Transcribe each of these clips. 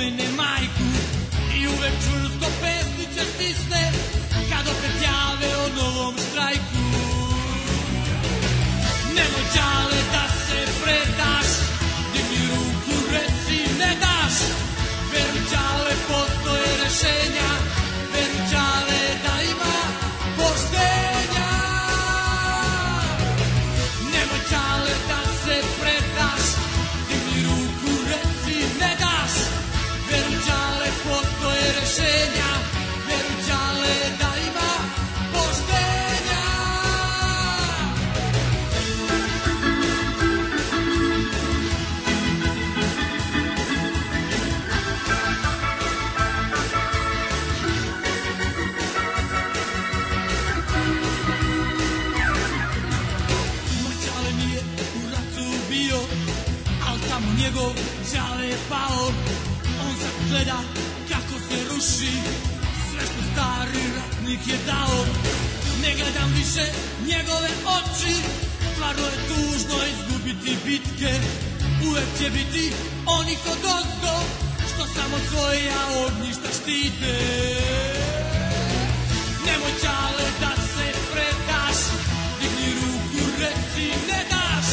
spomene majku i uvek čvrsto pesnice stisne kad opet jave o novom štrajku. Nemoj Đale da se predaš, digni ruku, reci ne daš. Veruj Đale, postoje rešenja, veruj Đale da ima poštenja. Nemoj Đale da se predaš, digni ruku, reci ne daš. Veruj Đale, postoje rešenja, veruj Đale da ima poštenja. Moj Đale nije u ratu bio, al tamo njegov Đale je pao. On sad gleda kako se ruši sve što stari ratnik je dao. Ne gledam više njegove oči, stvarno je tužno izgubiti bitke. Uvek će biti oni kod ozgo, što samo svoja ognjišta štite. Nemoj Đale da se predaš, digni ruku, reci ne daš.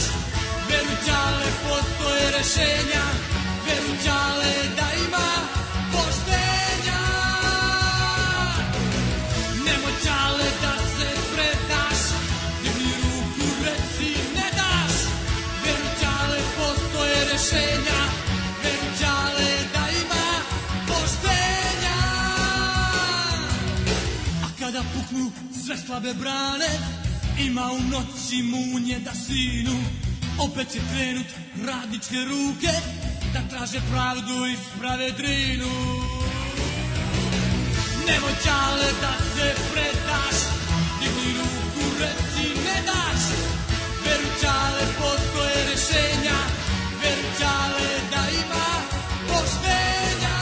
Veruj Đale, postoje rešenja, veruj Đale da ima poštenja. Nemoj Đale da se predaš, digni ruku, reci ne daš. Veruj Đale, postoje rešenja, veruj Đale da ima poštenja. A kada puknu sve slabe brane, ima u noći munje da sinu. Opet će krenut radničke ruke da traže pravdu i sprave drinu. Nemoj Đale da se predaš, digni ruku, reci ne daš. Veruj Đale, postoje rešenja, veruj Đale da ima poštenja.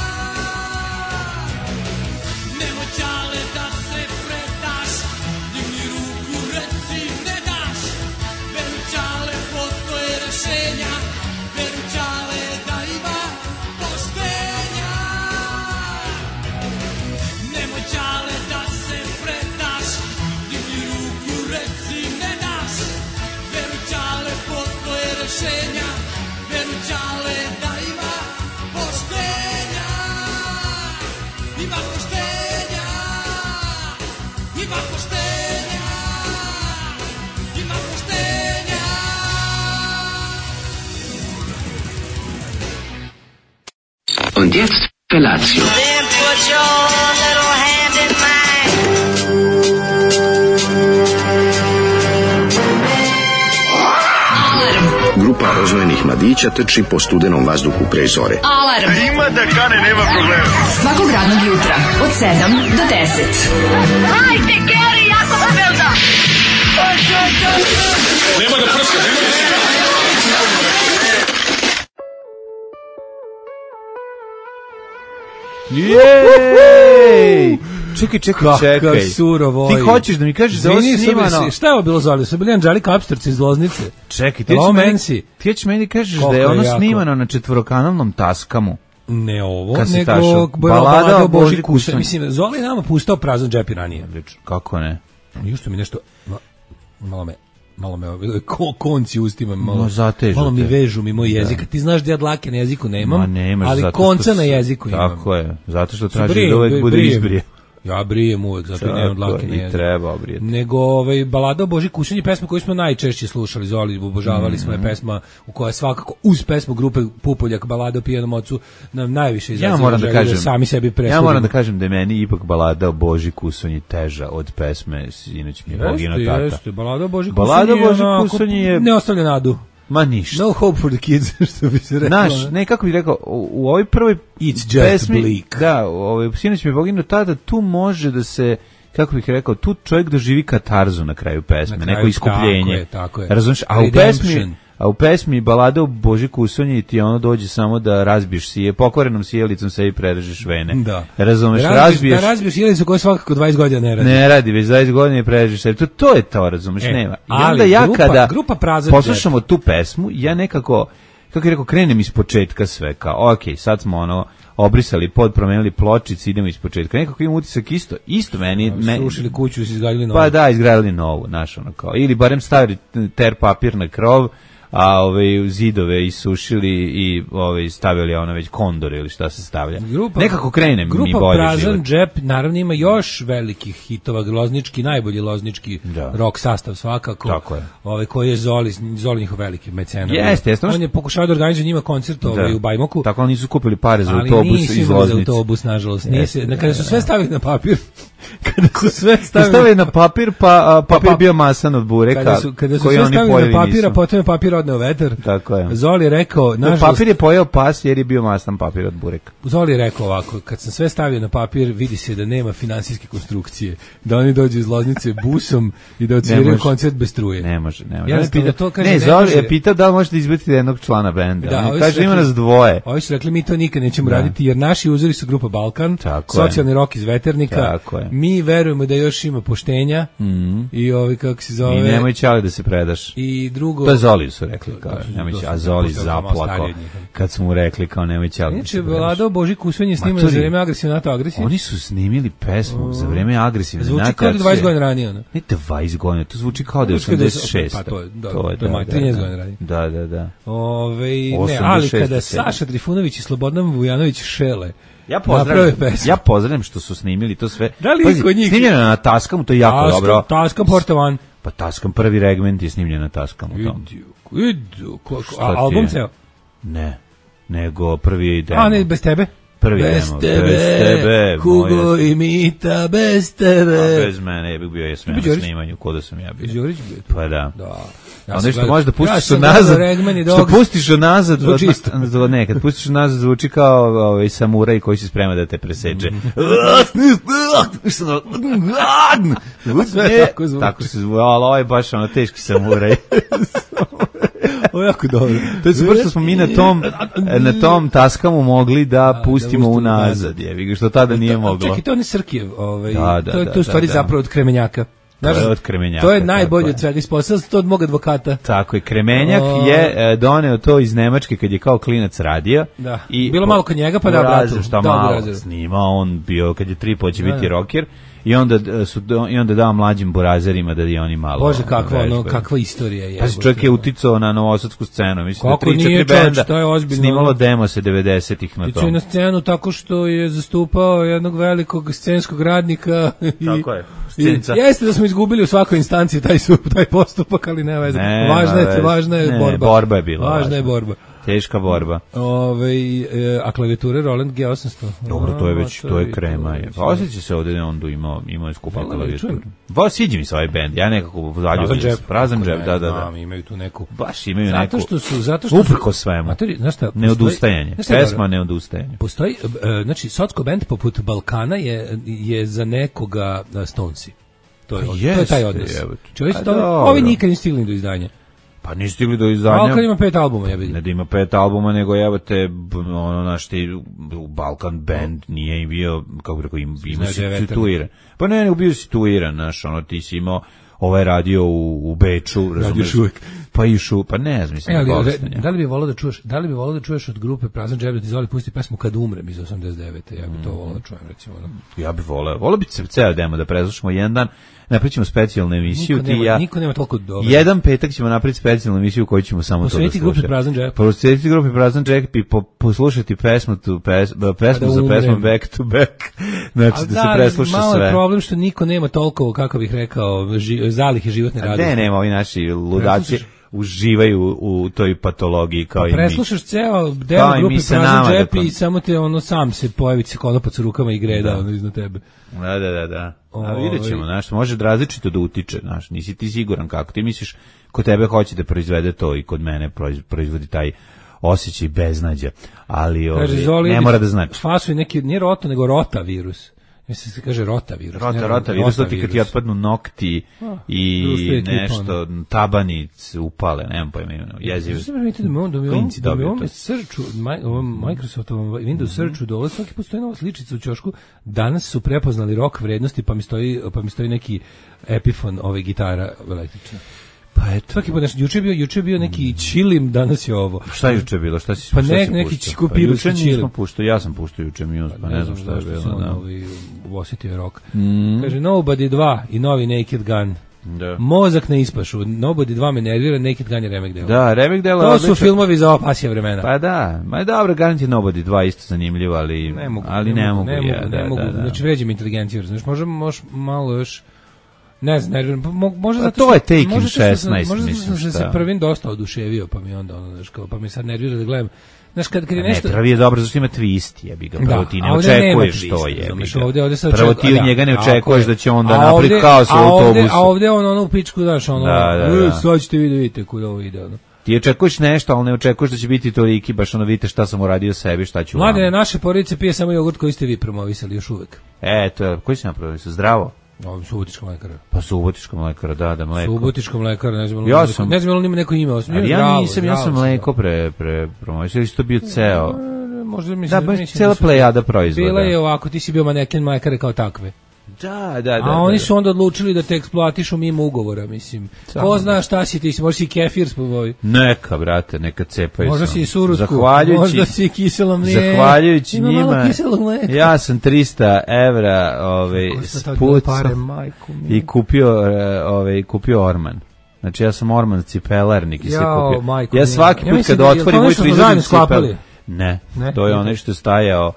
Nemoj Đale da se predaš, digni ruku, reci ne daš. Veruj Đale, postoje rešenja, veruj Đale da ima poštenja. Nemoj Đale da se predaš, digni ruku, reci ne daš. Veruj Đale, postoje rešenja, veruj Đale da ima poštenja. Ima poštenja, ima poštenja, ima poštenja. Und jetzt Felatio. Then put your little hand in mine. Grupa rozvojenih mladića trči po studenom vazduhu pre zore. Alarm. Ima da kane, nema problema. Svakog radnog jutra od 7 do 10. Hajde, Geri, jako se velda. Nema da prska, nema da prska. Jej! Čekaj. Kakav surovo. Ti hoćeš da mi kažeš da ovo snimano? Šta je ovo bilo zove? Su bili Anđelika Apsterci iz Loznice. Čekaj, ti ćeš meni kažeš da je ono snimano na četvorokanalnom Taskamu. Ne ovo, nego Balada o Boži Kusanji. Mislim, Zoli nama pustao prazan džep i ranije. Kako ne? Jušto mi nešto... Malo me konci ustima, malo mi vežu mi moj jezik. Ti znaš da ja dlake na jeziku nemam, ali konca na jeziku imam. Tako je, zato što traži da uvek bude izbrije. Ja brijem uvek, zato nemam dlake na jeziku. I treba obrijeti. Nego Balada o Boži Kusanji, pesma koju smo najčešće slušali, Zoli, obožavali smo je pesma u kojoj svakako uz pesmu grupe Pupoljak, Balada o pijanom ocu, nam najviše izaziva da sami sebi presudimo. Ja moram da kažem da je meni ipak Balada o Boži Kusanji teža od pesme Sinoć mi je Bogino tata. Jeste, Balada o Boži Kusanji je ne ostavlja nadu. Ma ništa. No hope for the kids, što bi se rekao. Znaš, ne, kako bih rekao, u ovoj prvoj It's just pesmi, bleak. Da, Sinoć mi je Bogino tada, tu može da se, kako bih rekao, tu čovjek doživi katarzu na kraju pesme, na kraju, neko iskupljenje. Tako je. Razumiješ, a u pesmi Balada o Boži Kusanji ti ono dođe samo da razbiješ sije, pokvarenom sijelicom sebi prerežeš vene. Da. Razumiješ, razbiješ. Da razbiješ sijelicu koja svakako 20 godina ne radi. Ne radi, već 20 godina prerežeš sebi. To je to, razumiješ, nema. I onda ja kada poslušamo tu pesmu, ja nekako, kako je rekao, krenem iz početka sve, kao, ok, sad smo ono, obrisali pod, promenili pločice, idemo ispočetka. Nekako imam utisak isto meni. Srušili kuću i izgradili novu. Pa da, izgradili novu, znaš, ono kao. Ili barem stavili ter papir na krov, a zidove isušili i stavili ono već kondore ili šta se stavlja. Nekako krene mi bolje život. Grupa Prazan džep naravno ima još velikih hitova, loznički, najbolji loznički rock sastav svakako. Tako je. Koji je Zoli njihov veliki mecena. Jeste. On je pokušao da organizuje njima koncert u Bajmoku. Tako oni nisu kupili pare za autobus iz Loznice. Ali nisu autobus, nažalost. Kada su sve stavili na papir, stavili na papir, pa papir bio masan od bureka. Kada su sve stavili na papir, a potom je papir odneo vetar. Tako je. Zoli je rekao, nažalost, papir je pojeo pas jer je bio masan papir od bureka. Zoli je rekao ovako, kad sam sve stavio na papir, vidi se da nema finansijske konstrukcije, da oni dođu iz Loznice busom i da odsviraju koncert bez struje. Ne može. Zoli je pitao da li možete izbaciti jednog člana benda. Kaže, ima nas dvoje. Ovi su rekli, mi to nikad nećemo raditi, jer naši uzori su grupa Balkan, socijalni rok iz Veternika, mi verujemo da još ima poštenja i kako se zove... I nemoj Ćale da se predaš. I drugo... To je Zoli su rekli, a Zoli zaplako kad su mu rekli kao nemoj Ćale da se predaš. Vlada Boži Kusvenje snimali za vreme agresivne NATO agresije. Oni su snimili pesmu za vreme agresivne NATO agresije. Zvuči kao 20 godina ranije. Ne 20 godina, to zvuči kao da je 86. Pa to je 13 godina ranije. Da. Ne, ali kada Saša Trifunović i Slobodan Vujanović šele, Ja pozdravljam što su snimili to sve. Da li kod njih? Snimljeno na Taskamu, to je jako dobro. Taskam Portovan. Pa Taskam prvi regment je snimljen na Taskamu. Idu. Album ceo? Ne, nego prvi je demo. A ne, bez tebe? Prvi bez demo. Tebe, Kugo i Mita, bez tebe. A bez mene, ja bih bio jesmen na snimanju, ko da sam ja bio. Đurić bio? Pa da. Ono što možeš da pustiš nazad, što pustiš nazad, kad pustiš nazad zvuči kao samuraj koji se sprema da te preseče. Tako se zvuči, ali ovo je baš ono teški samuraj. Ovo je jako dobro. To je super što smo mi na tom Taskamu mogli da pustimo unazad, što tada nije moglo. Čekaj, to je Srkijev, to je u stvari zapravo od Kremenjaka. To je najbolje od svega, ispostavljeno to od mog advokata. Tako je, Kremenjak je doneo to iz Nemačke kad je kao klinac radio. Da. Bilo malo kod njega, pa da bratu. Šta malo snimao, on bio, kad je 3 će biti rocker. I onda dao mlađim burazerima da i oni malo... Bože, kakva istorija je. Pa čovjek je uticao na novosadsku scenu. Mislim kako da 3-4 benda snimalo demo se 90-ih na tom. Uticao je na scenu tako što je zastupao jednog velikog scenskog radnika. Tako je. Jeste da smo izgubili u svakoj instanciji taj postupak, ali ne veze. Važna je borba. Borba je bila. Važna je borba. Teška borba. A klavijature Roland G800. Dobro, to je krema. Pa osjeća se ovdje da on imao skupa klavijaturu. Sviđa mi se ovaj bend. Ja nekako zaljubim. Prazan džep, da. Imaju tu neku. Baš imaju neku. Zato što uprko svemu. Neodustajanje. Pesma neodustajanje. Postoji, znači, socko bend poput Balkana je za nekoga Stonesi. To je taj odnos. Ovi nikad nisu stigli do izdanja. Pa nisu stigli do izdanja. Balkan ima 5 albuma, ja vidim. Ne da ima 5 albuma, nego jebate, Balkan band nije im bio, kako bi rekao, ima situiran. Pa ne, bio situiran, ti si imao, radio u Beču, radiš uvijek. Pa ne znam, mislim. Da li bi volao da čuješ od grupe Prazan džep da ti Zoli pusti pesmu Kad umrem iz 89. Ja bi to volao da čujem, recimo. Ja bi volao bi ceo demo da preslušamo jedan dan. Napravićemo specijalnu emisiju. Niko nema toliko dobro. Jedan petak ćemo napraviti specijalnu emisiju u kojoj ćemo samo to da slušati. Posvetiti grupi Prazan džep i poslušati pesmu za pesmu Back to Back. Znači da se presluša sve. Malo je problem što niko nema toliko, kako bih rekao, zalihe životne radosti. Ne, nema, ovi naši ludaci uživaju u toj patologiji kao i mi. Preslušaš ceo deo grupe Prazan džep i samo te sam se pojavi se konopac u rukama i greda iznad tebe. Da. A vidjet ćemo, može različito da utiče, nisi ti siguran kako. Ti misliš, kod tebe hoće da proizvede to i kod mene proizvodi taj osjećaj beznađa, ali ne mora da znači. Fasuj neki, nije roto, nego rotavirus. Mislim se kaže rotavirus. Rotavirus, to ti kad ti otpadnu nokti i nešto, tabanic upale, nemam pojma, jezivo. Da mi ovom searchu, Microsoftovom Windows searchu dole, svaki postoji nova sličica u ćošku, danas su prepoznali rok vrednosti, pa mi stoji neki Epiphone gitara električna. Pa eto. Svaki put nešto, juče je bio neki čilim, danas je ovo. Šta je juče bilo? Šta si pa puštao? Neki kupirski čilim. Ja sam puštao juče Muse, pa ne znam šta je bilo. Da. Osjetio rock. Kaže, Nobody 2 i novi Naked Gun. Da. Mozak na ispašu. Nobody 2 me nervira, Naked Gun je remek dela. Da, remek dela. To su filmovi za opasje vremena. Pa da, ma je dobro, garant je Nobody 2 isto zanimljivo, ali ne mogu. Znači, vređim inteligenciju, znaš, možeš malo još, ne znam, nerviram, možda zato to je Taken 16, možda mislim, sam se prvim dosta oduševio, pa mi onda, znaš, pa mi sad nervira da gledam. Znaš, kad je nešto... Ne, prvi je dobro, zašto ima twist, jebi ga, prvo ti ne očekuješ to, jebi ga. Prvo ti od njega ne očekuješ da će onda napraviti kaos u autobusu. A ovde on ono u pičku, znaš, ono, sad ćete vidite kuda ovo ide, ono. Ti očekuješ nešto, ali ne očekuješ da će biti toliki, baš ono vidite šta sam uradio sebi, šta ću vam. Mladene, naše porodice pije samo jogurt koji ste vi promovisali još uvek. To, koji si napromovisao? Zdravo? Subotička mlekara. Pa Subotička mlekara, da, mleko. Subotička mlekara, ne znam, ne znam li ima neko ime. Ja sam mleko promovisao, ili si to bio ceo? Možda mislim da cela plejada proizvoda. Bila je ovako, ti si bio maneken mlekare kao takve. Da. A oni su onda odlučili da te eksploatišu mimo ugovora, mislim. Ko zna šta si ti, možda si kefir spovoji. Neka, brate, neka cepaju. Možda si i surusku, možda si kiselo mlijeko. Zahvaljujući njima, ja sam 300 evra spucao i kupio Orman. Znači ja sam Orman cipelarnik i se kupio. Ja svaki put kad otvorim moj frizerni cipel. Ne, to je ono što je stajao,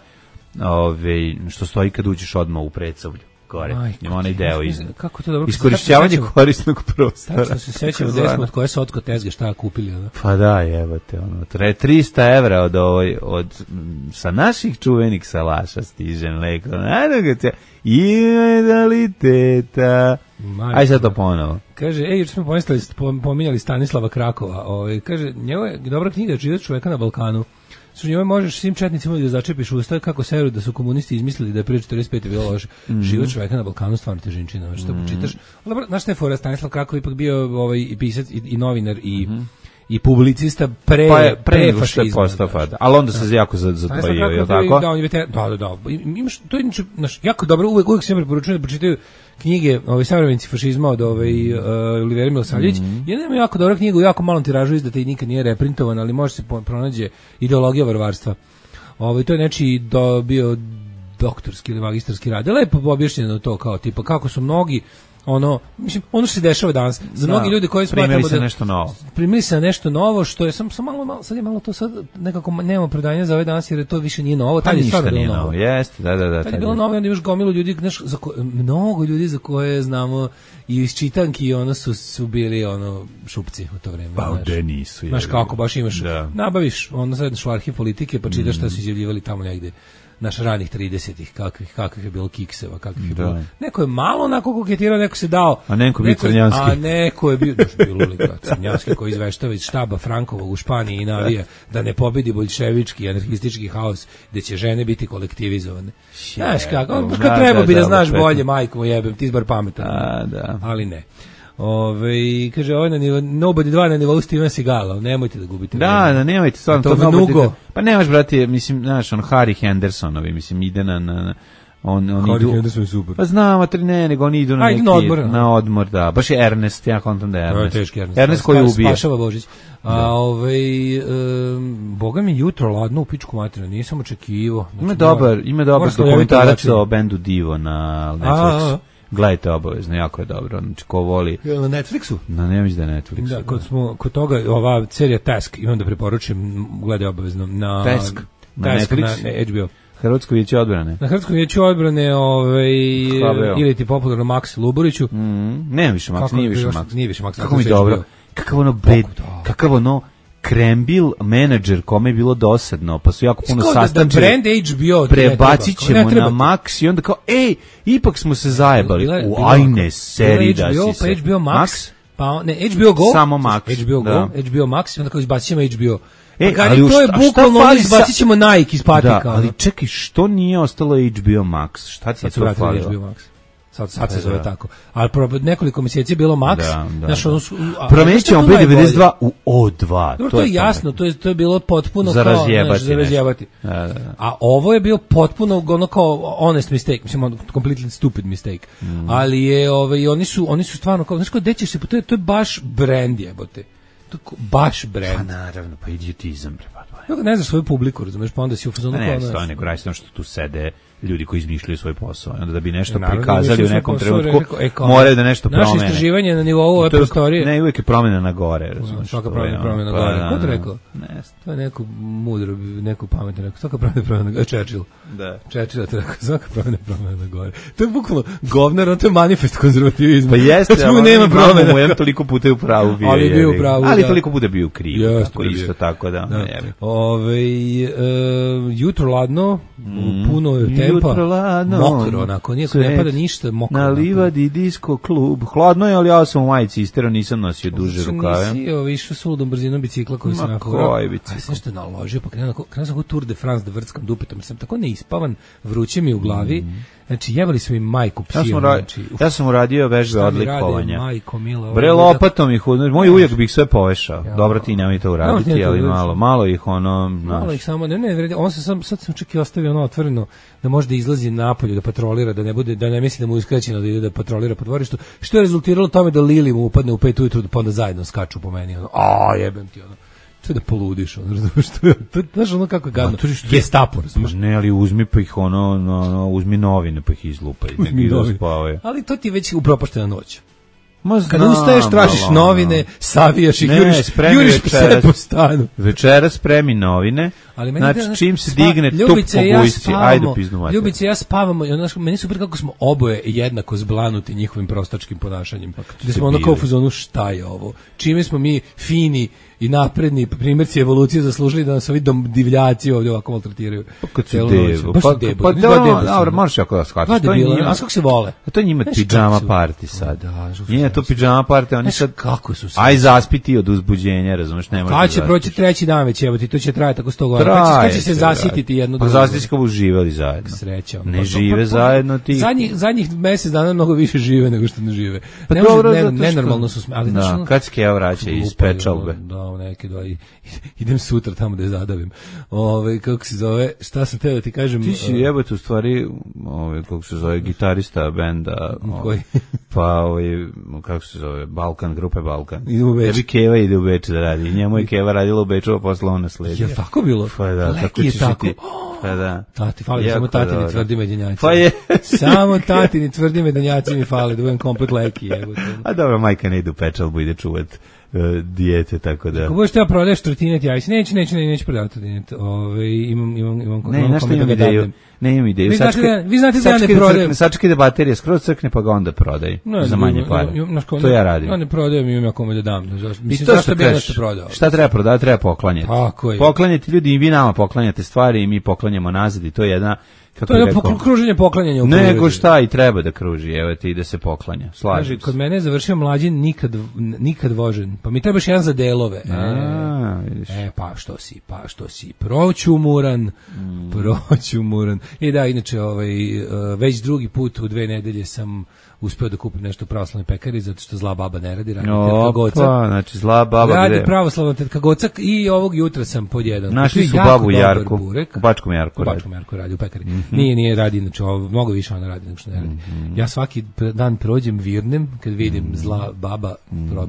što stoji kad uđeš odmah u Predsavlju. Gore, ima onaj deo iskorišćavanje korisnog prostora. Tačno se sećamo da smo od koje se otko tezge šta kupili. Ono? Pa da, jebate, 300 evra sa naših čuvenih salaša stiže mleko. Ime daliteta. Aj sad to ponovo. Kaže, juče smo pominjali Stanislava Krakova. Kaže, njegova je dobra knjiga Život čoveka na Balkanu. Su njoj možeš svim četnicima da začepiš usta kako se veruje da su komunisti izmislili da je pre 45 bilo loše. Život čoveka na Balkanu stvarno težinčina, što počitaš. Dobro, znaš šta je fora, Stanislav Krakov ipak bio i pisac i novinar i publicista pre fašizma. Ali onda se jako zatvojio, je li tako? Da. Imaš, to je jako dobro, uvek se preporučujem da pročitaju knjige savremenici fašizma od Olivera Milosavljević. Jedna ima jako dobra knjiga u jako malom tiražu izdata i nikad nije reprintovan, ali može se pronađe Ideologija varvarstva. To je nečiji bio doktorski ili magistarski rad. Lepo objašnjeno to kao tipa kako su mnogi ono što se dešava danas. Za mnogi ljudi koji smatramo da primili se nešto novo, što je sam malo sad je malo to sad nekako nemamo predanja za ovaj danas jer to više nije novo, tad je stvarno bilo novo. Jeste, da. Tad je bilo novo i onda imaš gomilu ljudi, mnogo ljudi za koje znamo i iz čitanki su bili šupci u to vreme. Pa ovde nisu. Znaš kako baš imaš, nabaviš, sedneš u arhiv politike pa čitaš šta su izjavljivali tamo negde. Naš ranih 30-ih, kakvih je bilo kikseva, kakvih je bilo. Neko je malo onako koketirao, neko se dao. A neko bio Crnjanski. A neko je bio, bilo li ga, Crnjanski koji izveštava iz štaba Frankovog u Španiji i navija da ne pobedi boljševički, anarhistički haos, gde će žene biti kolektivizovane. Znaš kako, kad treba bi da znaš bolje, majko mu jebem, ti izbar pametan. Ali ne. Kaže, ovo je Nobody 2 na nivou Steven Seagala, nemojte da gubite. Da, nemojte, stvarno to Nobody. Pa nemaš, brate, mislim, znaš, Harry Hendersonovi, mislim, ide na Harry Henderson je super. Pa znam, nego oni idu na odmor, da. Baš je Ernest, ja kontam da je Ernest. Teški Ernest. Ernest koji ubije. Spašava Božić. Boga mi jutro ladno u pičku materinu, nisam očekivao. Ima dobar dokumentarac o bendu Divo na Netflixu. Gledajte obavezno, jako je dobro. Znači, ko voli... Na Netflixu? Ne mislim da je Netflixu. Da, kod toga, ova serija Task, imam da preporučim, gledaj obavezno. Task? Na Netflixu? Na HBO. Hrvatsko vijeće odbrane. Na Hrvatsko vijeće odbrane, ili ti popularno Maks Luburiću. Nema više Maks, nije više Maks. Nije više Maks. Kako mi dobro. Kakav ono krembil menadžer kome je bilo dosadno, pa su jako puno sastančili. Da brand HBO prebacit ćemo na Max i onda kao, ipak smo se zajebali. Ajne, seri da si se. Pa HBO Max, pa ne, HBO Go. Samo Max. HBO Go, HBO Max i onda kao izbacit ćemo HBO. Ali to je bukvalno izbacit ćemo Nike iz patika. Da, ali čekaj, što nije ostalo HBO Max? Šta ti je to falilo? sad se zove tako. Ali nekoliko mjeseci je bilo maks. Znaš, promenit ćemo B92 u O2. Dobro, to je jasno, to je bilo potpuno za kao razjebati. A ovo je bio potpuno ono kao honest mistake, mislim, completely stupid mistake. Ali je, oni su stvarno kao, znaš, gde ćeš se, to je baš brand jebote. Baš brand. Pa naravno, pa idiotizam, ne znaš svoju publiku, razumeš, pa onda si u fazonu ne, nego rajstvo što tu sede ljudi koji izmišljaju svoj posao, onda da bi nešto prikazali u nekom trenutku, moraju da nešto promene. Naše istraživanje na nivou ove prostorije... Ne, uvijek je promena na gore, razumiješ. Svaka promena na gore. Ko to rekao? To je neko mudro, neko pametno rekao. Svaka promena na gore. Churchill. Da. Churchill je to rekao. Svaka promena na gore. To je bukvalno govnar, to je manifest konzervativizma. Pa jeste, ali nema promena. Mu je toliko puta u pravu bio. Ali bio u pravu, ali toliko puta bio u krivu. Isto tako da. Jutro ladno, puno tempa, mokro, onako, nijako ne pada ništa, mokro. Na livadi disco klub, hladno je, ali ja sam u majici istero, nisam nosio duže rukave. Nisi išao suludom brzinom bicikla koji sam nakon. Koji bicikla? Aj sam što naložio, pa krenuo sam kao Tour de France da vrckam dupetom, sam tako neispavan, vruće mi u glavi. Znači, jebali su mi majku psiju. Ja sam uradio vežbe odlikovanja. Majko, mila, bre, lopatom ih, moj ujak bih sve povešao. Dobro, ti nemoj to uraditi, ali malo ih ono... Malo ih samo, ne, on se sad sam čak i ostavio ono otvoreno, da može da izlazi napolju, da patrolira, da ne misli da mu je uskraćeno da ide da patrolira po dvorištu, što je rezultiralo tome da Lili mu upadne u 5 ujutru, pa onda zajedno skaču po meni, ono, jebem ti, ono. To je da poludiš, ono, razumiješ, znaš ono kako je gadno, Gestapo, razumiješ. Ne, ali uzmi pa ih uzmi novine pa ih izlupaj. Ali to ti je već upropaštena noć. Kada ustaješ, tražiš novine, savijaš ih, juriš pse po stanu. Večera spremi novine, znači čim se digne tup po gujsci, ajde pizdu mater. Ljubice i ja spavamo, meni super kako smo oboje jednako zblanuti njihovim prostačkim ponašanjem. Gde smo ono kao u fazonu, šta je ovo? Čime smo mi fini i napredni primjerci evolucije zaslužili da nas ovi divljaci ovdje ovako maltretiraju. Kad su debu. Pa dobro, možeš jako da shvatiš. A kako se vole? To je njima pidžama party sad. Nije to pidžama party, oni sad... Kako su se? Aj zaspiti od uzbuđenja, razumeš, ne možeš da zaspiš. Kad će proći treći dan već, evo ti, to će trajati tako 100 godina. Kad će se zasititi jedno drugo. Pa zasititi kao uživali zajedno. Sreća. Ne žive zajedno ti. Zadnjih mjesec dana mnogo više žive nego što ne žive. Nenormalno su smeli. Kad se Keva vraća iz pečalbe. Neke dva idem sutra tamo da je zadavim. Kako se zove, šta sam teo da ti kažem? Ti si jebate u stvari, kako se zove, gitarista benda. Koji? Pa, kako se zove, Balkan, grupe Balkan. Ide u Beč. Tebi Keva ide u Beč da radi. Njemu je Keva radila u Beču, a posle on nasledio. Je tako bilo? Pa da, tako ćeš i ti. Pa da. Tati, fali samo tatini tvrdi medenjaci. Pa je. Samo tatini tvrdi medenjaci mi fali, da budem komplet leki. A dobro, majka ne ide u pečalbu, ide čuvat dijete, tako da. Ako budeš te prodaješ trotinet, ja si neću prodavati trotinet. Imam ideju. Ne imam ideju. Vi znate da ja ne prodajem. Sačekaj da baterija skroz crkne, pa ga onda prodaj. Za manje pare. To ja radim. Ja ne prodajem, imam ja kome da dam. Mislim, zašto bi nešto prodao? Šta treba prodati? Treba poklanjati. Tako je. Poklanjati ljudi i vi nama poklanjate stvari i mi poklanjamo nazad i to je jedna... To je kruženje poklanjanja u prirodi. Nego šta i treba da kruži, evo ti da se poklanja. Slažem se. Kod mene je završio mlađin nikad vožen. Pa mi trebaš jedan za delove. Pa što si. Proćumuran. I da, inače, već drugi put u 2 nedelje sam uspeo da kupim nešto u pravoslavnoj pekari, zato što zla baba ne radi, radi tetka Goca. Znači zla baba radi pravoslavna tetka Goca i ovog jutra sam podjedan. Našli su babu Jarku, u Bačkom Jarku radi u pekari. Nije radi, znači mnogo više ona radi nego što ne radi. Ja svaki dan prođem virnem, kad vidim zla baba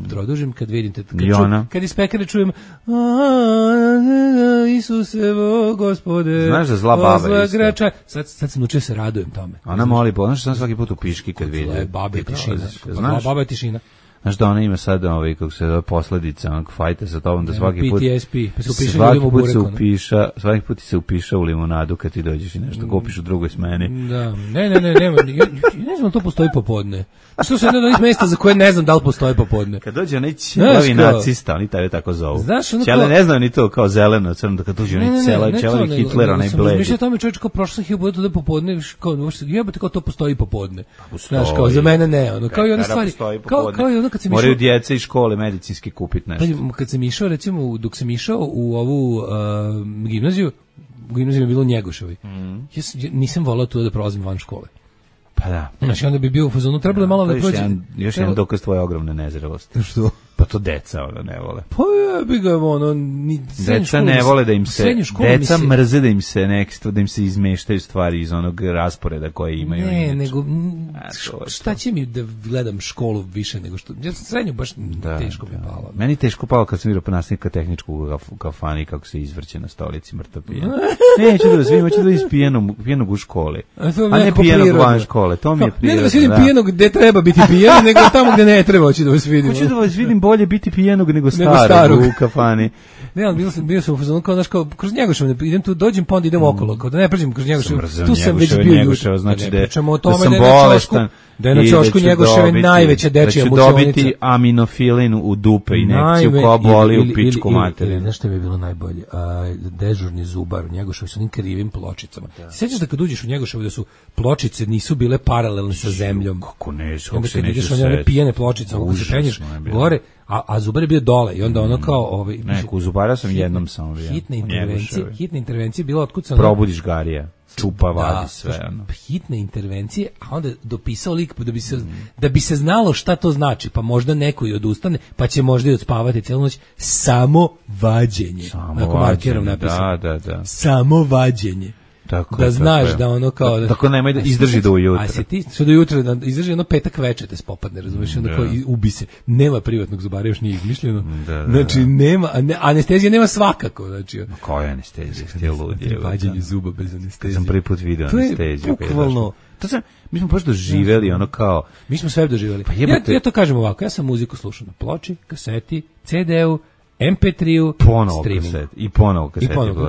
produžim, kad vidim kad iz pekare čujem Isuse, Gospode. Znaš da zla baba isto. Sad sam naučio se radujem tome. Ona moli, znaš što sam svaki put u piški kad vidim. Babe tišina. Baba tišina. Znaš da ona ima sad kako se zove posledica onog fajta sa tobom da svaki put PTSP, svaki put se upiša u limonadu kad ti dođeš i nešto kupiš u drugoj smeni. Da, ne znam to postoji popodne. Što se jedno od onih mjesta za koje ne znam da li postoji popodne. Kad dođe onaj ćelavi nacista, oni tebe tako zovu. Ćele ne znaju ni to kao zeleno, crno, da kad dođe onaj ćelavi Hitler, onaj bledi. Mišlja tome čovječ kao prošlo sam hiljadu puta da popodne, jebate kao to postoji popodne. Znaš, kao za mene ne, ono, kao i one stvari. Kao i ono kad sam išao. Moraju djeca iz škole medicinski kupiti nešto. Kad sam išao, recimo, dok sam išao u ovu gimnaziju, u gimnaziju je bilo u Njegoševi. Ja nisam volao tu da prolazim van škole. Pa da. Znači, onda bi bio u fazonu, trebalo je malo da prođe. Još jedan dokaz tvoje ogromne nezrelosti. Što? Pa to deca ne vole. Pa bi ga Deca ne vole da im se, deca mrze da im se izmeštaju stvari iz onog rasporeda koje imaju. Ne, nego šta će mi da gledam školu više nego što, ja sam srednju baš teško mi je palo. Meni teško palo kad sam vidio nastavnika tehničkog u kafani kako se izvrće na stolici mrtav pijan. Neću da vas vidim, hoću da iz pijenog u školi. A ne pijenog van škole, to mi je prirodno. Ne da vas vidim pijenog gde treba biti pijan, nego tamo gde ne treba, hoću da vas vidim. Hoću da vas vidim bolje biti pijenog nego starog u kafani. Ne, ali bio sam u fazonu kao, znaš, kao kroz Njegošev, idem tu, dođem pa onda idem okolo, kao da ne pređem kroz Njegošev, tu sam već bio Njegošev, znači da pričamo o tome da je na ćošku Njegoševe najveća dečija mučionica. Da ću dobiti aminofilin u dupe i injekciju koja boli u pičku materinu. Znaš što mi je bilo najbolje? Dežurni zubar u Njegoševu sa onim krivim pločicama. Sjećaš da kad uđeš u Njegoševu da su pločice nisu bile paralelne sa zemljom? Kako ne, kako se nećeš sjetiti. One pijene pločice, kako se penješ gore, a zubar je bio dole i onda ono kao... u zubara sam jednom samo bio. Hitne intervencije bila otkucana... Probudiš garija. Čupa, vadi sve. Hitne intervencije, a onda dopisao lik da bi se znalo šta to znači, pa možda neko i odustane, pa će možda i odspavati celu noć. Samo vađenje. Ako markerom napisao. Da. Samo vađenje. Tako da znaš da ono kao... Tako nemoj da izdrži do ujutro. A se ti što do jutra izdrži ono petak veče te spopadne, razumiješ, onda kao ubi se. Nema privatnog zubara, još nije izmišljeno. Znači nema, anestezija nema svakako. Znači, koja je anestezija? Ste ludi. Vađenje zuba bez anestezije. Sam prvi put video anesteziju. Bukvalno. Mi smo baš doživjeli ono kao... Mi smo sve doživjeli. Ja to kažem ovako, ja sam muziku slušao na ploči, kaseti, CD-u, MP3-u, streamingu. I ponovo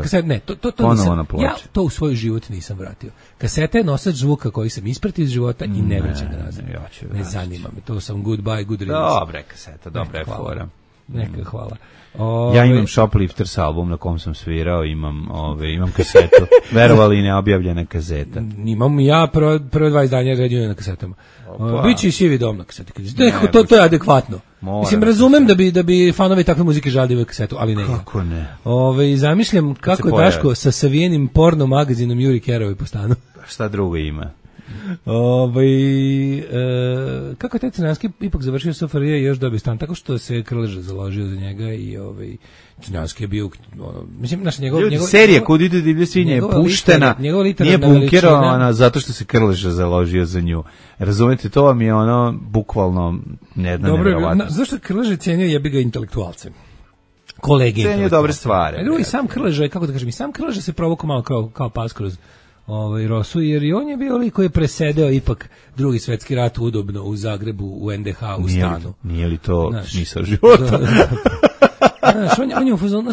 kaseti. Ne, to nisam, ja to u svoj život nisam vratio. Kaseta je nosač zvuka koji sam ispratio iz života i ne vraćam ga nazad. Ne zanima me, to sam goodbye, good riddance. Dobre kaseta, dobra je fora. Neka hvala. Ja imam Shoplifters album na kom sam svirao, imam kasetu. Verovali neobjavljena kazeta. Imam ja prve 20 dana ređujene na kasetama. Biće i Sivi dom na kaseti. To je adekvatno. Mislim, razumem da bi fanovi takve muzike žalili kasetu, ali ne. Kako ne? Zamišljam kako je Daško sa savijenim porno magazinom Juri Kerovi po stanu. Šta drugo ima? Kako je taj Crnjanski ipak završio SFRJ i još dobio stan, tako što se Krleža založio za njega i Crnjanski je bio, mislim, naša serija Kud ide divlje svinje je puštena, nije bunkerovana zato što se Krleža založio za nju. Razumete, to vam je ono bukvalno nevjerovatno. Zašto Krleža cenio jebi ga intelektualce? Kolege cenio dobre stvari. I sam Krleža, kako da kažem, i sam Krleža se provukao malo kao pas kroz Rosu, jer i on je bio lik koji je presedeo ipak Drugi svjetski rat udobno u Zagrebu, u NDH, u stanu. Nije li to smisao života?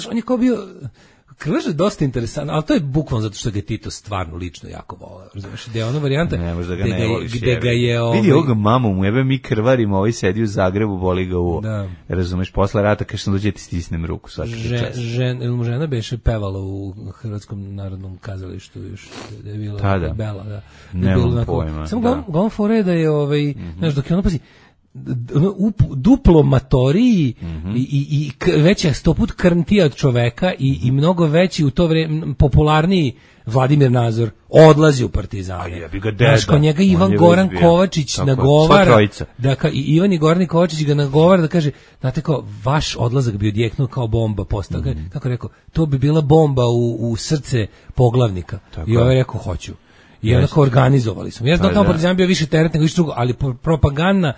On je kao bio... Krleža je dosta interesantno, ali to je bukvalno zato što ga je Tito stvarno lično jako voleo. Razumiješ, gde je ono varijanta gde ga je... Vidi ovoga mamu mu, jebe mi krvarimo, ovaj sedi u Zagrebu, boli ga uvo. Razumiješ, posle rata kaže sam dođe ti stisnem ruku svaki čas. Žena beše pevala u Hrvatskom narodnom kazalištu još, da je bila Bela. Nemam pojma. Samo glavno fore da je, znaš, dok je ono, pazi, duplo matoriji i veća 100 put krntija od čoveka i mnogo veći u to vreme popularniji Vladimir Nazor odlazi u Partizane. Znaš, ko njega Ivan Goran Kovačić nagovara, i Ivan i Goran Kovačić ga nagovara da kaže, znate kao, vaš odlazak bi odjeknuo kao bomba postao. Kako rekao, to bi bila bomba u srce poglavnika. I ovaj rekao, hoću. I onako organizovali smo. Ja znam tamo Partizan bio više teret nego više drugo, ali propagandna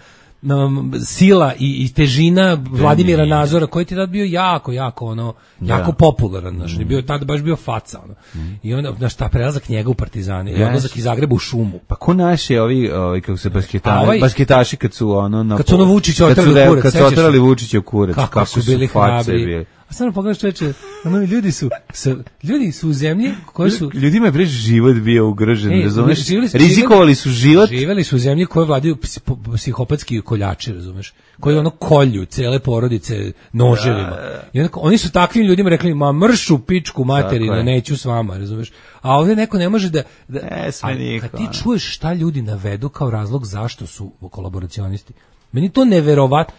sila i težina Vladimira Nazora, koji ti tad bio jako popularan, znaš, je bio tad baš bio faca, i onda, znaš, ta prelazak njega u Partizane i odlazak iz Zagreba u šumu. Pa ko naši ovi kako se basketaši kad su Vučića otrali kurac, kad su otrali Vučića u kurac, kako su bili hrabri. A samo pogledaš, čoveče, ljudi su u zemlji koji su... Ljudima je život bio ugrožen, razumeš? Rizikovali su život. Živeli su u zemlji koje vladaju psihopatski koljači, razumeš? Koji kolju cele porodice noževima. I oni su takvim ljudima rekli, ma mršu pičku materinu, neću s vama, razumeš? A ovdje neko ne može da kad ti čuješ šta ljudi navedu kao razlog zašto su kolaboracionisti, meni to neverovatno.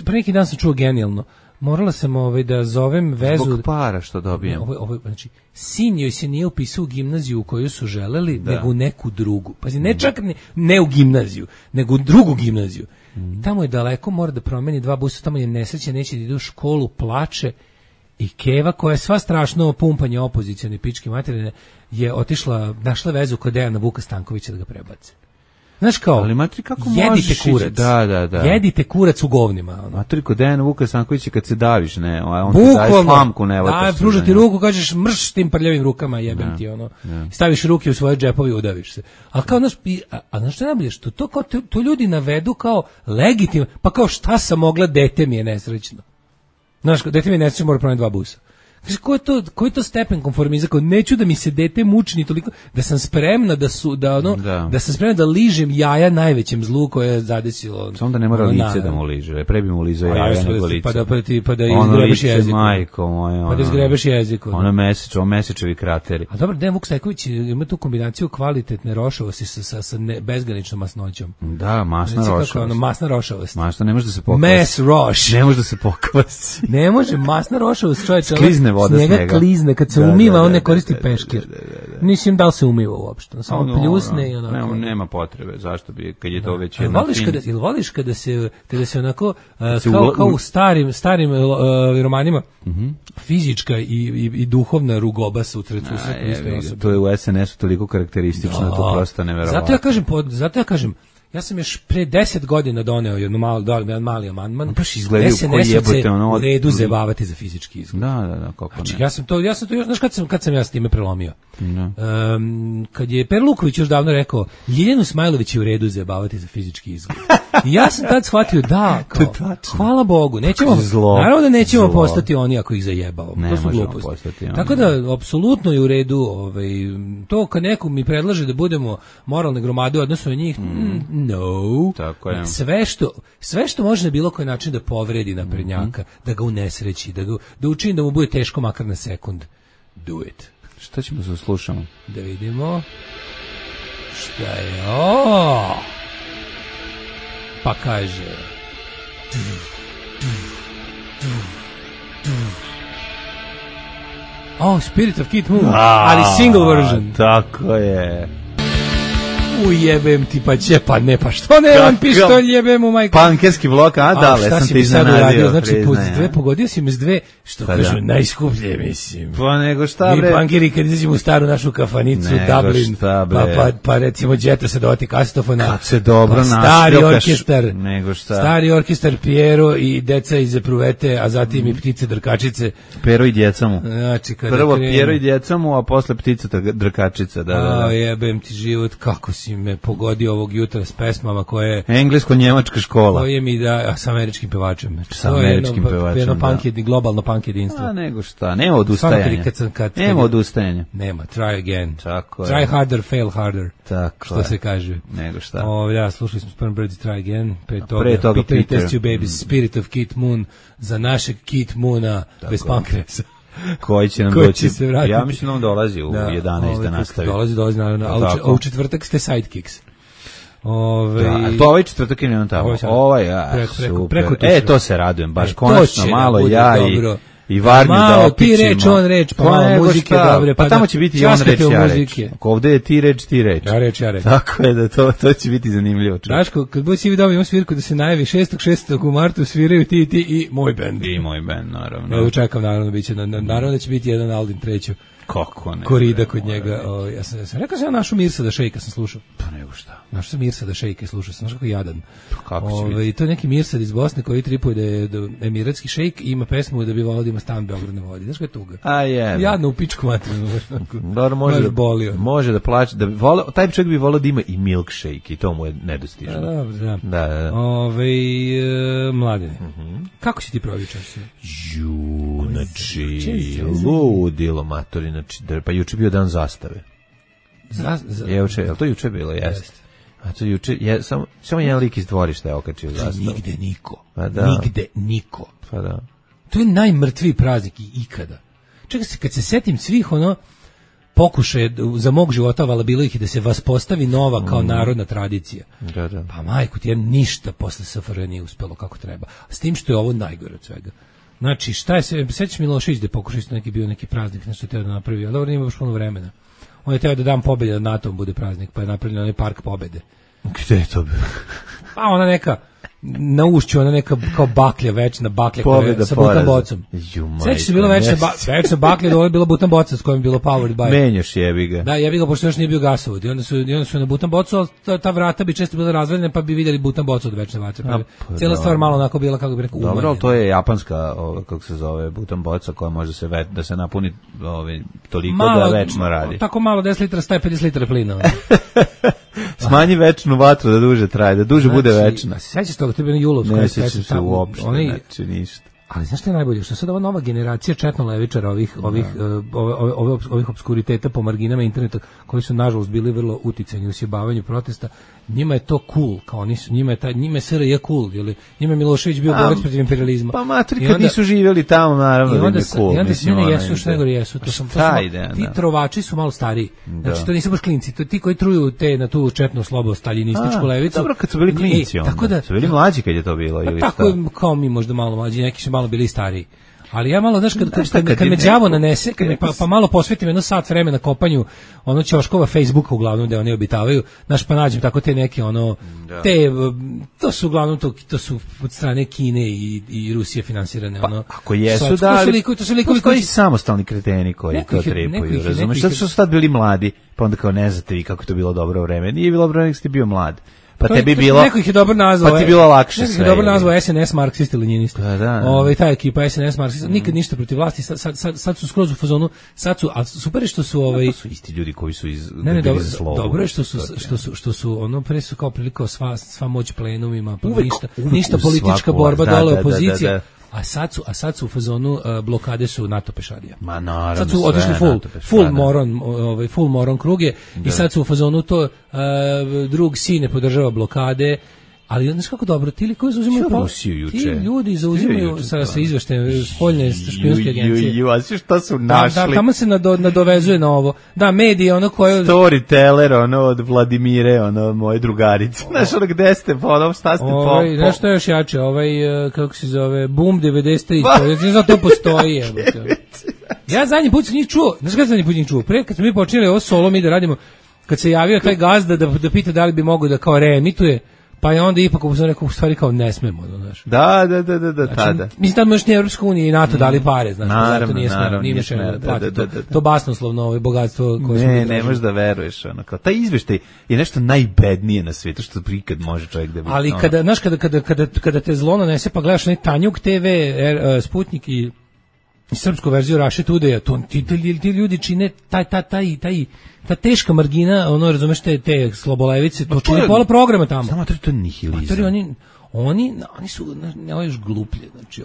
Pre neki dan sam čuo genijalno. morala sam da zovem vezu. Zbog para što dobijem. Znači, sin joj se nije upisao u gimnaziju u koju su želeli, nego u neku drugu. Pazi, ne čak ne u gimnaziju, nego u drugu gimnaziju. Tamo je daleko, mora da promeni 2 busa, tamo je nesreće, neće da ide u školu, plače. I Keva, koja je sva strašno pumpanje opozicione pičke materine, je otišla, našla vezu kod Dejana Vuka Stankovića da ga prebace. Znaš kao, ali matri, kako jedite kurac. Da. Jedite kurac u govnima. Matri, kod Dejana Vuka Stankovića kad se daviš, ne, on ti daje slamku, ne. Pružati ruku, kažeš mrš tim prljavim rukama, jebem ti, staviš ruke u svoje džepovi i udaviš se. A kao, znaš što je najbolje, što to ljudi navedu kao legitimno, pa kao šta sam mogla, dete mi je nesrećno. Znaš, dete mi je nesrećno, mora promeniti 2 busa. Kaže, koji je to stepen konformizma? Kao, neću da mi se dete muči ni toliko, da sam spremna da sam spremna da ližem jaja najvećem zlu koje je zadesilo. Samo da ne mora lice da mu liže, pre bi mu lizao jaja nego lice. Pa da izgrebeš jezik. Majko moja. Pa da izgrebeš jezik. Mesečevi krateri. A dobro, Dejan Vuk Stajković ima tu kombinaciju kvalitetne rošavosti sa bezgraničnom masnoćom. Da, masna rošavost. Masna rošavost. Masna, ne može da se pokvasi. Mass roš. Ne može da se pokvasi. Ne može, masna rošavost, čovječe. Voda snega klizne, kad se umiva, on ne koristi peškir. Mislim da li se umiva uopšte, samo pljusne i onako. Nema potrebe, zašto bi, kad je to već jedna Ili voliš kada se onako, kao u starim romanima, fizička i duhovna rugoba se utreću u istoj osobi. To je u SNS-u toliko karakteristično, to prosto neverovatno. Zato ja kažem, ja sam još pre 10 godina doneo jedan mali amandman. Baš izgledaju koji jebote u redu zebavati za fizički izgled. Da, kako ne. Znači, ja sam to još, znaš kad sam ja s time prelomio? Kad je Per Luković još davno rekao, Ljiljanu Smajlović je u redu zebavati za fizički izgled. I ja sam tad shvatio hvala Bogu, naravno da nećemo postati oni ako ih zajebavamo. To su gluposti. Tako da, apsolutno je u redu, to kad neko mi predlaže da budemo moralne gromade u odnosu na njih, no. Tako je. Sve što može na bilo koji način da povredi naprednjaka, da ga unesreći, da učini da mu bude teško makar na sekund. Do it. Šta ćemo se slušamo? Da vidimo. Šta je ovo? Pa kaže... Spirit of Kid Moon, ali single version. Tako je. Ujebem ti pa ne, pa što ne, on pištolj jebem u majku. Pankerski blok, dale, sam te iznenadio. Znači, pogodio si me s dve, što kažu, najskuplje, mislim. Pa nego šta, bre? Mi pankeri, kad izađemo u staru našu kafanicu, Dublin, pa recimo Džeta se dovati kasetofona. Kad se dobro našljokaš. Stari orkestar Piero i deca iz Epruvete, a zatim i ptice drkačice. Pero i djeca mu. Znači, prvo Piero i djeca mu, a posle ptica drkačica, da. Jebem ti život, kako si me pogodio ovog jutra s pesmama koje... Englesko-njemačka škola. Koje mi da, s američkim pevačem. S američkim pevačem, jedno globalno punk jedinstvo. A nego šta, nema odustajanja. Nema odustajanja. Nema, try again. Tako try harder, fail harder. Tako što se kaže. Nego šta. Ja, slušali smo Sperm Birds Try Again. Pre toga Peter Test You Babies, Spirit of Kid Moon, za našeg Kid Moona bez pankresa. Koji će nam doći? Ja mislim da on dolazi u 11 da nastavi. Dolazi naravno, a u četvrtak ste Sidekicks. To ovaj četvrtak je on tamo. Super. To se radujem, baš konačno malo ja i Varnju da opičimo. Ti reč, on reč, pa malo muzike dobre. Pa tamo će biti i on reč, ja reč. Ovdje je ti reč, ti reč. Ja reč. Tako je da to će biti zanimljivo. Daško, kad budeš svi dobijemo svirku da se najavi 6. u martu sviraju ti i moj bend. I moj bend, naravno. Ja čekam, naravno da će biti jedan Aldin treću. Kako ne? Korida kod njega. Ja sam rekao sam našu Mirsada Šejka sam slušao. Pa nego šta. Našao sam Mirsada Šejka i slušao sam. Znaš kako jadan. Kako će biti? To je neki Mirsad iz Bosne koji tripuje da je emiratski šejk i ima pesmu da bi volio da ima stan Beograd na vodi. Znaš kako je tuga? A je. Jadno u pičku materinu. Dobro, može da plaće. Taj čovjek bi volio da ima i milkshake i to mu je nedostižno. Da. Mladine. Kako si ti provio čas? Znači, ludilo matori, pa juče bio dan zastave. Je to juče bilo? Jeste. A to juče, samo jedan lik iz dvorišta je okačio zastavu. Nigde niko. Nigde niko. Pa da. To je najmrtviji praznik ikada. Čekaj se, kad se setim svih pokušaje za mog života, vala bilo ih i da se vaspostavi nova kao narodna tradicija. Da. Pa majku ti, ništa posle SFRJ nije uspelo kako treba. S tim što je ovo najgore od svega. Znači, šta je se, sećaš Milošević da je pokušao isto neki bio neki praznik, nešto teo da napravi, ali dobro, nije baš puno vremena. On je teo da dan pobjede nad NATO-om bude praznik, pa je napravljen onaj park pobjede. Gde je to bilo? Pa ona neka, na ušću, ona neka kao baklja, večna baklja koja sa butan bocom. Sećaš se bila večna baklja, da ovo je bila butan boca s kojom je bilo powered by. Menjaš jebi ga. Da, jebi ga, pošto još nije bio gasovod. I onda su na butan bocu, ta vrata bi često bila razvaljena, pa bi vidjeli butan bocu od večne vatre. Pa cijela stvar malo onako bila, kako bi rekao, umanjena. Dobro, to je japanska, kako se zove, butan boca koja može da se napuni toliko malo, da večno radi. Tako malo, 10 litara staje 50 litara plina. Smanji večnu vatru da duže traje, da duže bude večna. Sećaš toga, to je bilo Julovsko. Ne sećam se uopšte, znači ništa. Ali znaš što je najbolje? Što sad ova nova generacija četno-levičara, ovih obskuriteta po marginama interneta, koji su nažalost bili vrlo uticajni u sjebavanju protesta, njima je to cool, kao njima je SRJ cool, ili njima je Milošević bio borac protiv imperializma. Pa matri, kad nisu živjeli tamo, naravno da je cool. I onda se ne jesu, što nego jesu. Ti trovači su malo stariji. Znači, to nisu baš klinci, to ti koji truju na tu četno slobo staljinističku levicu. Dobro, kad su bili klinci, onda. Su bili mlađi kad je to bilo, ili šta? Tako kao mi možda malo mlađi, neki su malo bili stariji. Ali ja malo, znaš, kad me đavo nanese, pa malo posvetim jedno sat vremena kopanju ono ćoškova Facebooka uglavnom gde oni obitavaju, znaš, pa nađem tako te neke to su uglavnom to su od strane Kine i Rusije finansirane. Pa, ako jesu, da, ali to su likovi koji samostalni kreteni koji to trepaju, razumeš? Zato što su tad bili mladi, pa onda kao ne znate vi kako to bilo dobro vreme. Nije bilo dobro, nek ste bio mlad. Pa tebi bilo, neko ih je dobro nazvao. Pa ti bilo lakše sve. Neko ih je dobro nazvao SNS marksisti lenjinisti. Da. Ta ekipa SNS marksisti, nikad ništa protiv vlasti, sad su skroz u fazonu, a super je što su to su isti ljudi koji su iz dobro je što su ono pre su kao priliko sva moć plenumima, pa ništa politička borba dole opozicija. A sad su u fazonu blokade su NATO pešadija. Ma naravno. Sad su otišli full moron kruge i sad su u fazonu to drug sin ne podržava blokade. Ali znaš kako dobro, ti koji zauzimaju ti ljudi zauzimaju sa izveštajem spoljne špijunske agencije. A sve što su našli? Da, tamo se nadovezuje na ovo. Da, medije, ono koje... Storyteller, od Vladimire, moje drugarice. Znaš, gde ste, šta ste znaš što je još jače, kako se zove, Boom 93, znaš to postoji. Ja zadnji put sam njih čuo, znaš kada zadnji put njih čuo? Pre, kad smo mi počeli ovo solo mi da radimo, kad se javio taj gazda da pita da li bi mogo da kao reemituje, pa je onda ipak u neku stvari kao ne smemo, znaš. Da, tada. Mislim da možeš ni Evropska unija i NATO dali pare, znaš, zato nije smemo, nije smemo platiti to basnoslovno bogatstvo koje smo... Ne možeš da veruješ, kao taj izveštaj je nešto najbednije na svijetu što prikad može čovjek da bi... Ali kada te zlo nanese pa gledaš onaj Tanjuk TV, Sputnik i srpsku verziju Raše Tudeja, ti ljudi čine ta teška margina, razumeš, te slobolevice, to čini pola programa tamo. Samo to je nihilizam. Oni su još gluplje, znači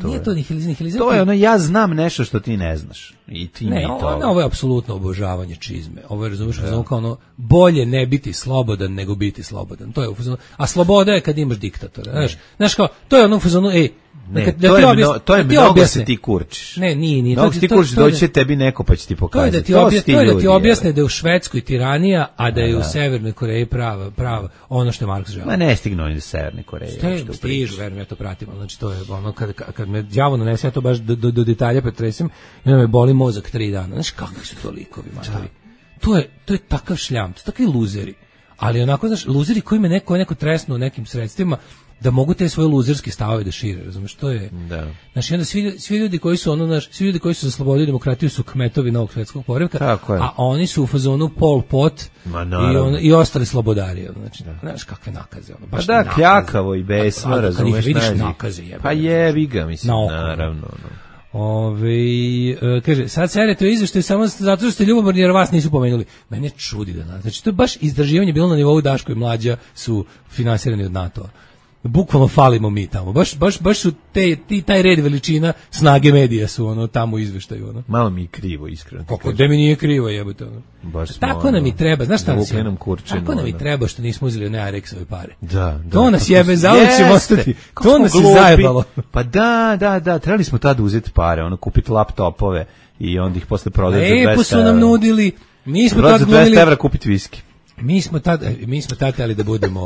nije to nihilizam. To je ja znam nešto što ti ne znaš. I ti ne, ovo je apsolutno obožavanje čizme. Ovo je, razumeš, kao bolje ne biti slobodan nego biti slobodan. To je u fazonu, a sloboda je kad imaš diktatora, znaš kao, to je ono u fazonu, to je mnogo se ti kurčiš. Ne, nije. Mnogo se ti kurčiš, doći će tebi neko pa će ti pokazati. To je da ti objasne da je u Švedskoj tiranija, a da je u Severnoj Koreji prava ono što je Marks želeo. Ma ne stignu oni do Severne Koreje. Stižu, verujem, ja to pratim. Znači, to je ono, kad me đavo nanese, ja to baš do detalja pretresim, i onda me boli mozak 3 dana. Znaš, kakvi su to likovi, matori. To je takav šljam, to su takvi luzeri. Ali onako, znaš, luzeri koji me neko tresnu nekim sredstvima, da mogu te svoje luzerske stavove da šire, razumiješ, to je. Da. Znači, onda svi ljudi koji su svi ljudi koji su za slobodu i demokratiju su kmetovi novog svjetskog poretka, a oni su u fazonu Pol Pot i ostali slobodari, znači, znaš kakve nakaze, baš da, kljakavo i besno, razumiješ, kad ih vidiš nakaze, jebe. Pa jebi ga, mislim, naravno. Kaže, sad serete o izveštaju samo zato što ste ljubomorni jer vas nisu pomenuli. Mene čudi da nas. Znači, to je baš istraživanje bilo na nivou Daško i Mlađa su finansirani od NATO-a. Bukvalno falimo mi tamo. Baš su taj red veličina snage medija su tamo u izveštaju. Malo mi je krivo, iskreno. Kako da mi nije krivo, jebote. Tako nam i treba, znaš šta nas je? Tako nam i treba što nismo uzeli one Arexove pare. Da. To nas jebe, zauvijek ćemo ostati. To nas je zajebalo. Pa da, trebali smo tada uzeti pare, kupiti laptopove i onda ih posle prodati za 200 evra. Su nam nudili, mi smo tad glumili... 200 evra kupiti viski. Mi smo tad hteli da budemo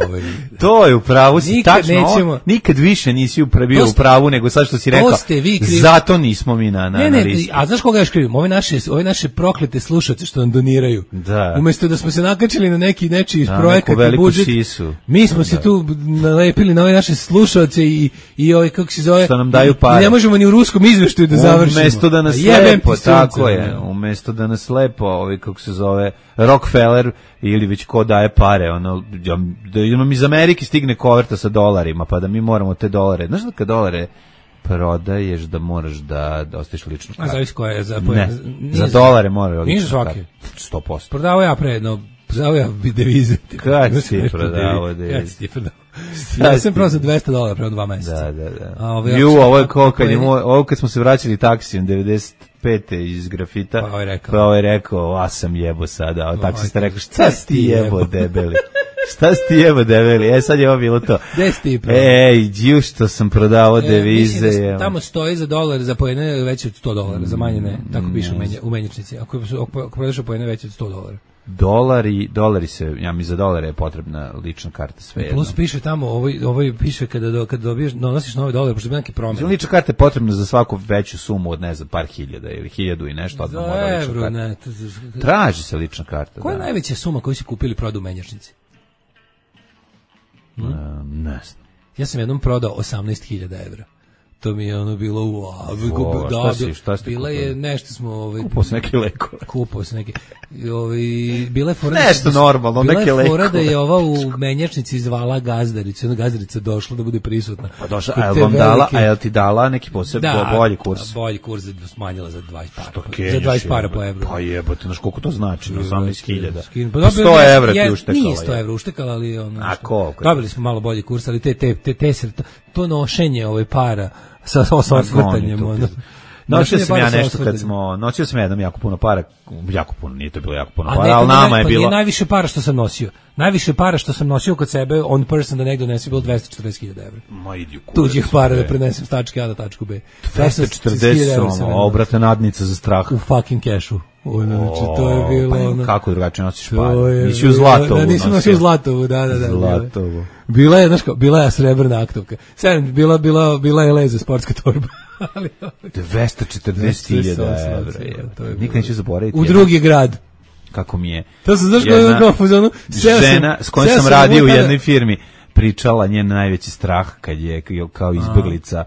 To je u pravu si, Nikad tačno. nećemo- Nikad više nisi bio u pravu nego sad što si rekao. ste vi krivi. Zato nismo mi na Ne, listi. a znaš koga još krivim? Ove naše proklete slušaoce što nam doniraju. Da. Umesto da smo se nakačili na neki nečiji Da, projekat neku i veliku budžet, sisu. mi smo se tu nalepili na ove naše slušaoce i ove, kako se zove, Što nam daju pare. i ne možemo ni u ruskom izveštaju da završimo. Umesto da nas Jebem lepo, ti sunce, tako je, ono. umesto da nas lepo, kako se zove, Rockefeller ili već ko daje pare, ono, da nam iz Amerike stigne koverta sa dolarima, pa da mi moramo te dolare, znaš da kad dolare prodaješ da moraš da ostaviš ličnu A kartu? zavisi koja je za Ne, nije za dolare mora Nije za ličnu svake. kartu. 100%. Prodavao ja prodavao ja devize. Kad si prodavao devize? Kad si ti prodavao? Ja sam prodao za $200 pre 2 meseca. Da. A ovo Ovo je ko kad smo se vraćali taksijem 95. iz grafita, Pa ovaj rekao. a sam jebo sada, a taksista rekao, šta si ti jebo debeli? Šta si ti jebo debeli? Sad je ovo bilo to. Gde si ti prodao? Ej, što sam prodavao devize. Mislim da tamo stoji za dolar, za poene veće od $100, za manje ne. Tako piše u menjačnici. Ako prodaš poene veće od $100. Dolari se, ja mi za dolare je potrebna lična karta, sve jedno. Plus piše tamo, ovo piše kada dobiješ, donosiš nove dolare, pošto bi neki promjena. Lična karta je potrebna za svaku veću sumu od, ne znam, par hiljada ili 1000 i nešto. Odmah mora lična Evro, karta. ne. Traži se lična karta. Koja je najveća suma koju si kupili prodao u menjačnici? Ne znam. Ja sam jednom prodao 18.000 evra. To mi je ono bilo šta si bila je nešto smo Kupao se neke lekove. Kupao se neke bila je fora Nešto normalno, neke bila je fora lekove. da je ova u menjačnici zvala gazdaricu, ona gazdarica došla da bude prisutna. Pa došla, a jel ti dala neki bolji kurs? Bolji kurs smanjila za 20 para. Za 20 para po evru. Pa jebote, znaš koliko to znači, 18.000. Pa 100 evra ti uštekala. Nije 100 evra uštekala, ali ono. A koliko? Dobili smo malo bolji kurs, ali to nošenje para sa osvrtanjem. Nosio sam jednom jako puno para, nije to bilo jako puno para, ali nama je bilo... Nije najviše para što sam nosio. Najviše para što sam nosio kod sebe, on person da negdje donesi, bilo 240.000 evra. Ma idi u kurac. Tuđih para da prenesem s tačke A do tačku B. 240, obrata nadnica za strah. U fucking cashu. Znači, to je bilo... Pa kako drugačije nosiš pare? Nisi u Zlatovu. Nisam nosio u Zlatovu, da. Zlatovu. Bila je srebrna aktovka. Bila je leza sportska torba. 240.000 evra. Nikad neću zaboraviti. U drugi grad. Kako mi je to se znaš žena s kojom sam radio u jednoj firmi pričala njen najveći strah kad je kao izbeglica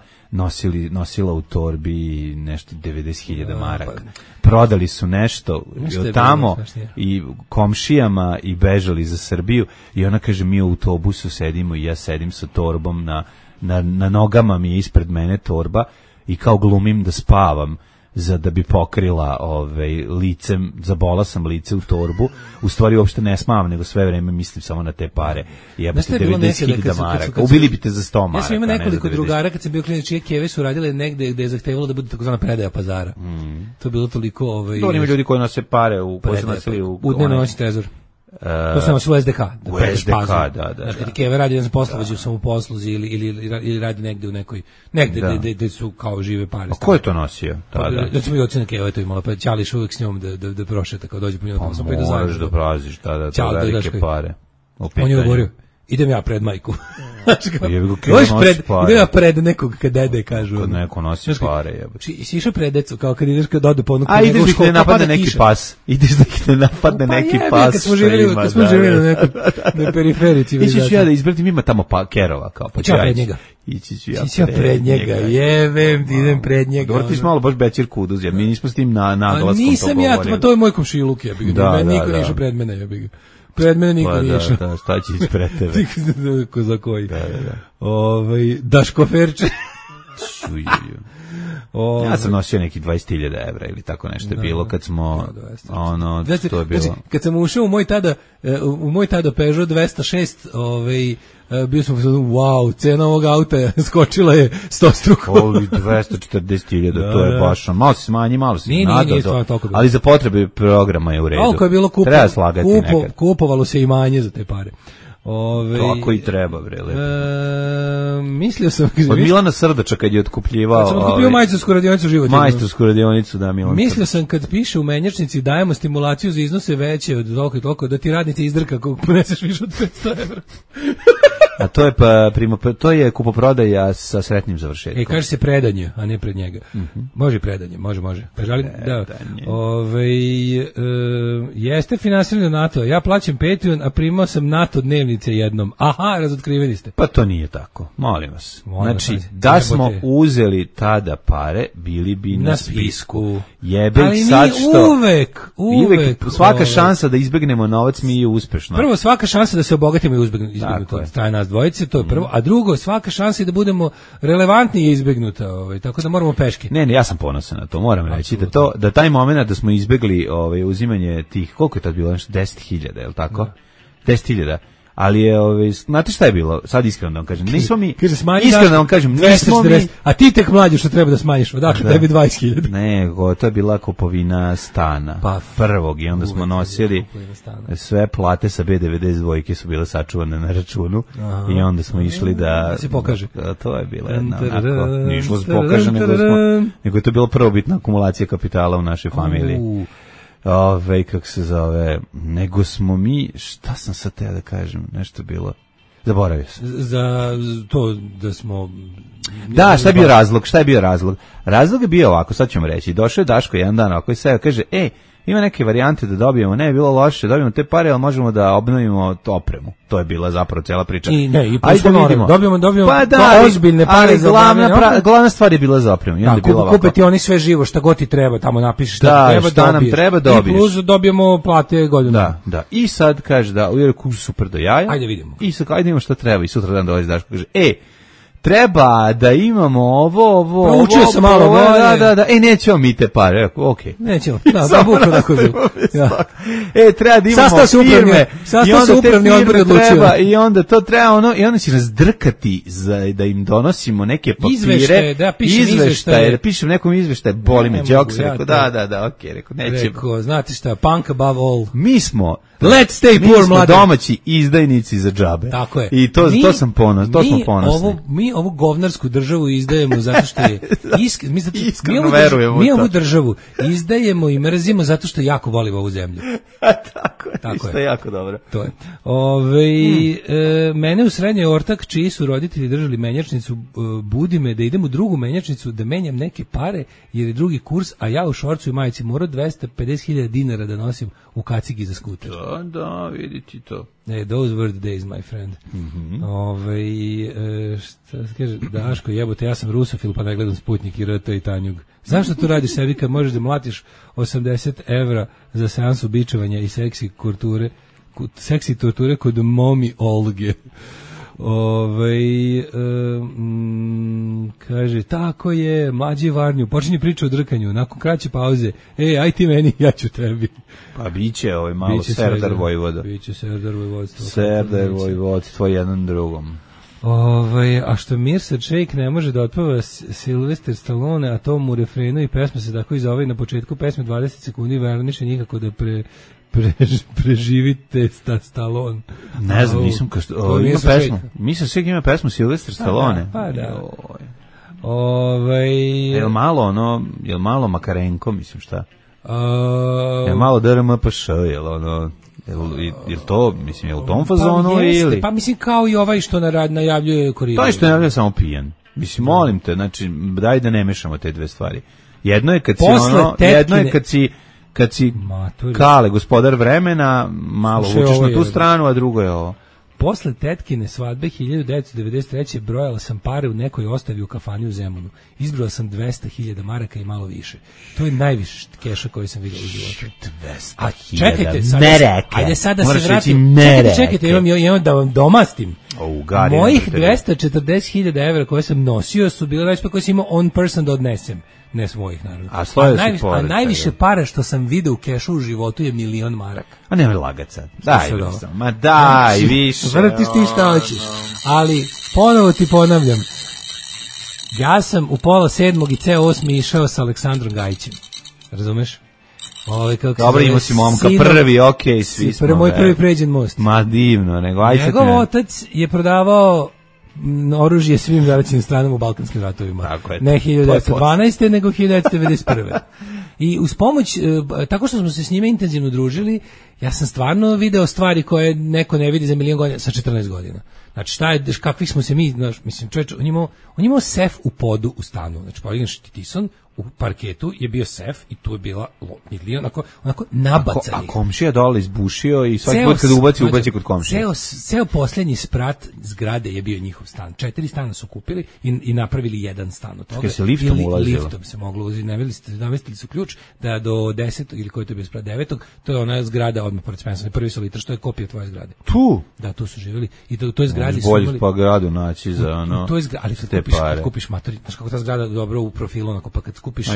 nosila u torbi nešto 90.000 maraka. Prodali su nešto tamo i komšijama i bežali za Srbiju i ona kaže mi u autobusu sedimo i ja sedim sa torbom na nogama mi je ispred mene torba i kao glumim da spavam da bi pokrila licem, zabola sam lice u torbu, u stvari uopšte ne smavam, nego sve vreme mislim samo na te pare. Jebate 90.000 maraka. Ubili bi te za 100 maraka. Ja sam imao nekoliko drugara kad sam bio klinac čije keve su radile negde gde je zahtevalo da bude takozvana predaja pazara. To je bilo toliko... Dobro, ima ljudi koji nose pare u dnevno noći trezor. To sam nosilo u SDK. U SDK, da. Kad Keve radi, ja sam poslovođio sam u posluzi ili radi negde u nekoj, negde gde su kao žive pare. A ko je to nosio? Da ćemo i ocena Keva to imala, pa Ćališ uvijek s njom da prošeta, kao dođe po njoj, pa sam pa i da zajedno. Moraš da praziš, da, velike pare. On je govorio, idem ja pred majku. Idem ja pred nekog kad dede kažu. Kad neko nosi pare, jebote. Si išao pred decu, kao kad ideš kad ode po onu a ideš da te napadne neki pas. Ideš da te napadne neki pas. Kad smo živjeli na periferici. Ići ću ja da izbratim, ima tamo kerova. Pa ću ja pred njega. Ići ću ja pred njega. Jebem ti, idem pred njega. Dobro, ti si malo baš bećir kuduz, jer mi nismo s tim naglaskom nisam to govorili. To je moj komšiluk, ja bih ga. Niko ne išao pred mene, ja bih ga. Pred mene niko nije išao. Da, šta će ispred tebe? Ko za koji. Daš koferče. Ja sam nosio neki 20.000 evra ili tako nešto je bilo kad smo to je bilo. Kad sam ušao u moj tada Peugeot 206, bio sam wow, cena ovog auta skočila je 100 struko. 240.000, to je baš malo se smanji, malo se nadao, ali za potrebe programa je u redu. Ovo je bilo kupovalo se imanje za te pare. Kako i treba, bre, lepo. Mislio sam... Od Milana Srdača kad je otkupljivao... Kad sam otkupio majstorsku radionicu života. Majstorsku radionicu, da, Milan Srdač. Mislio sam kad piše u menjačnici dajemo stimulaciju za iznose veće od toliko i toliko, da ti radnici izdrka kako poneseš više od 500 evra. A to je kupoprodaja sa sretnim završetkom. Kaže se predanje, a ne pred njega. Može predanje, može. Pa želim da jeste finansiranje NATO. Ja plaćam Patreon, a primao sam NATO dnevnice jednom. Aha, razotkriveni ste. Pa to nije tako. Molim vas. Znači, da smo uzeli tada pare, bili bi na spisku. Ali sad što uvek svaka šansa da izbegnemo novac mi je uspešna. Prvo, svaka šansa da se obogatimo je izbegnuta. Staje nas dvojice, to je prvo. A drugo, svaka šansa da budemo relevantni je izbegnuta. Tako da moramo peške. Ne, ja sam ponosan na to, moram reći. Da taj moment da smo izbegli uzimanje tih, koliko je tad bilo? 10.000, je li tako? 10.000. Ali je, znate šta je bilo? Sad iskreno da vam kažem. Nismo mi, iskreno da vam kažem, nismo mi... A ti tek mlađi što treba da smanjiš, odakle tebi 20.000. Nego, to je bila kupovina stana. Prvog i onda smo nosili sve plate sa B92 su bile sačuvane na računu i onda smo išli da se pokaže. To je bila jedna onako, nišlo se pokaže, nego je to bila prvobitna akumulacija kapitala u našoj familiji. Kako se zove, nego smo mi, šta sam sad teo da kažem, nešto bilo, zaboravio sam. Za to da smo... Da, šta je bio razlog? Razlog je bio ovako, sad ćemo reći, došao je Daško jedan dan ovako i sve kaže, ima neke varijante da dobijemo, ne je bilo loše, dobijemo te pare, ali možemo da obnovimo opremu. To je bila zapravo cijela priča. I dobijemo pa ozbiljne pare za glavna stvar je bila za opremu. Kupe ti oni sve živo, šta god ti treba, tamo napišeš šta nam treba dobiješ. I plus dobijemo plate godinu. Da. I sad kaže da, super do jaja. Ajde vidimo. I sad ajde vidimo šta treba. I sutra dan dolazi Daško kaže, treba da imamo ovo. Proučio sam malo bolje. Da. Nećemo mi te pare. Okej. Nećemo. Da, bukvalno tako je bilo. Treba da imamo firme. Sastao se upravni odbor odlučio. I onda to treba i onda će nas drkati da im donosimo neke papire. Izveštaje. Da pišem nekom izveštaje. Boli me. Džok se rekao, da, okej. Rekao, nećemo. Rekao, znate šta, punk above all. Mi smo let's stay poor, mlade. Domaći izdajnici za džabe. Tako je. I to sam ponosni. To smo ponosni. Mi ovu govnarsku državu izdajemo zato što je iskreno verujemo. Mi ovu državu izdajemo i mrzimo zato što jako volimo ovu zemlju. Tako je. Jako dobro. To je. Mene u srednjoj ortak čiji su roditelji držali menjačnicu, budi me da idem u drugu menjačnicu da menjam neke pare jer je drugi kurs, a ja u šorcu i majici morao 250.000 dinara da nosim u kacigi za skuter. Da, vidite to. Those were the days, my friend. Šta se kaže, Daško, jebote, ja sam rusofil pa ne gledam Sputnik i RT i Tanjug. Zašto to radiš sebi kad možeš da mlatiš 80 evra za seansu bičevanja i seksi torture kod momi Olge? Kaže, tako je, mlađi Varnju, počinje priča o drkanju, nakon kraće pauze, aj ti meni, ja ću tebi. Pa biće malo Serdar Vojvoda. Biće Serdar Vojvodstvo. Serdar Vojvodstvo jedan drugom. A što Mirsa Shake ne može da otpeva Sylvester Stallone, a to mu refrenu i pesma se tako i zove na početku pesme 20 sekundi verniše nikako da preživite Stallone. Ne znam, nisam ima pesmu. Mislim sve ima pesmu Sylvester Stallone. Pa da. Jel malo Makarenko, mislim šta? Jel malo DRMPŠ, jel to, mislim, je u tom fazonu ili? Pa mislim kao i ovaj što najavljuje Koridovi. To što najavljuje samo pijan. Mislim, molim te, znači, daj da ne mešamo te dve stvari. Jedno je kad si Kale, gospodar vremena, malo učiš na tu stranu, a drugo je ovo. Posle tetkine svadbe 1993. brojala sam pare u nekoj ostavi u kafani u Zemunu. Izbrojala sam 200.000 maraka i malo više. To je najviše keša koji sam vidio u životu. 200.000, čekajte, ajde sad da se vratim. Čekajte, imam da vam domastim. Mojih 240.000 evra koje sam nosio su bile već pa koje sam imao on person da odnesem. Ne svojih, naravno. A najviše para što sam video u kešu u životu je 1.000.000 maraka. A nemoj lagat sad. Daj više. Vrtiš ti šta hoćeš. Ali, ponovo ti ponavljam, ja sam u pola 7. i ceo 8. išao sa Aleksandrom Gajićem. Razumeš? Dobro, imao si momka prvi, okej, svi smo. Moj prvi pređen most. Ma divno, nego aj sad. Njegov otac je prodavao oružje svim zaraćenim stranama u Balkanskim ratovima. Ne 1912. nego 1991. I uz pomoć, tako što smo se s njime intenzivno družili, ja sam stvarno video stvari koje neko ne vidi za milion godina sa 14 godina. Znači, kakvi smo se mi, mislim, čovječ, on imao sef u podu u stanu. Znači, Pauline Štitison u parketu je bio sef i tu je bila milion, onako nabacanih. A komšija dole izbušio i svaki put kada ubaci kod komšije. Ceo posljednji sprat zgrade je bio njihov stan. 4 stana su kupili i napravili jedan stan od toga. Se liftom ulazilo? Liftom se moglo uzeti. Namestili su ključ da do 10. ili koji to je bio sprat 9. To je ona zgrada odmah pored Spencer, prvi solitar, što je kopija tvoje zgrade. Tu? Da, tu su živjeli. I to je zgradi su imali... pa gradu naći za ono... To je zgrada, ali kad kupiš matori, znaš kako ta zgrada dobro u profilu, onako, pa kad kupiš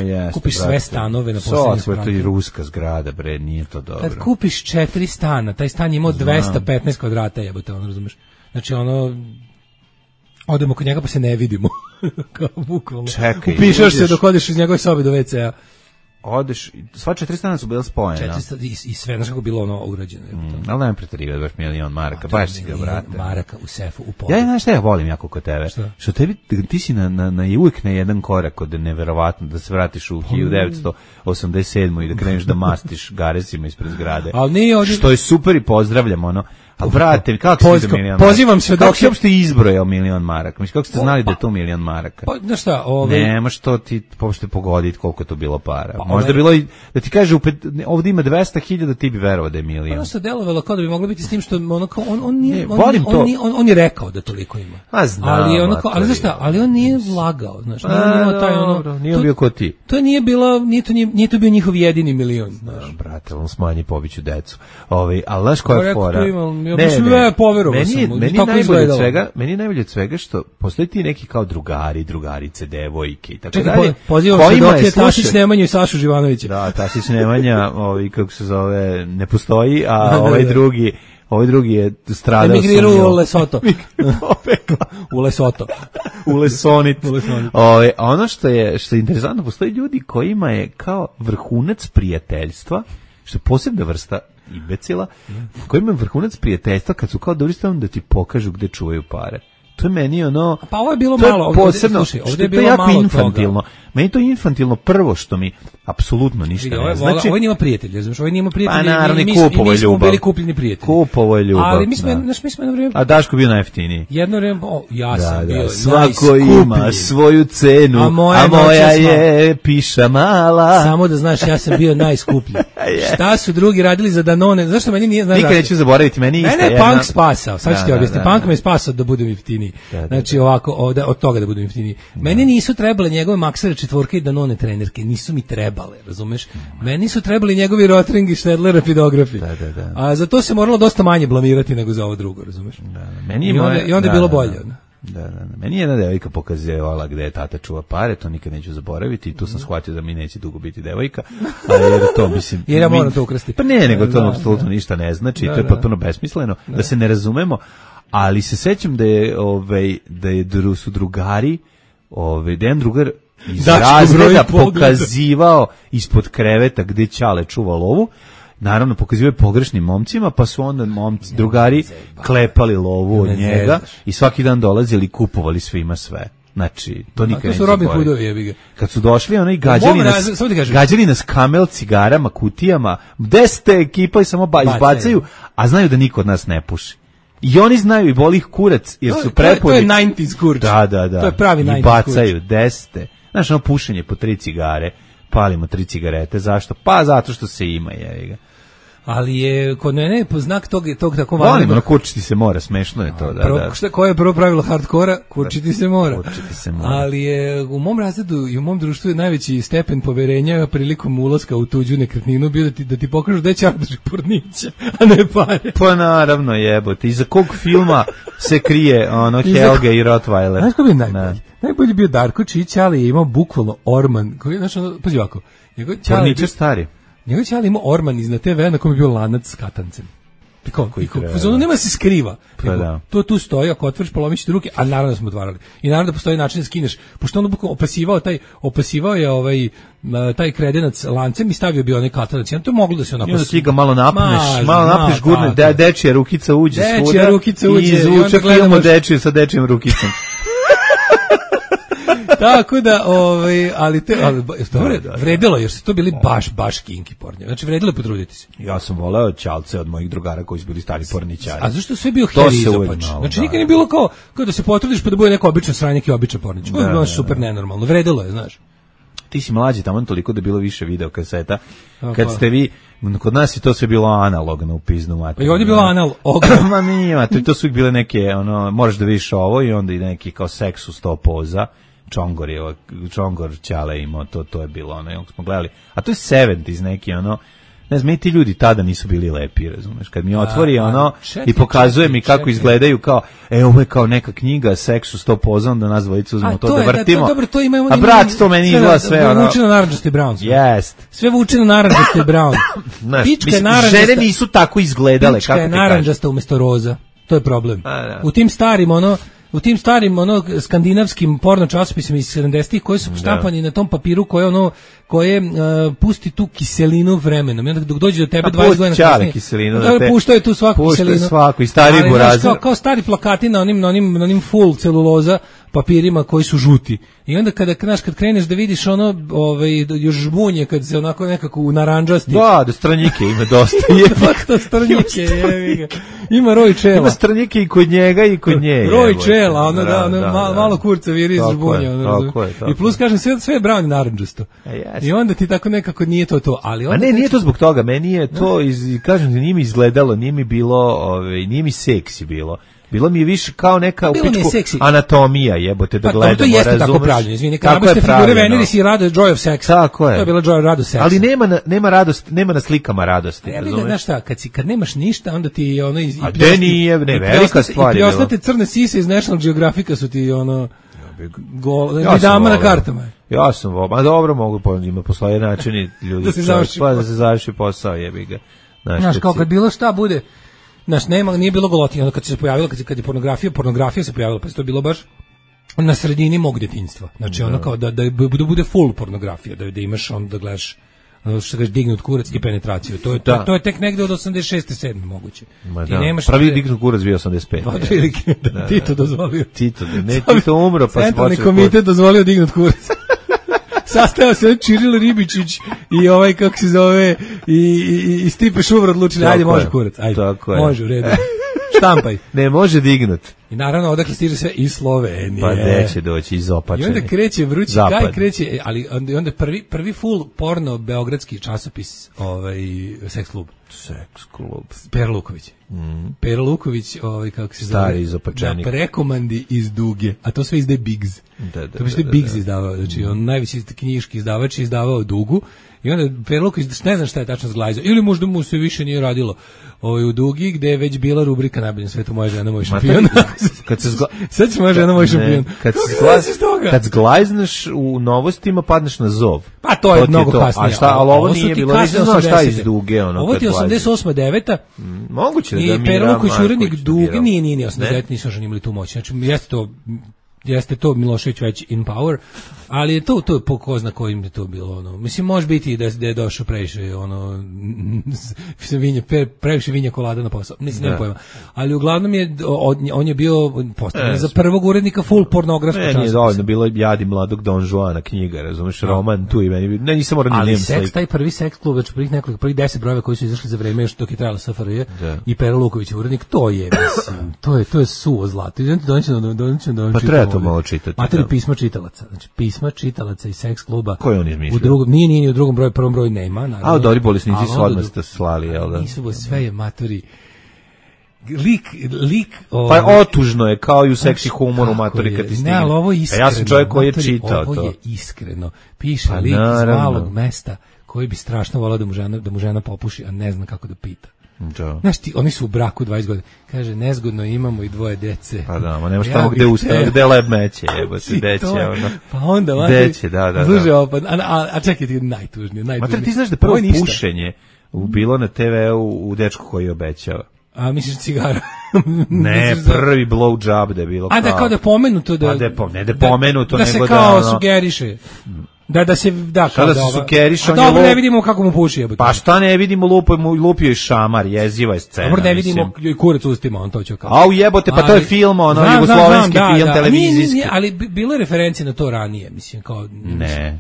sve stanove na posljednjem spratu. To je ruska zgrada, bre, nije to dobro. Kad kupiš 4 stana, taj stan je imao 215 kvadrata, jebote, ono, razumeš? Znači, ono... Odemo kod njega pa se ne vidimo. Kao bukvalno. Čekaj. Upišaš se dok odeš iz njegove sobe do WC-a. Odeš, sva 4 stana su bila spojena. 4 i sve, znaš kako bilo ono urađeno. Ali nema preterivati, baš milion maraka, baš si ga, brate. Maraka u sefu, u podu. Ja znaš šta ja volim jako kod tebe? Što ti si uvijek na jedan korak od neverovatno da se vratiš u 1987. i da kreneš da mastiš garesima ispred zgrade. Što je super i pozdravljam, ono. A brate, kako si za milion maraka? Pozivam se kako si uopšte izbrojao milion maraka? Mislim, kako ste znali da je to milion maraka? Pa, znaš šta, nemaš to ti uopšte pogoditi koliko je to bilo para. Možda bilo i, da ti kaže, ovdje ima 200.000, ti bi verovao da je milion. Ono se delovalo kao da bi moglo biti s tim što on je rekao da toliko ima. A znam. Ali znaš šta, ali on nije vlagao, znaš. Nije bio ko ti. To nije to bio njihov jedini milion, znaš. Brate, on smanji pobiću decu. Ali znaš koja je fora? Meni je najbolje od svega što postoji ti neki kao drugari, drugarice, devojke i tako dalje. Pozivam se dok je Tasić Nemanja i Sašu Živanovića. Da, Tasić Nemanja, kako se zove, ne postoji, a ovaj drugi je stradao. Emigrirao u Lesoto. U Lesoto. U Lesonit. Ono što je interesantno, postoji ljudi kojima je kao vrhunac prijateljstva, što je posebna vrsta imbecila, koji imaju vrhunac prijateljstva kad su kao dobri stavljeni da ti pokažu gde čuvaju pare. To je meni ono... Pa ovo je bilo malo, posebno, ovdje je bilo jako infantilno. Meni to je infantilno prvo što mi apsolutno ništa ne znači. Ovo nima prijatelja, znaš, ovo nima prijatelja. Pa naravno, Kupovo je ljubav. Bili kupljeni prijatelji. Kupovo je ljubav. Ali mi smo jedno vrijeme... A Daško bio najjeftiniji. Jedno vrijeme, ja sam bio svako ima svoju cenu, a moja je piša mala. Samo da znaš, ja sam bio najskuplji. Šta su drugi radili za Danone? Zašto meni nije... Nikad neću zaboraviti, meni isto. Mene je Punk spasao, sad ću ti objasniti. Punk me je spasao da budem jeftiniji. Znači ovako, od toga da budem jeftiniji. Meni nisu trebale njegove maksere četvorke i Danone trenerke, nisu mi trebale, razumeš? Meni su trebali njegovi Rotring i Štedler rapidografi. A za to se moralo dosta manje blamirati nego za ovo drugo, razumeš? I onda je bilo bolje. Meni je jedna devojka pokazivala gde je tata čuva pare, to nikad neću zaboraviti i tu sam shvatio da mi neće dugo biti devojka, jer to mislim... Jer ja moram to ukrasti. Pa ne, nego to apsolutno ništa ne znači, to je potpuno besmisleno, da se ne razumemo, ali se sećam da su drugari, da jedan drugar iz razreda pokazivao ispod kreveta gde Ćale čuva lovu, naravno pokazivaju pogrešnim momcima, pa su onda drugari klepali lovu od njega i svaki dan dolazili i kupovali svima sve. Znači, to nikad neće zaboraviti. Kad su došli, ono i gađali nas kamel, cigarama, kutijama, 10 ekipa i samo izbacaju, a znaju da niko od nas ne puši. I oni znaju i boli ih kurac, jer su prepuni. To je 90s kurac. Da. To je pravi 90s kurac. I bacaju 10. Znaš, ono pušenje po 3 cigare, palimo 3 cigarete, zašto? Pa zato što se ima, jevi ga. Ali je kod mene po znak tog tako važno. Volimo, kurčiti se mora, smešno je to. Koje je prvo pravilo hardkora? Kurčiti se mora. Ali je u mom razredu i u mom društvu je najveći stepen poverenja prilikom ulaska u tuđu nekretninu bio da ti pokažu da je čardaš pornića, a ne pare. Pa naravno jebote. Iza kog filma se krije Helge i Rottweiler? Znaš ko bi najbolji? Najbolji bio Darko Čić, ali je imao bukvalno orman. Pazi ovako. Porničar stari. Njegov ćali imao orman iznad TV na kom je bio lanac s katancem. Nema se skriva. Pa da. To tu stoji, ako otvoriš polomiš ruke, a naravno da smo otvarali. I naravno da postoji način da skineš, pošto on opasivao je taj kredenac lancem i stavio bi onaj katanac. To je moglo da se onako... I onda ti ga malo napneš, gurne, dečija rukica uđe svuda i izvuče filmu dečiju sa dečijom rukicom. Tako da, ali dobro, vredilo, jer su to bili baš kinki pornje. Znači, vredilo je potruditi se. Ja sam voleo ćalce od mojih drugara koji su bili stari porničari. A zašto sve bio heri izopač? Znači, nikad nije bilo kao da se potrudiš pa da bude neko običan sranjak i običan pornič. To je bilo super nenormalno. Vredilo je, znaš. Ti si mlađi tamo toliko da je bilo više video kaseta. Kad ste vi, kod nas je to sve bilo analogno u piznu materiju. I ovdje je bilo analogno. Ma nije, to su bile neke, moraš da vidiš ovo i onda i neki kao seks u 100 poza. Čongor Ćale imao, to je bilo ono, smo gledali. A to je 70s neki, ne znam, ti ljudi tada nisu bili lepi, razumeš, kad mi otvori i pokazuje mi kako izgledaju kao, ovo je kao neka knjiga, seks u 100 poza, onda nas dvojicu uzmemo to da vrtimo. A brat, to meni izgleda sve, sve vuče na naranđasti brown. Jest. Sve vuče na naranđasti brown. Žene nisu tako izgledale. Pička je naranđasta umjesto roza. To je problem. U tim starim skandinavskim porno časopisima iz 70-ih koji su štampani na tom papiru koje pusti tu kiselinu vremenom. I onda dok dođe do tebe 20 godina kasnije, kiselinu, puštaju tu svaku kiselinu. Svaku i stari burazer. Kao stari plakati na onim full celuloza papirima koji su žuti. I onda kad kreneš da vidiš još žbunje kad se onako nekako u naranđasti. Da stranjike ima dosta. Fakta stranjike, jevi ga. Ima roj čela. Ima stranjike i kod njega i kod nje. Roj čela, malo kurca viri iz žbunja. I plus kažem, sve je brown i naranđasto. I onda ti tako nekako nije to. Ali a ne, nije to zbog toga, meni je to, kažem ti, nije mi izgledalo, nije mi bilo, nije mi seksi bilo. Bilo mi je više kao neka upičku anatomija, jebote, da gledamo, razumeš? To jeste tako pravljeno, izvini, kad nabiste figure Veneris i Joy of Sex. Tako je. To je bila Joy of Sex. Ali nema radost, nema na slikama radosti, razumeš? Znaš šta, kad nemaš ništa, onda ti a gde nije, velika stvar. I preostate crne sise iz National Geographica su ti dama na kartama. Ja sam, ma dobro, mogu postoje načini ljudi da se završi posao, jebi ga. Znaš, kao kad bilo šta bude. Znaš, nije bilo goloti, onda kad se pojavilo, kad je pornografija se pojavila, pa to je bilo baš na sredini mog djetinjstva. Znači, ono kao da bude full pornografija, da imaš da gledaš, što kažeš, dignut kurac i penetraciju. To je tek negde od 86. 7. moguće. Prvi dignut kurac bio 85. Tito dozvolio. Tito umro, pa se Centralni komitet dozvolio dignut kurac. Sastao se Čiril Ribičić i kako se zove, i Stipe Šuvar odlučili, ajde, može kurac, ajde, može, u redu, štampaj. Ne može dignut. I naravno, odakle stiže sve iz Slovenije. Pa neće doći iz opačene. I onda kreće vrući gaj, kreće, ali onda prvi full porno beogradski časopis, Seks klub. Seks klub. Pera Luković. Pera Luković, kako se zove? Stari izopačenik. Na prekomandi iz Duge, a to sve izdaje Biggs. To bi sve Biggs izdavao, znači on najveći knjiški izdavač je izdavao Dugu. I onda Pera Luković, ne znam šta je tačno zglajzao, ili možda mu se više nije radilo u Dugi, gde je već bila rubrika Najbolje na svetu, moja žena, moj šampion. Sad će moja žena, moj šampion. Kad zglajzneš u novostima, padneš na zov. Pa to je mnogo kasnije. Ali ovo nije bilo, nisam znao šta iz Duge. Ovo ti je 88. 9. Moguće da I Pera Luković, urednik Duge, nije 89. Nisu još imali tu moć. Znači, jeste to Milošević već in power, ali je to po ko zna kojim je to bilo, mislim, može biti da je došao previše, previše vinja kolada na posao, nema pojma, ali uglavnom on je bio postavljen za prvog urednika full pornografskog časopisa. Meni je dovoljno bilo Jadi mladog Don Juana knjiga, razumeš, roman tu i meni, nisam morao ali taj prvi seks klub, znači prvih 10 brojeva koji su izašli za vreme još dok je trajala SFRJ i Pera Luković urednik, to je, mislim, to je suvo zlato. Pa treba to malo čitati. Materi pisma čitalaca. Znači pisma čitalaca iz Seks kluba. Koji on izmišljao? Nije u drugom broju, prvom broju nema, naravno. A dobri bolesnici su odmah ste slali, jel da? Nisu, sve je matori. Lik pa otužno je, kao i u seksi humoru matori kad ti stigne. Ne, ali ovo je iskreno. Ja sam čovjek koji je čitao to. Ovo je iskreno. Piše lik iz malog mesta koji bi strašno volao da mu žena popuši, a ne zna kako da pita. Znaš ti, oni su u braku 20 godina. Kaže, nezgodno imamo i 2 dece. Pa da, ma nemaš tamo gde ustane, gde leb meće, jebote, deće. Pa onda, deće, da. Služe opad, a čekaj ti najtužnije. Mater, ti znaš da prvo pušenje bilo na TV-u u Dečku koji obećava. A misliš cigara? Ne, prvi blowjob da je bilo kao... A da kao da je pomenuto da... Pa da je pomenuto, da se nego kao da... sugeriše. Da se... Da, šta da se sugeriše? A dobro, ne vidimo kako mu puši. Jebote. Pa šta ne vidimo, lupio i šamar, jeziva je scena. Dobro, ne vidimo kurac ustima, on to će kao... Au jebote, pa to je film, jugoslovenski film, televizijski. Ali bilo je referencije na to ranije, mislim, kao... Ne,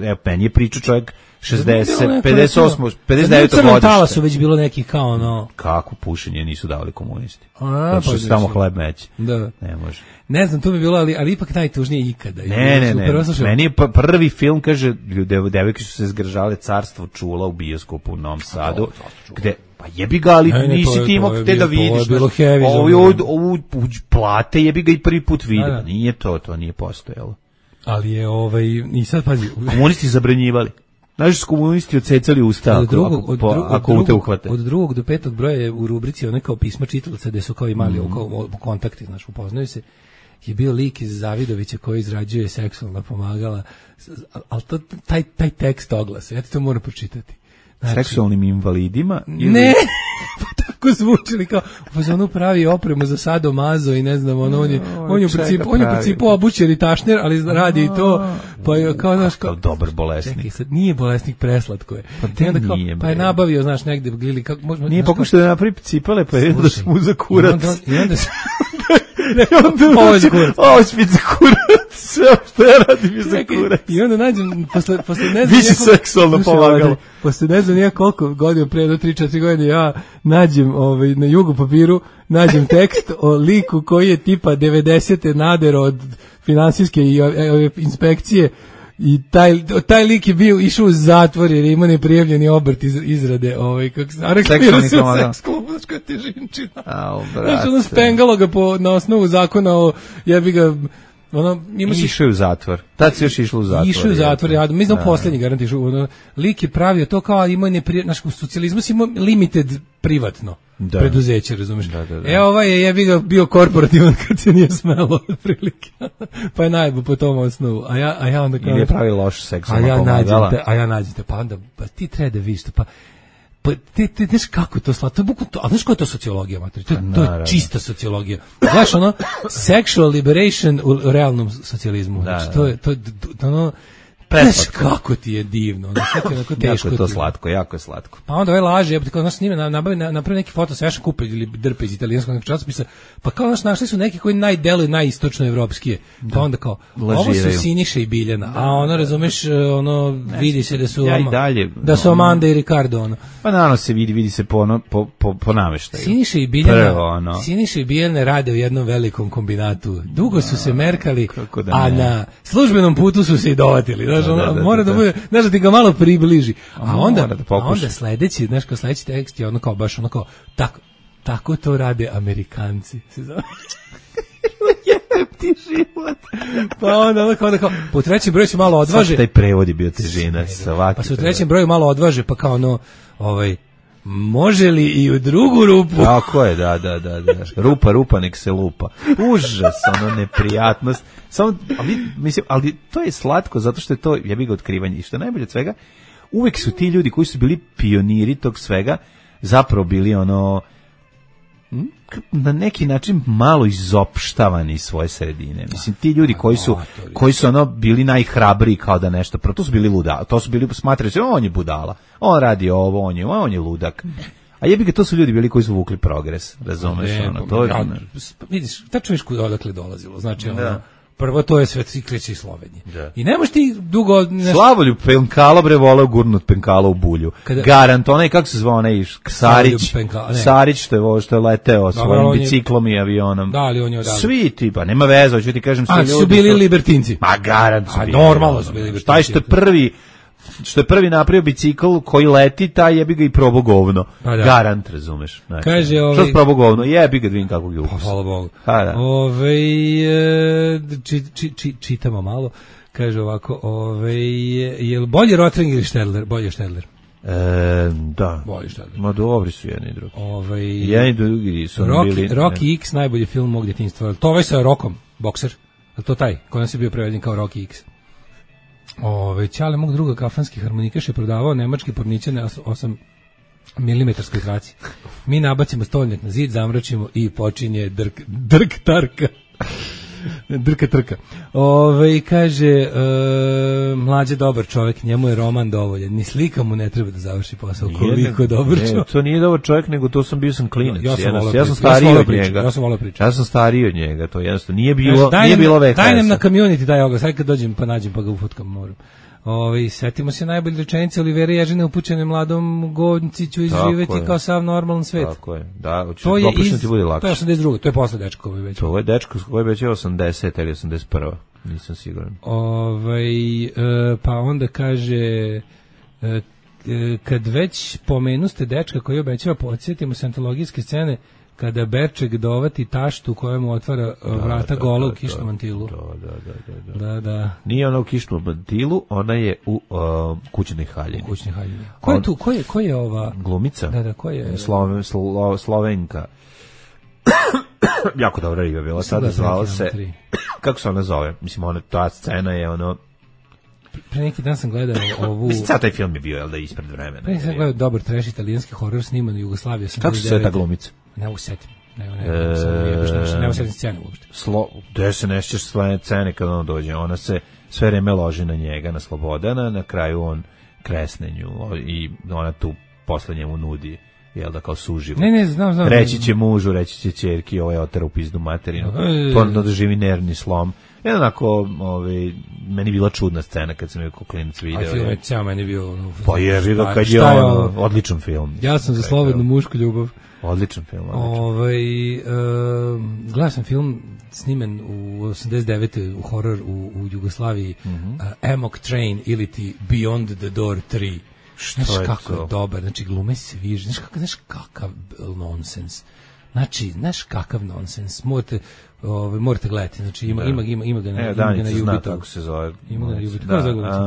evo, meni je pričao čovjek 60, 58, 59 godište. Tala su već bilo neki kao ono... Kako pušenje nisu davali komunisti? Zato što se tamo hleb meće. Da. Ne može. Ne znam, to bi bilo, ali ipak najtužnije ikada. Ne. Meni je prvi film, kaže, devojke su se zgržale, Carstvo čula u bioskopu u Novom Sadu, gde... Pa jebi ga, ali nisi ti imao gde da vidiš. Ovu plate jebi ga i prvi put vidio. Nije to nije postojalo. Ali je i sad pazi. Komunisti zabranjivali. Znaš, su komunisti odsecali usta ako te uhvate. Od 2. do 5. broja je u rubrici one kao pisma čitalaca gde su kao imali kontakti, znaš, upoznaju se. Je bio lik iz Zavidovića koji izrađuje seksualna pomagala, ali taj tekst oglasa, ja ti to moram pročitati. Znači, seksualnim invalidima? Ne, pa tako zvučili kao, on pravi opremu za sadomazo i ne znam, on je u principu obućen i tašner, ali radi i to, pa je kao, znaš, kao dobar bolesnik. Čekaj, sad nije bolesnik, preslatko je. Pa je nabavio, znaš, negde glili, kako možemo... Nije pokušao da napravi cipale, pa je da su mu za kurac. I onda se... Ovo je za kurac. Ovo je za kurac. Sve što ja radim je za kurac. I onda nađem, posle ne znam... Više seksualno pomagalo. Posle ne znam koliko godina, prije do 3-4 godine, ja nađem na jugu papiru, nađem tekst o liku koji je tipa 90. nadero od finansijske i inspekcije i taj lik je išao u zatvor jer ima neprijavljeni obrt izrade seksualni pomagalo. Seksualna težinčina. Znaš, ono spengalo ga na osnovu zakona o jebi ga išao u zatvor. Tad si još išlo u zatvor. Išao u zatvor, ja mislim poslednji garant išao. Lik je pravio to kao imao u socijalizmu si imao limited privatno preduzeće, razumeš? Ovaj je jebi ga bio korporativan kad se nije smelo prilike. Pa je najbolj po tom osnovu. A ja onda kao... Ili je pravio loš seksualno pomagala. A ja nađete, pa onda ti treba da vidiš, pa ti znaš kako je to slatko, to je bukvalno to, a znaš koja je to sociologija, materi? To je čista sociologija. Znaš, sexual liberation u realnom socijalizmu. Znači, to je znaš kako ti je divno. Jako je to slatko, jako je slatko. Pa onda laže, znaš, snime, napravi neki foto sa Jašom Kupe ili drpe iz italijanskog časopisa, pa kao znaš, našli su neki koji najdeluju najistočnoevropskije, pa onda kao, ovo su Siniša i Biljana, a razumeš, vidi se da su da su Amanda i Ricardo, Pa naravno se vidi se po nameštaju. Siniša i Biljana rade u jednom velikom kombinatu. Dugo su se merkali, a na službenom putu su se i dovatili. Mora da bude, znaš, da ti ga malo približi. A onda sledeći, znaš, kao sledeći tekst je kao baš kao, tako to rade Amerikanci. Jebem ti život. Pa onda kao, po trećem broju se malo odvaže. Taj prevod je bio težina. Pa se u trećem broju malo odvaže, pa kao može li i u drugu rupu? Tako je, da. Rupa, nek se lupa. Užas, neprijatnost. Ali to je slatko, zato što je to, ja bih ga otkrivanje. I što je najbolje od svega, uvek su ti ljudi koji su bili pioniri tog svega, zapravo bili na neki način malo izopštavani iz svoje sredine. Mislim, ti ljudi koji su bili najhrabriji kao da nešto, to su bili luda, to su bili smatrali se, on je budala, on radi ovo, on je ludak. A jebi ga, to su ljudi bili koji su vukli progres, razumeš? Vidiš, tačno viš odakle dolazilo, znači prvo to je sve kreće iz Slovenije. I nemaš ti dugo... Slavoljub Penkala voleo gurnut Penkala u bulju. Garant, kako se zvao onaj Sarić, što je leteo svojim biciklom i avionom. Da, ali on je odavno. Svi ti, pa nema veze, hoću ti kažem svi ljudi. Su bili libertinci. Ma garant su bili. Normalno su bili libertinci. Taj što je prvi napravio bicikl koji leti, taj jebi ga i probao govno. Garant, razumeš. Kaže, što je probao govno? Jebi ga, vidim kakvog je ukus. Hvala Bogu. Čitamo malo. Kaže ovako, je li bolje Rotring ili Štedler? Bolje Štedler. Da. Bolje Štedler. Ma dobri su jedni i drugi. Jedni i drugi su bili. Rocky X, najbolji film mog djetinjstva. To sa Rockom, bokser. Je to taj? Koji se bio preveden kao Rocky X? Ćale mog druga kafanski harmonikaš je prodavao nemački porničane milimetarskoj traci. Mi nabacimo stolnjak na zid, zamračimo i počinje drk tarka. Drka trka. Kaže, mlađe dobar čovjek, njemu je roman dovoljan. Ni slika mu ne treba da završi posao. Koliko dobar čovjek. To nije dobar čovjek, nego to sam bio klinac. Ja sam stariji od njega. Ja sam stariji od njega, to jednostavno nije bilo VHS. Daj nam na community taj oglas, sad kad dođem pa nađem pa ga ufotkam moram. Setimo se najbolje rečenice Olivera Ježine upućene mladom Gonciću izživeti kao sav normalan svet. Tako je, da, to je ti bude lakše. To je 82. To je posle dečka koji već. To je dečko koji već je 80 ili 81. Nisam siguran. Pa onda kaže kad već pomenuste dečka koji obećava, podsjetimo se antologijske scene kada Berček dovati taštu kojemu otvara vrata gola u kišnom mantilu. Da. Nije ona u kišnom mantilu, ona je u kućnoj haljini. Ko je ova glumica? Da, ko je? Slovenka. Jako dobra riba bila, sada zvala se. Kako se ona zove? Mislim, ta scena je ono. Pre neki dan sam gledao ovu... Mislim, taj film je bio, jel da, ispred vremena. Pre neki sam gledao dobar trash italijanski horor sniman u Jugoslaviji. Kako se ta glumica? Ne usetim. Ne usetim scenu uopšte. Gde se nešćeš svoje scene kad on dođe? Ona se sve vreme loži na njega, na Slobodana, na kraju on kresne nju i ona tu posle njemu nudi, jel da, kao suživo. Ne, znam. Reći će mužu, reći će ćerki, ovaj otera u pizdu materinu. To doživi nervni slom. Jednako, meni bila čudna scena kad sam je kao klinac video. A film je cijel meni bio... Pa je ga kad je odličan film. Ja sam za slobodnu mušku ljubav. Odličan film. Gledao sam film snimen u 89. u horor u Jugoslaviji, Amok Train ili ti Beyond the Door 3. Znaš kako je dobar, znači glume se viže, znaš kakav nonsens. Znači, znaš kakav nonsens. Morate gledati, znači ima ga na Danica zna kako se zove.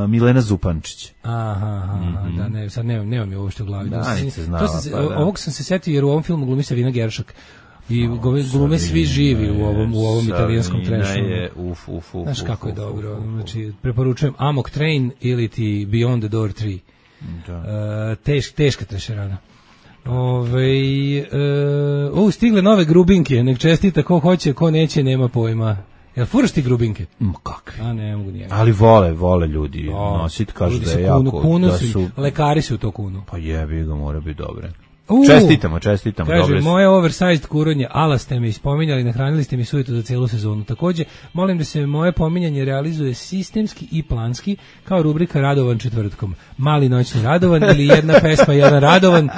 Milena Zupančić. Da, ne, sad nemam je ovo što u glavi. Danica znala. Ovog sam se setio jer u ovom filmu glumi Savina Geršak. I glume svi živi u ovom italijanskom trešu. Znaš kako je dobro. Znači, preporučujem Amok Train ili ti Beyond the Door 3. Teška trešerana. Stigle nove grubinke, nek čestita ko hoće, ko neće, nema pojma. Jel furaš ti grubinke? Kakve? A ne mogu nijedan. Ali vole ljudi nosit, kažu da je jako, da su... Lekari su to kunu. Pa jebi ga, mora biti dobre. Čestitamo. Kaže, moje oversized kuronje, ala ste me ispominjali, nahranili ste mi sujeto za celu sezonu. Takođe, molim da se moje pominjanje realizuje sistemski i planski, kao rubrika Radovan četvrtkom. Mali noćni Radovan ili jedna pesma, jedan Radovan.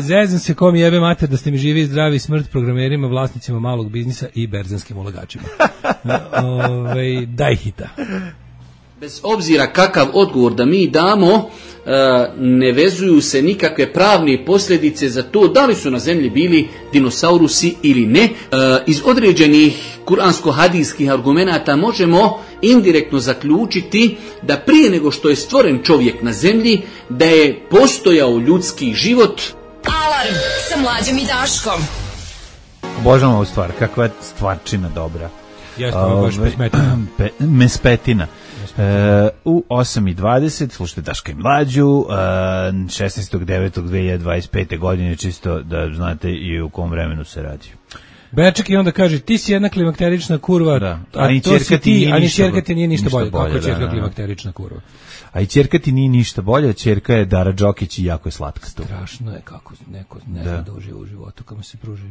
Zezam se kom jebe mater da ste mi živi i zdravi, smrt programerima, vlasnicima malog biznisa i berzanskim ulagačima. Daj hita. Bez obzira kakav odgovor da mi damo, ne vezuju se nikakve pravne posljedice za to da li su na zemlji bili dinosaurusi ili ne. Iz određenih kuransko-hadijskih argumenata možemo indirektno zaključiti da prije nego što je stvoren čovjek na zemlji, da je postojao ljudski život. Alarm sa Mlađom i Daškom. Obožavam ovu stvar, kakva je stvarčina dobra. Jeste, ovo baš mespetina. U 8:20 slušajte Daška i Mlađu, 16.9.2025. godine, čisto da znate i u kom vremenu se radi. Beček i onda kaže, ti si jedna klimakterična kurva, a to si ti, a ni ćerka ti nije ništa bolje. Kako je ćerka klimakterična kurva? A i ćerka ti nije ništa bolje, ćerka je Dara Đokić i jako je slatka. Strašno je kako neko ne zna da uživa u životu, kad mu se pruži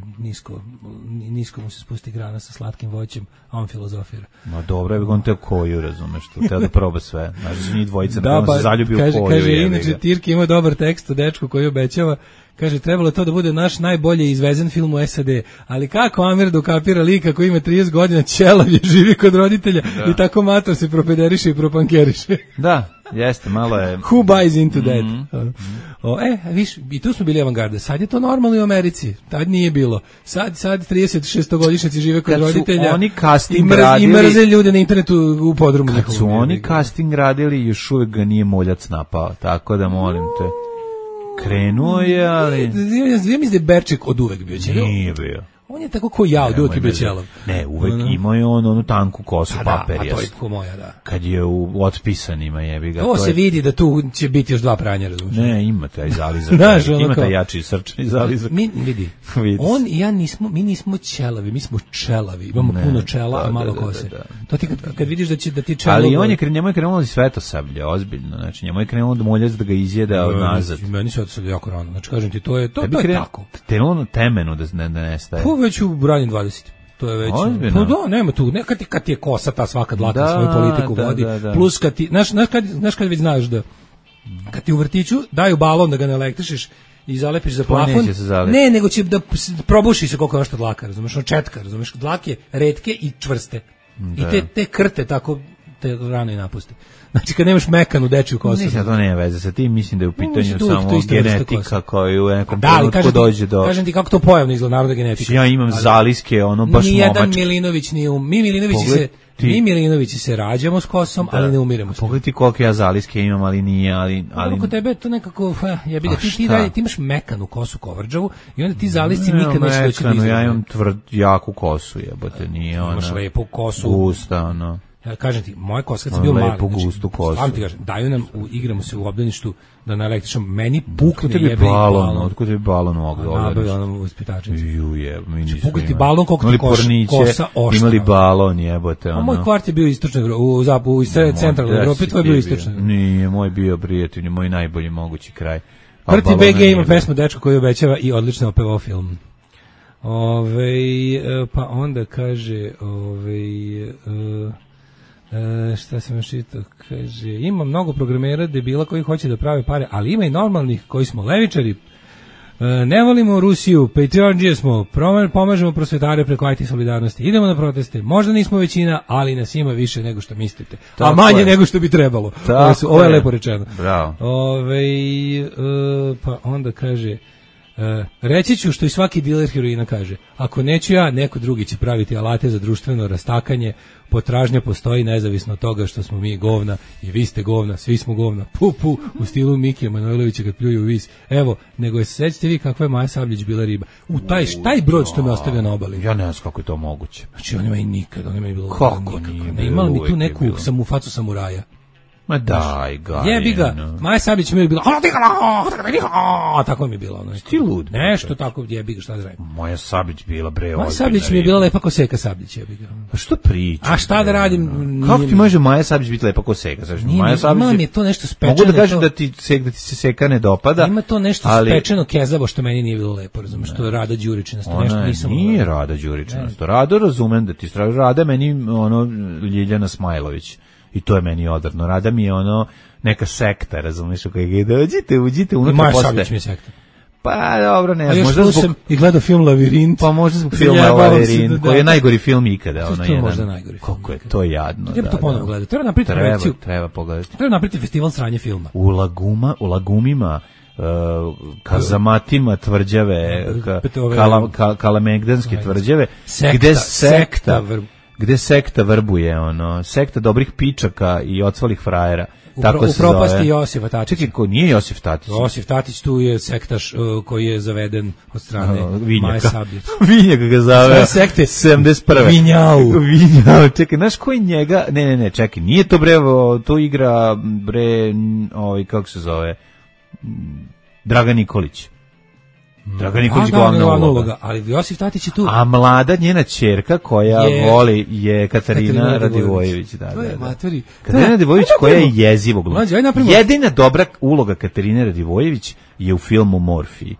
nisko mu se spusti grana sa slatkim voćem, a on filozofira. Ma dobro, je on te koju, razumeš, to treba da proba sve. Znači, njih dvojica, on se zaljubi u koju. Kaže, inače, Tirki ima dobar tekst o dečku koji obećava. Kaže, trebalo to da bude naš najbolje izvezen film u SAD, ali kako Amir dokapira lika koji ima 30 godina, ćelav je, živi kod roditelja i tako mator se propederiše i propankeriše. Da, jeste, malo je... Who buys into that? Viš, i tu smo bili avangarda. Sad je to normalno i u Americi. Tad nije bilo. Sad 36-godišnjaci žive kod roditelja i mrze ljude na internetu u podrumu. Kad su oni casting radili, još uvijek ga nije moljac napao, tako da molim te... Krenuo je, ali... Ja mislim da je Berček od uvek bio. Nije bio. On je tako ko ja, od uvijek je bio ćelav. Ne, uvek imao je onu tanku kosu paperjastu. paperjastu. A to je ko moja, da. Kad je u otpisanima, jebi ga. To se vidi da tu će biti još 2 pranja, razumiješ? Ne, ima taj zalizak. Znaš, ima taj jači srčani zalizak. Vidi. On i ja mi nismo ćelavi, mi smo čelavi. Imamo puno čela, a malo kose. To ti kad vidiš da ti čelo... Ali on je njemu je krenulo i Svetosablje, ozbiljno. Znači, njemu je krenulo da muljac da ga izjeda od nazad. Meni Svetosablje jako rano. Znači, kažem ti, to je tako. Krenulo na temenu da nestaje. To već u ranim 20. To je već. Pa da, nema tu. Kad ti je kosa ta svaka dlaka svoju politiku vodi. Plus kad ti, znaš kad već znaš da kad ti u vrtiću daju balon da ga ne elektrišiš i zalepiš za plafon. Ne, nego će da probuši se koliko je što dlaka, razumeš, od četka, razumeš, dlake retke i čvrste. I te krte tako te rano i napuste. Znači kad nemaš mekanu dečiju kosu. Mislim da to nema veze sa tim, mislim da je u pitanju samo genetika koja u nekom trenutku dođe do... Kažem ti kako to pojavno izgleda, narodna genetika. Ja imam zaliske, baš momačke. Nijedan Milinović nije mi Milinovići se rađamo s kosom, ali ne umiremo s njom. Pogledaj ti koliko ja zaliske imam, ali nije, ali... Kod tebe to nekako, ti imaš mekanu kosu kovrđavu i onda ti zalisci nikad neće doći do izgleda. Ja imam jaku kosu, jebote, nije ona... Imaš lepu kosu. Gusta, ono... Ja kažem ti, moja kosa kad sam bio mali, znači, ti kažem, daju nam, igramo se u obdaništu da na električnom, meni pukne jebe i balon. Otkud tebi balon u obdaništu? Nabavila nam u ispitačnici. Mi nismo imali. Ti balon koliko ti kosa oštava. Imali balon, jebote. A moj kvart je bio istočna Evropa, u centralnoj Evropi, tvoj je bio istočna Evropa. Nije, moj bio prijatelj, moj najbolji mogući kraj. Prti BG ima pesmu Dečko koji obećava i odlično opevao film. Pa onda kaže, šta sam još čitao, kaže, ima mnogo programera debila koji hoće da prave pare, ali ima i normalnih koji smo levičari, ne volimo Rusiju, patriotđije smo, pomažemo prosvetare preko IT solidarnosti, idemo na proteste, možda nismo većina, ali nas ima više nego što mislite, a manje nego što bi trebalo. Ovo je lepo rečeno. Bravo. Pa onda kaže, reći ću što i svaki diler heroina kaže, ako neću ja, neko drugi će praviti alate za društveno rastakanje, potražnja postoji nezavisno od toga što smo mi govna i vi ste govna, svi smo govna, pu, u stilu Mikija Manojlovića kad pljuju u vis. Evo, nego je sećate vi kakva je Maja Sabljić bila riba. U taj brod što me ostavio na obali. Ja ne znam kako je to moguće. Znači, on ima i nikad, on ima i bilo kako nije. Ne imala mi tu neku facu samuraja. Ma daj ga. Jebi ga. Maja Sabljić mi je bila, tako mi je bila. Ti lud. Nešto tako, jebi ga, šta da radim. Maja Sabljić bila bre. Maja Sabljić mi je bila lepa ko Seka Sabljić, jebi ga. Pa što pričaš? A šta da radim? Kako ti može Maja Sabljić biti lepa ko Seka? Maja Sabljić je to nešto spečeno. Mogu da kažem da ti se Seka ne dopada. Ima to nešto spečeno kezavo što meni nije bilo lepo, razumeš, što je Rada Đuričinasto, nešto nisam. Nije Rada Đuričinasto. Rado razumem da ti straži Rada, meni ono Ljiljana Smajlović. I to je meni odvrno. Rada mi je ono neka sekta, razumiješ, u kojeg je uđite unutra. Maja Sabljić mi je sekta. Pa dobro, ne znam, možda zbog... I gledao film Lavirint. Pa možda zbog filma Lavirint, koji je najgori film ikada. To je možda najgori film. Koliko je to jadno. Treba to ponovo gledati. Treba napraviti projekciju. Treba pogledati. Treba napraviti festival sranje filma. U Lagumima, kazamatima tvrđave, kalamegdanske tvrđave, gde sekta vrbuje, sekta dobrih pičaka i ocvalih frajera. Tako se zove. U propasti Josifa Tatića. Čekaj, ko nije Josif Tatić? Josif Tatić tu je sektaš koji je zaveden od strane Maje Sabljić. Vinjaka ga zove. Sekte 71. Vinjau. Čekaj, znaš koji njega? Ne, čekaj, nije to bre, to igra bre, kako se zove? Dragan Nikolić. Dragan Nikolić glavna uloga. Ali Josif Tatić je tu. A mlada njena ćerka koja voli je Katarina Radivojević. To je matori. Katarina Radivojević koja je jezivo gluma. Jedina dobra uloga Katarine Radivojević je u filmu Morfiji.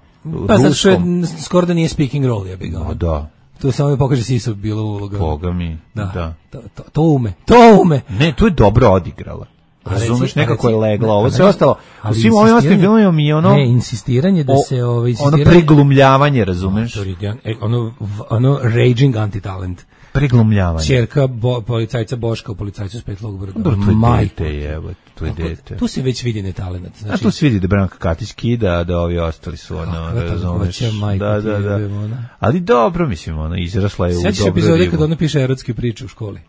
Pa zato što skoro da nije speaking role, ja bih ga. Da. To samo mi pokaže Sisu bila uloga. Boga mi. Da. To ume. Ne, to je dobro odigrala. Razumeš, nekako je legla, ovo sve ostalo. U svim ovim ostalim filmovima mi je ono... Ne, insistiranje da se... Ono preglumljavanje, razumeš? Ono raging anti-talent. Preglumljavanje. Čerka policajca Boška u Policajcu s Petlog Brda. To je dete. Tu se već vidi netalent. A tu se vidi da Branka Katić kida, da ovi ostali su razumeš. Da. Ali dobro, mislim, izrasla je u dobro ribu. Sjećaš epizode kada ona piše erotske priče u školi?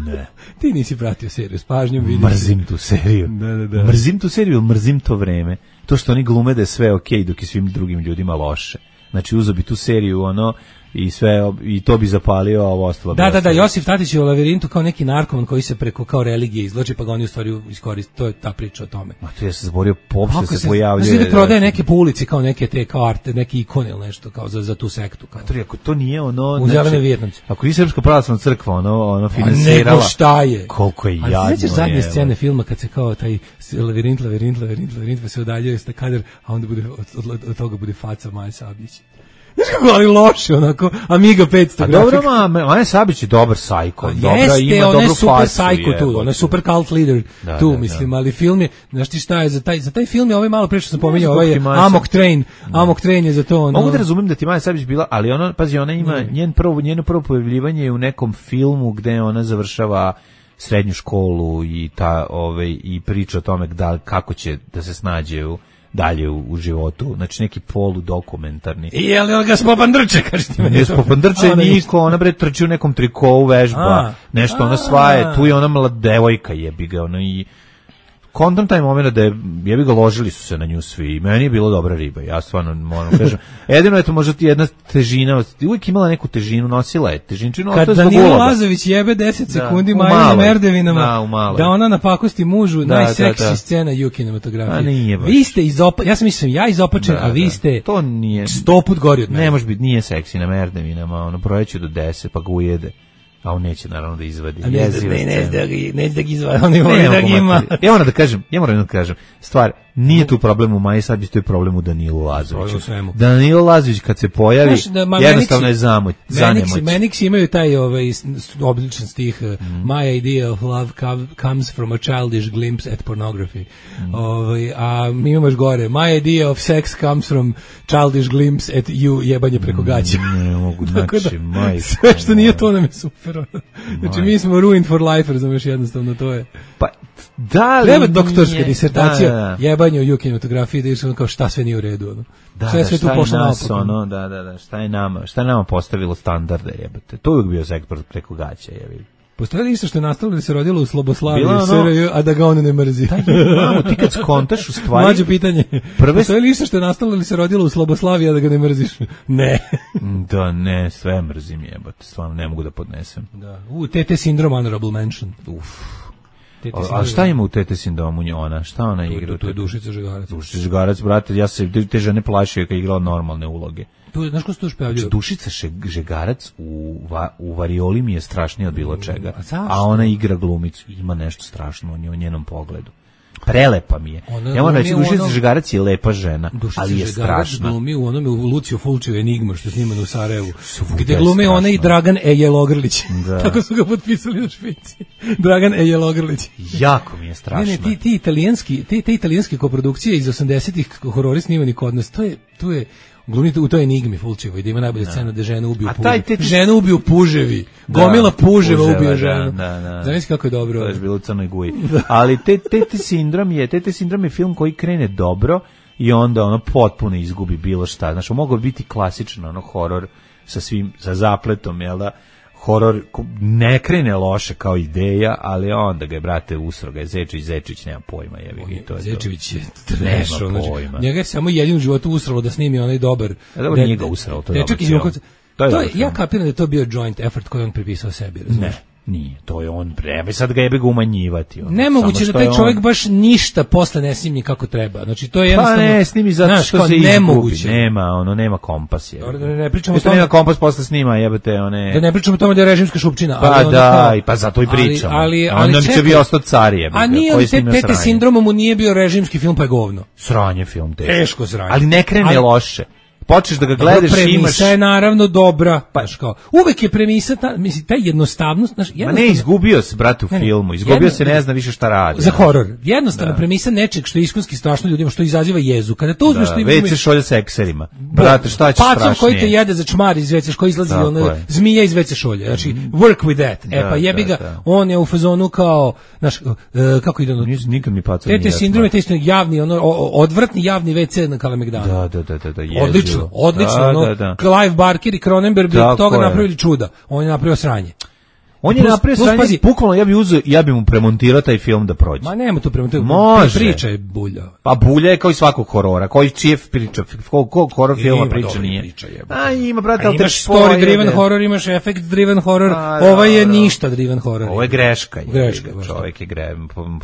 Ne. Ti nisi pratio seriju s pažnjom, vidiš. Mrzim tu seriju. Da. Mrzim tu seriju, mrzim to vreme. To što oni glume da je sve okej dok je svim drugim ljudima loše. Znači uzeo bi tu seriju ono i sve i to bi zapalio, a ovo ostalo. Da, Josif Tatić je u Lavirintu kao neki narkoman koji se preko kao religije izvlači, pa ga oni u stvari iskoriste. To je ta priča o tome. A to ja se zaborio, popšte se pojavljuje. Znači da prodaje neke po ulici kao neke te kao arte, neki ikone ili nešto kao za tu sektu kao. Ako to nije ono, u Zelenoj Vijetnamci. Ako nije Srpska pravoslavna crkva ono finansirala. Nego šta je? Koliko je jadno. A sećaš zadnje scene filma kad se kao taj Lavirint pa se udaljuje sta kadar, a onda bude od toga bude faca Maje Sabljić. Znaš kako, ali loše, onako, Amiga 500 grafika. A dobro, Maja Sabić je dobar sajko. Jeste, ima ona je super sajko tu, ona je super cult leader tu, mislim, ali film je, znaš ti šta je, za taj film je ovaj malo pre što sam pominjao, ovaj je Amok Train je za to. Ono. Mogu da razumem da ti Maja Sabić bila, ali ona, pazi, ona ima njeno prvo pojavljivanje je u nekom filmu gde ona završava srednju školu i i priča o tome kako će da se snađe dalje u životu, znači neki poludokumentarni. Je li on ga spopandrče, kažeš ti meni? Ne spopandrče niko, ona bre trči u nekom trikovu, vežba, nešto ona svaje, tu je ona mlada devojka, jebi ga, ona i kontam taj moment da jebi ga, ložili su se na nju svi i meni je bilo dobra riba, ja stvarno moram kažem. Jedino je to možda ti jedna težina, uvijek imala neku težinu, nosila je težinčinu. Kad Danilo Lazović jebe 10 sekundi Maja na Merdevinama, da ona napakosti mužu, najseksi scena u kinematografiji. Vi ste ja sam mislim, ja izopačen, a vi ste to nije 100 put gori od mene. Ne može biti, nije seksi na Merdevinama, ono projeću do 10 pa ga ujede. A on neće naravno da izvadi. Neće da ga izvadi, on ne da ga ima. Ja moram da kažem, stvar, nije tu problem u Maji Sabljić, to je problem u Danilu Lazoviću. Danilo Lazović kad se pojavi, jednostavno je zanemoć. Meniksi imaju taj obličan stih, My idea of love comes from a childish glimpse at pornography. A mi imamo još gore, My idea of sex comes from childish glimpse at you, jebanje preko gaća. Ne mogu, znači, majka. Sve što nije to nam je super. Znači mi smo ruined for life, razumeš, jednostavno to je. Pa da li treba doktorska disertacija jebanje u kinematografiji, da je kao šta sve nije u redu, ono. Sve tu pošlo naopako. Šta je nama postavilo standarde, jebate. To je uvijek bio sektor preko gaća, jebi. Postoje li isto što je nastalo da se rodilo u Sloboslaviji, a da ga on ne mrzi? Ti kad skontaš u stvari... Mlađe pitanje. Postoje li isto što je nastalo da se rodilo u Sloboslaviji, a da ga ne mrziš? Ne. Da, ne, sve mrzim, jebate. Stvarno, ne mogu da podnesem. Da. TT sindrom, honorable mention. A šta ima u TT sindromu ona? Šta ona igra? To je Dušica Žegarac. Dušica Žegarac, brate, ja se te žene plašio kad je igrala normalne uloge. Znaš ko se to još pojavljaju? Dušica Žegarac u varioli mi je strašnije od bilo čega. A ona igra glumicu. Ima nešto strašno u njenom pogledu. Prelepa mi je. Ja moram reći, Dušica Žegarac je lepa žena, ali je strašna. Dušica Žegarac glumi u Lucio Fulcijev Enigma, što je snimano u Sarajevu. Gde glume ona i Dragan Jelogrlić. Tako su ga potpisali na špici. Dragan Jelogrlić. Jako mi je strašno. Ne, te italijanske koprodukcije iz 80-ih horori snimani kod nas, to je glumi u toj Enigmi Fulčevoj, da ima najbolja scena da ženu ubiju puževi. Ženu ubiju puževi. Gomila puževa ubije ženu. Znaš kako je dobro. To je bilo u Crnoj Guji. Ali TT sindrom je film koji krene dobro i onda ono potpuno izgubi bilo šta. Znaš, mogao biti klasičan horor sa zapletom, jel da? Horor ne krene loše kao ideja, ali onda ga je, brate, usro ga je Zečević nema pojma, jebi. Zečević je trash, njega je samo jedin u životu usralo da snimi onaj dobar. Dobro, nije ga usralo, to je dobro. Ja kapiram da je to bio joint effort koji on pripisao sebi, razumiješ? Nije, to je on prebe, sad ga jebe ga umanjivati. Nemoguće da taj čovjek baš ništa posle ne snimi kako treba. Znači to je jednostavno. Pa ne, snimi zato što se izgubi. Nema kompas je. Ne pričamo o tome. Nema kompas posle snima, jebate one. Da ne pričamo o tome da je režimska šupčina, pa da, i pa zato i pričamo. Ali će bi ostao car jebate. A nije li TT sindromom mu nije bio režimski film, pa je govno. Sranje film, teško sranje. Ali ne krene loše. Počneš da ga gledaš, premisa je naravno dobra, uvek je premisa ta jednostavnost, ne, izgubio se, brate, u filmu, se, ne zna više šta radi. Za horor, jednostavna premisa nečeg što je iskonski strašno ljudima, što izaziva jezu. Kada to uzmeš, WC šolja sa ekserima. Brate, šta će strašnije? Pacom koji te jede za čmar iz WC, koji izlazi zmija iz WC šolje. Znači, work with that. Pa jebi ga, on je u fazonu kao, kako ide ono? Nikad mi pacom nije. Te sindrome, te isto javni, odvratni javni WC na Kalemegdanu. Da. Odlično, Clive Barker i Cronenberg bi od toga napravili čuda. On je napravio sranje. On je napravio sranje, bukvalno ja bi mu premontirao taj film da prođe. Ma nema tu premontirao. Može. Priča je bulja. Pa bulja je kao i svakog horora. Koji čije priča, kog horor filma priča nije. A ima, brate, ali imaš story driven horror, imaš effect driven horror. Ovo je ništa driven horror. Ovo je greška. Čovjek je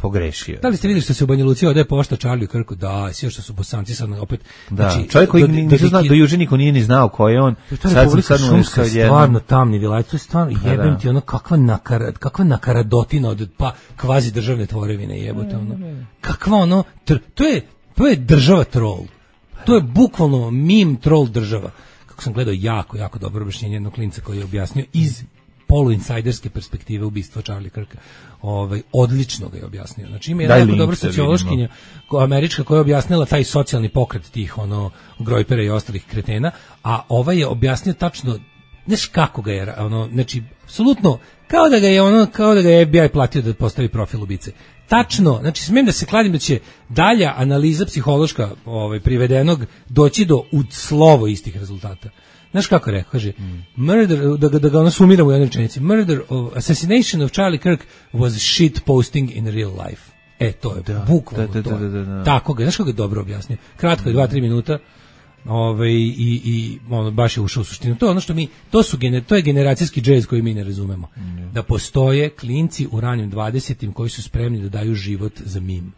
pogrešio. Da li ste vidjeli što se u Banja Luci odaje pošta Charlie Kirku? Da, sve što su Bosanci sad opet. Da, znači, čovjek koji nisu znao, do juče niko nije ni znao ko je on. Sad šumska stvarno tamni vilaj, to je stvarno jebem ti ono kakva nakaradotina od pa kvazi državne tvorevine jebote ono. Kakva ono, to je država troll. To je bukvalno meme troll država. Kako sam gledao jako dobro objašnjenje jednog klinca koji je objasnio iz poluinsajderske perspektive ubistva Charlie Kirka. Odlično ga je objasnio. Znači ima jedna jako dobra sociološkinja američka koja je objasnila taj socijalni pokret tih grojpera i ostalih kretena, a ovaj je objasnio tačno znaš kako ga je znači apsolutno kao da ga je FBI platio da postavi profil ubice. Tačno, znači smijem da se kladim da će dalja analiza psihološka privedenog doći do u slovo istih rezultata. Znaš kako je rekao, kaže, murder, da ga ono sumiramo u jednoj rečenici, assassination of Charlie Kirk was shit posting in real life. To je bukvalno to. Tako ga, znaš kako je dobro objasnio. Kratko je 2-3 minuta, i baš je ušao u suštinu. To je ono što to je generacijski džez koji mi ne razumemo. Da postoje klinci u ranim 20-im koji su spremni da daju život za mim.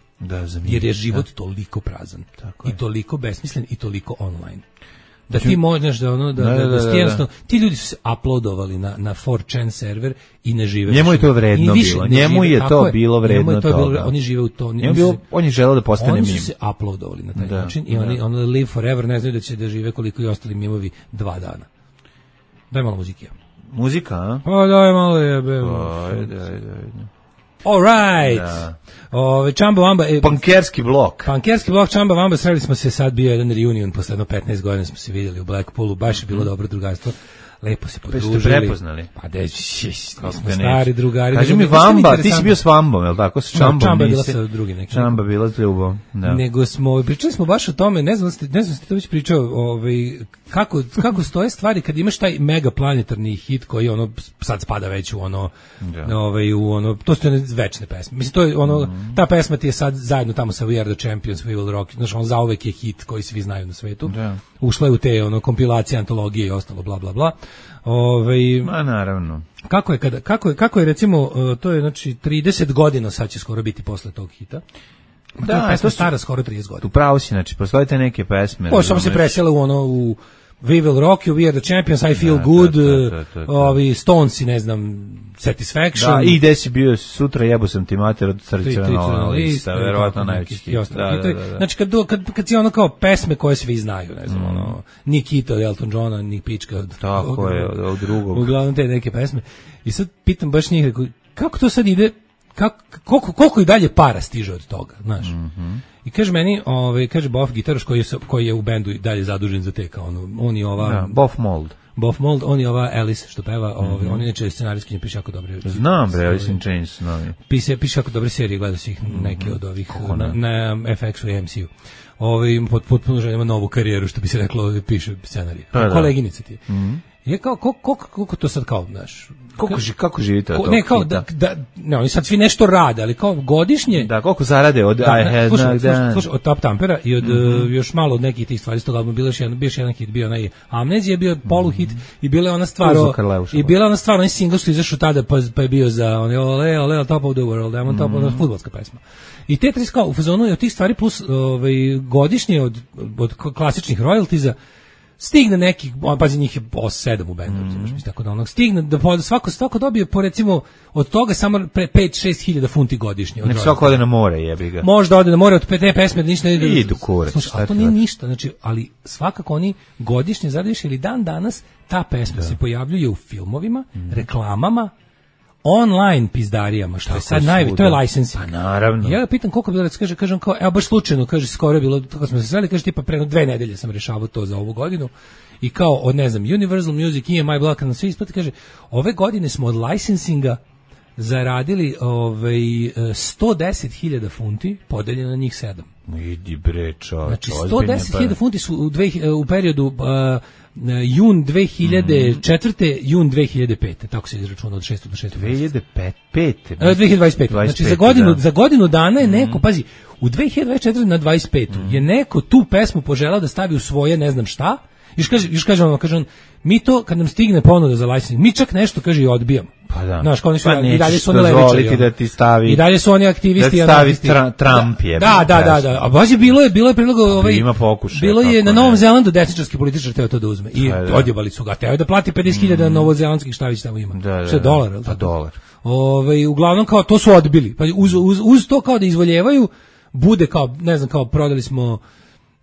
Jer je život toliko prazan. I toliko besmislen i toliko online. Da ti možeš da jednostavno ti ljudi su se uploadovali na 4chan server i ne žive. Njemu je to vredno bilo. Njemu je to bilo vredno toga. Oni žive u to. On je želeo da postane mim. Oni su se uploadovali na taj način i oni live forever, ne znaju da će da žive koliko i ostali mimovi 2 dana. Daj malo muzike. Muzika, a? Pa daj malo jebe. Ajde. All right. Chamba Wamba, Pankerski blok, Chamba Wamba, sreli smo se, sad bio jedan reunion, posle 15 godina smo se vidjeli u Blackpoolu, baš je bilo dobro drugarstvo, lepo se podružili. Ste prepoznali? Pa smo stari drugari. Kaži mi Vamba, ti si bio s Vambom, je li tako? S Čambom Čamba je bila sa drugim nekim. Čamba bila s Ljubom, da. Nego pričali smo baš o tome, ne znam ste to već pričao, kako stoje stvari kad imaš taj mega planetarni hit koji sad spada već u to su one večne pesme. Mislim, to je ta pesma ti je sad zajedno tamo sa We Are The Champions, We Will Rock, znaš, zauvek je hit koji svi znaju na svetu. Da. Ušla je u te kompilacije, antologije i ostalo, bla, bla, bla. Ma naravno. Kako je recimo, to je znači 30 godina sad će skoro biti posle tog hita. Da, pesma stara skoro 30 godina. Tu pravo si, znači, postoje te neke pesme. Samo se presjela u We Will Rock You, We Are The Champions, I Feel Good, Stones i ne znam, Satisfaction. Da, i gde si bio sutra, jebo sam ti mater od tradicionalna lista, verovatno najveći. Znači, kad si kao pesme koje svi znaju, ne znam, ni Kita od Elton Johna, ni Pička od... Tako je, od drugog. Uglavnom te neke pesme. I sad pitam baš njih, kako to sad ide, koliko i dalje para stiže od toga, znaš? I kaže meni, kaže Boff gitaraš koji je u bendu dalje zadužen za te, kao on je ova... Boff Mold, on je ova Alice što peva, on je neče scenarijski, piše jako dobre. Znam bre, Alice in Chains, novi. Piše jako dobre serije, gledao si ih neke od ovih na FX-u i MCU. Potpuno želimo novu karijeru, što bi se reklo, piše scenarije. Koleginica ti je. Je kao, koliko to sad kao, znaš... Kako živite od tog ne, kao ne, oni sad svi nešto rade, ali kao godišnje... Da, koliko zarade od slušaj, od Top Tampera i od još malo od nekih tih stvari, s toga bio još jedan hit, bio onaj Amnezija, bio poluhit i bila je ona stvar, onaj single što izašao tada, pa je bio za ole, Top of the World, I'm on top of the fudbalska pesma. I te tri kao u fazonu od tih stvari plus godišnje od klasičnih royaltiza stigne nekih, pazi njih je 7 u bendu, mislim, tako da stigne da svako dobije po recimo od toga samo 5-6 hiljada funti godišnje. Nek svako ode na more, jebi ga. Možda ode na more od te pesme da ništa ne ide. Idu kurac. Slušaj, to nije ništa, znači, ali svakako oni godišnje zaradiš ili dan danas ta pesma se pojavljuje u filmovima, reklamama, online pizdarijama, što je sad to je licensing. Pa naravno. Ja ga pitam koliko bilo, kažem kao, evo baš slučajno, kaže, skoro je bilo, tako smo se sreli, kaže, tipa preno 2 nedelje sam rešavao to za ovu godinu i kao od, ne znam, Universal Music, EMI Block, na svi isplati, kaže, ove godine smo od licensinga zaradili 110.000 funti, podeljeno na njih 7. Idi bre, čovječ. Znači 110.000 funti su u periodu jun 2004. jun 2005. Tako se izračuna od 6. do 6. 2025. Znači za godinu dana je neko, pazi, u 2024. na 25. je neko tu pesmu poželao da stavi u svoje ne znam šta. Još kažem vam, mi to kad nam stigne ponuda za licensing, mi čak nešto kaže i odbijamo. Pa da. Znaš, kao oni su, i dalje su oni levičari. Da ti stavi, i dalje su oni aktivisti. Da ti stavi Trump je. Da. A baš je bilo je predlog ima pokušaj. Bilo je na Novom Zelandu desničarski političar teo to da uzme. I odjebali su ga. Teo da plati 50.000 novozelandskih šta već tamo ima. Što je dolar, al tako? Dolar. Uglavnom kao to su odbili. Pa uz to kao da izvoljevaju, bude kao, ne znam, kao prodali smo,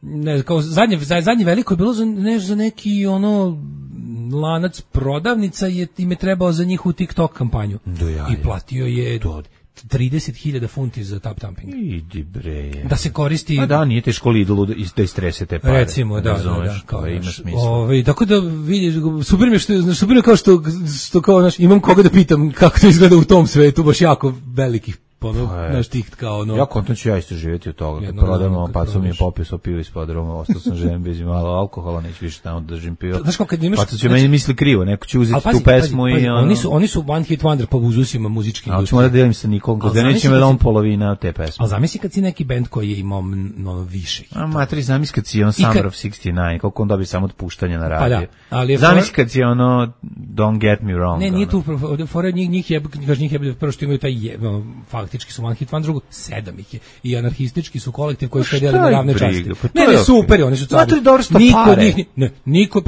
ne znam, kao zadnje veliko je bilo za neki lanac prodavnica im je trebao za njihovu TikTok kampanju. I platio je 30.000 funti za tap tamping. Idi bre. Da se koristi. A da, nije teško Lidlu da istrese te pare. Recimo, da. Kao ima smisla. Tako da vidiš, super mi je kao što kao, znaš, imam koga da pitam kako to izgleda u tom svetu, baš jako velikih naš tih kao ja kontam ću ja isto živjeti od toga. Kad prodamo, pa su mi je popio pivo ispod roma, ostao sam željen bez malo alkohola, neću više tamo da držim pivo. Znaš kako kad imaš, pa će meni misli krivo, neko će uzeti tu pesmu i oni su one hit wonder po uzusima muzički. Ali ćemo da delim sa nikom, da neće me da on polovina te pesme. A zamisli kad si neki bend koji je imao više. A matri, zamisli kad si Summer of 69, koliko on dobije samo otpuštanja na radio. Pa da, zamisli kad si Don't Get Me Wrong. Ne, nije tu, fora njih je prvo što imaju taj faktički su one hit wonder, drugo 7 ih je. I anarhistički su kolektiv koji se deli na ravne časti. Ne, super, oni su cari. Niko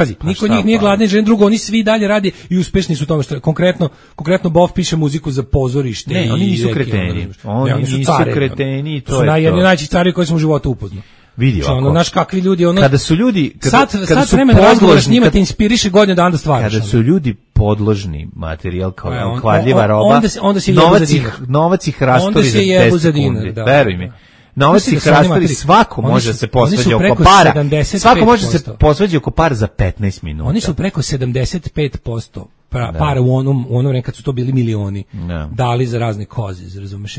od njih nije gladan žen, drugo, oni svi dalje rade i uspešni su u tome što konkretno Bov piše muziku za pozorište. Ne, oni nisu kreteni. Oni nisu kreteni, to je to. Jedni najčešći cari koji sam u životu upoznao. Vidi ovako. Naš kakvi ljudi, kada su ljudi, sad vremena razgovora s njima te inspiriše godinu dana da stvaraš. Kada su ljudi podložni materijal kao kvadljiva roba, novac ih rastori za 10 sekundi. Veruj mi. Novac ih rastori, svako može da se posvađa oko para. Svako može da se posvađa oko para za 15 minuta. Oni su preko 75% para u onom vremenu kad su to bili milioni dali za razne koze, razumeš?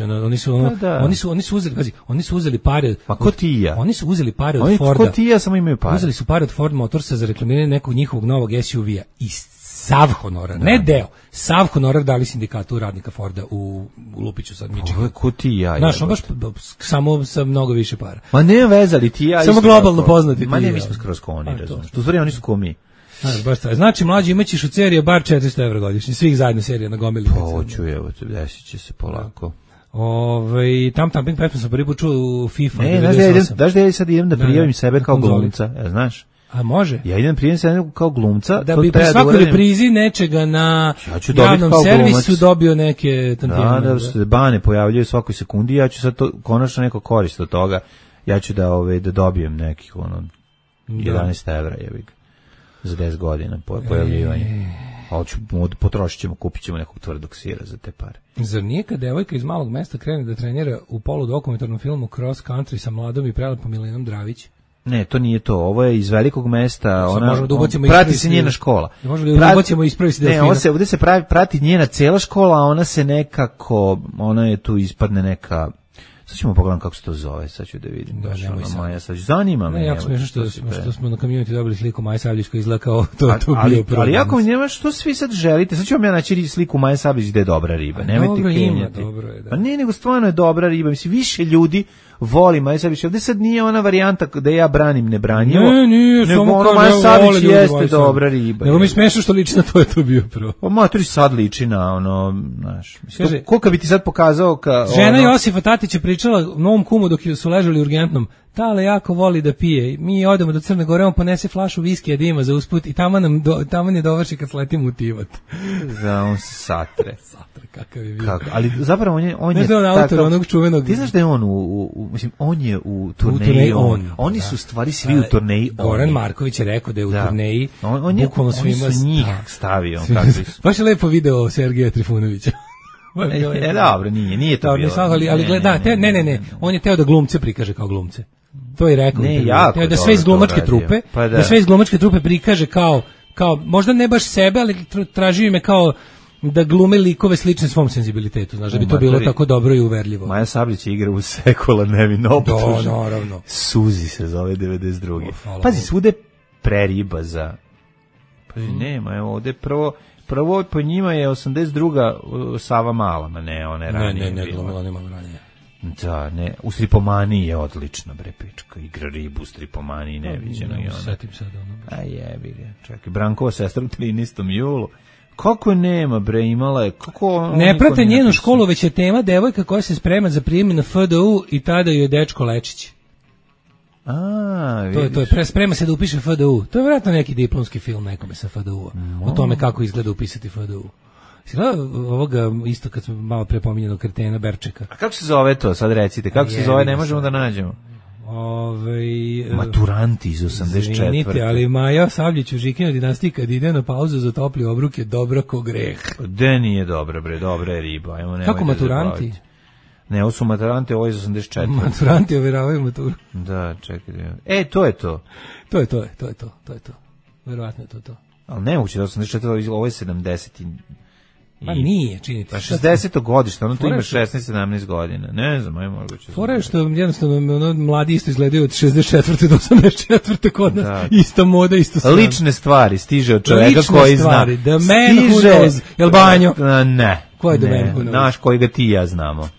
Oni su uzeli pare. Pa ko ti ja? Oni su uzeli pare od Forda. Ko ti ja samo imaju pare. Uzeli su pare od Ford Motorsa za reklamiranje nekog njihovog novog SUV-a i sav honorar, ne deo, sav honorar dali sindikatu radnika Forda u Lupiću sad Michigan. Ovo je ko ti ja. Znaš, on baš samo sa mnogo više para. Ma ne vezali ti ja. Samo globalno poznati. Ma ne, mi smo skroz ko oni, razumiješ. Tu stvari oni su ko mi. Znači, mlađi imaćeš od serije bar 400 € godišnje, svih zajedno serija na gomili. Hoću, evo, desit će se polako. Tam tamping pesmu sam prvi put čuo u FIFA. Ne, znaš da ja sad idem da prijavim sebe kao glumca, znaš? A može? Ja idem prijavim sebe kao glumca. Da bi pri svakoj reprizi nečega na javnom servisu dobio neke tantijene. Da se bane pojavljaju svakoj sekundi, ja ću sad to, konačno neko korist od toga, ja ću da dobijem nekih 11 € jebik za 10 godina pojavljivanje. Potrošit ćemo, kupit ćemo nekog tvrdog sira za te pare. Zar nije kad devojka iz malog mesta krene da trenira u poludokumentarnom filmu Cross Country sa mladom i prelepom Milenom Dravić? Ne, to nije to. Ovo je iz velikog mesta. Da prati se njena škola. Možemo da ubacimo i ispravi se delfina. Ne, ovdje se prati njena cela škola, a ona se nekako, ona je tu ispadne neka. Sad ćemo pogledati kako se to zove, sad ću da vidim. Da, nemoj sad. Maja Savljić, zanima me. Ne, jako smiješno što smo na community dobili sliku Maja Savljić koja izgleda kao to bio problem. Ali jako mi nema što svi sad želite, sad ću vam ja naći sliku Maja Savljić da je dobra riba, nemojte kenjati. Dobro je, da. Pa ne, nego stvarno je dobra riba, mislim, više ljudi voli Maja Savljić, ovdje sad nije ona varijanta da ja branim nebranjivo. Ne, nije, samo kao Maja Savljić jeste dobra riba. Nego mi smiješno što liči na to je to bio prvo. Pa matori sad liči na znaš, koliko bi ti sad pokazao žena Josifa Tatića pričala novom kumu dok su ležali urgentnom, Tale jako voli da pije, mi odemo do Crne Gore, on ponese flašu viskija da ima za usput i tamo je dovrši kad sletimo u Tivat. Da, on se satre. Kakav je bio. Ali zapravo on je autor onog čuvenog. Ti znaš da je on mislim, on je u turneji, oni su stvari svi u turneji. Goran Marković je rekao da je u turneji, bukvalno svima njih stavio. Baš je lepo video Sergeja Trifunovića. Dobro, nije to bilo. Ali gleda, ne, on je teo da glumce prikaže kao glumce. To je rekao. Teo da sve iz glumačke trupe, da sve iz glumačke trupe prikaže kao možda ne baš sebe, ali tražio ime kao da glume likove slične svom senzibilitetu, znaš, da bi to bilo tako dobro i uverljivo. Maja Sablić igra u Sekula nevino optužen. Da, naravno. Suzi se zove 92. Pazi, svude preriba za... Pazi, nema, evo ovde prvo po njima je 82. Sava Mala, ma ne, ona je ranije. Ne, glumila nema ranije. Da, ne, u Stripomaniji je odlična, bre, pička, igra ribu u Stripomaniji, neviđeno i ona. Setim sad ono. A jebi ga, čekaj, Brankova sestra u 13. julu. Kako nema, bre, imala je, kako... Ne prate njenu školu, već je tema devojka koja se sprema za prijem na FDU i tada joj je dečko Lečić. Vidiš. To je sprema se da upiše FDU. To je vjerojatno neki diplomski film nekome sa FDU-a. O tome kako izgleda upisati FDU. Ovoga isto kad smo malo prepominjeno kretena Berčeka. A kako se zove to? Sad recite, kako se zove, ne možemo da nađemo. Maturanti iz 84. Izvinite, ali Maja Sabljić u Žikina dinastiji kad ide na pauzu za topli obruk je dobra ko greh. De nije dobra, bre, dobra je riba. Ajmo, kako maturanti? Ne, ovo su maturanti, ovo je iz 84. Maturanti ovjeravaju maturu. Da, čekaj. To je to. To je to. Verovatno je to. Ali nemoguće da 84, ovo je 70. Pa nije, činite. Pa 60. godište, ono tu ima 16-17 godina. Ne znam, aj moguće. Fora je što jednostavno mladi isto izgledaju od 64. do 84. kod nas. Ista moda, isto sve. Lične stvari stiže od čoveka koji zna. Lične stvari, the man who knows. Jel Banjo? Ne. Ko je the man who knows? Naš koji ga ti i ja znamo.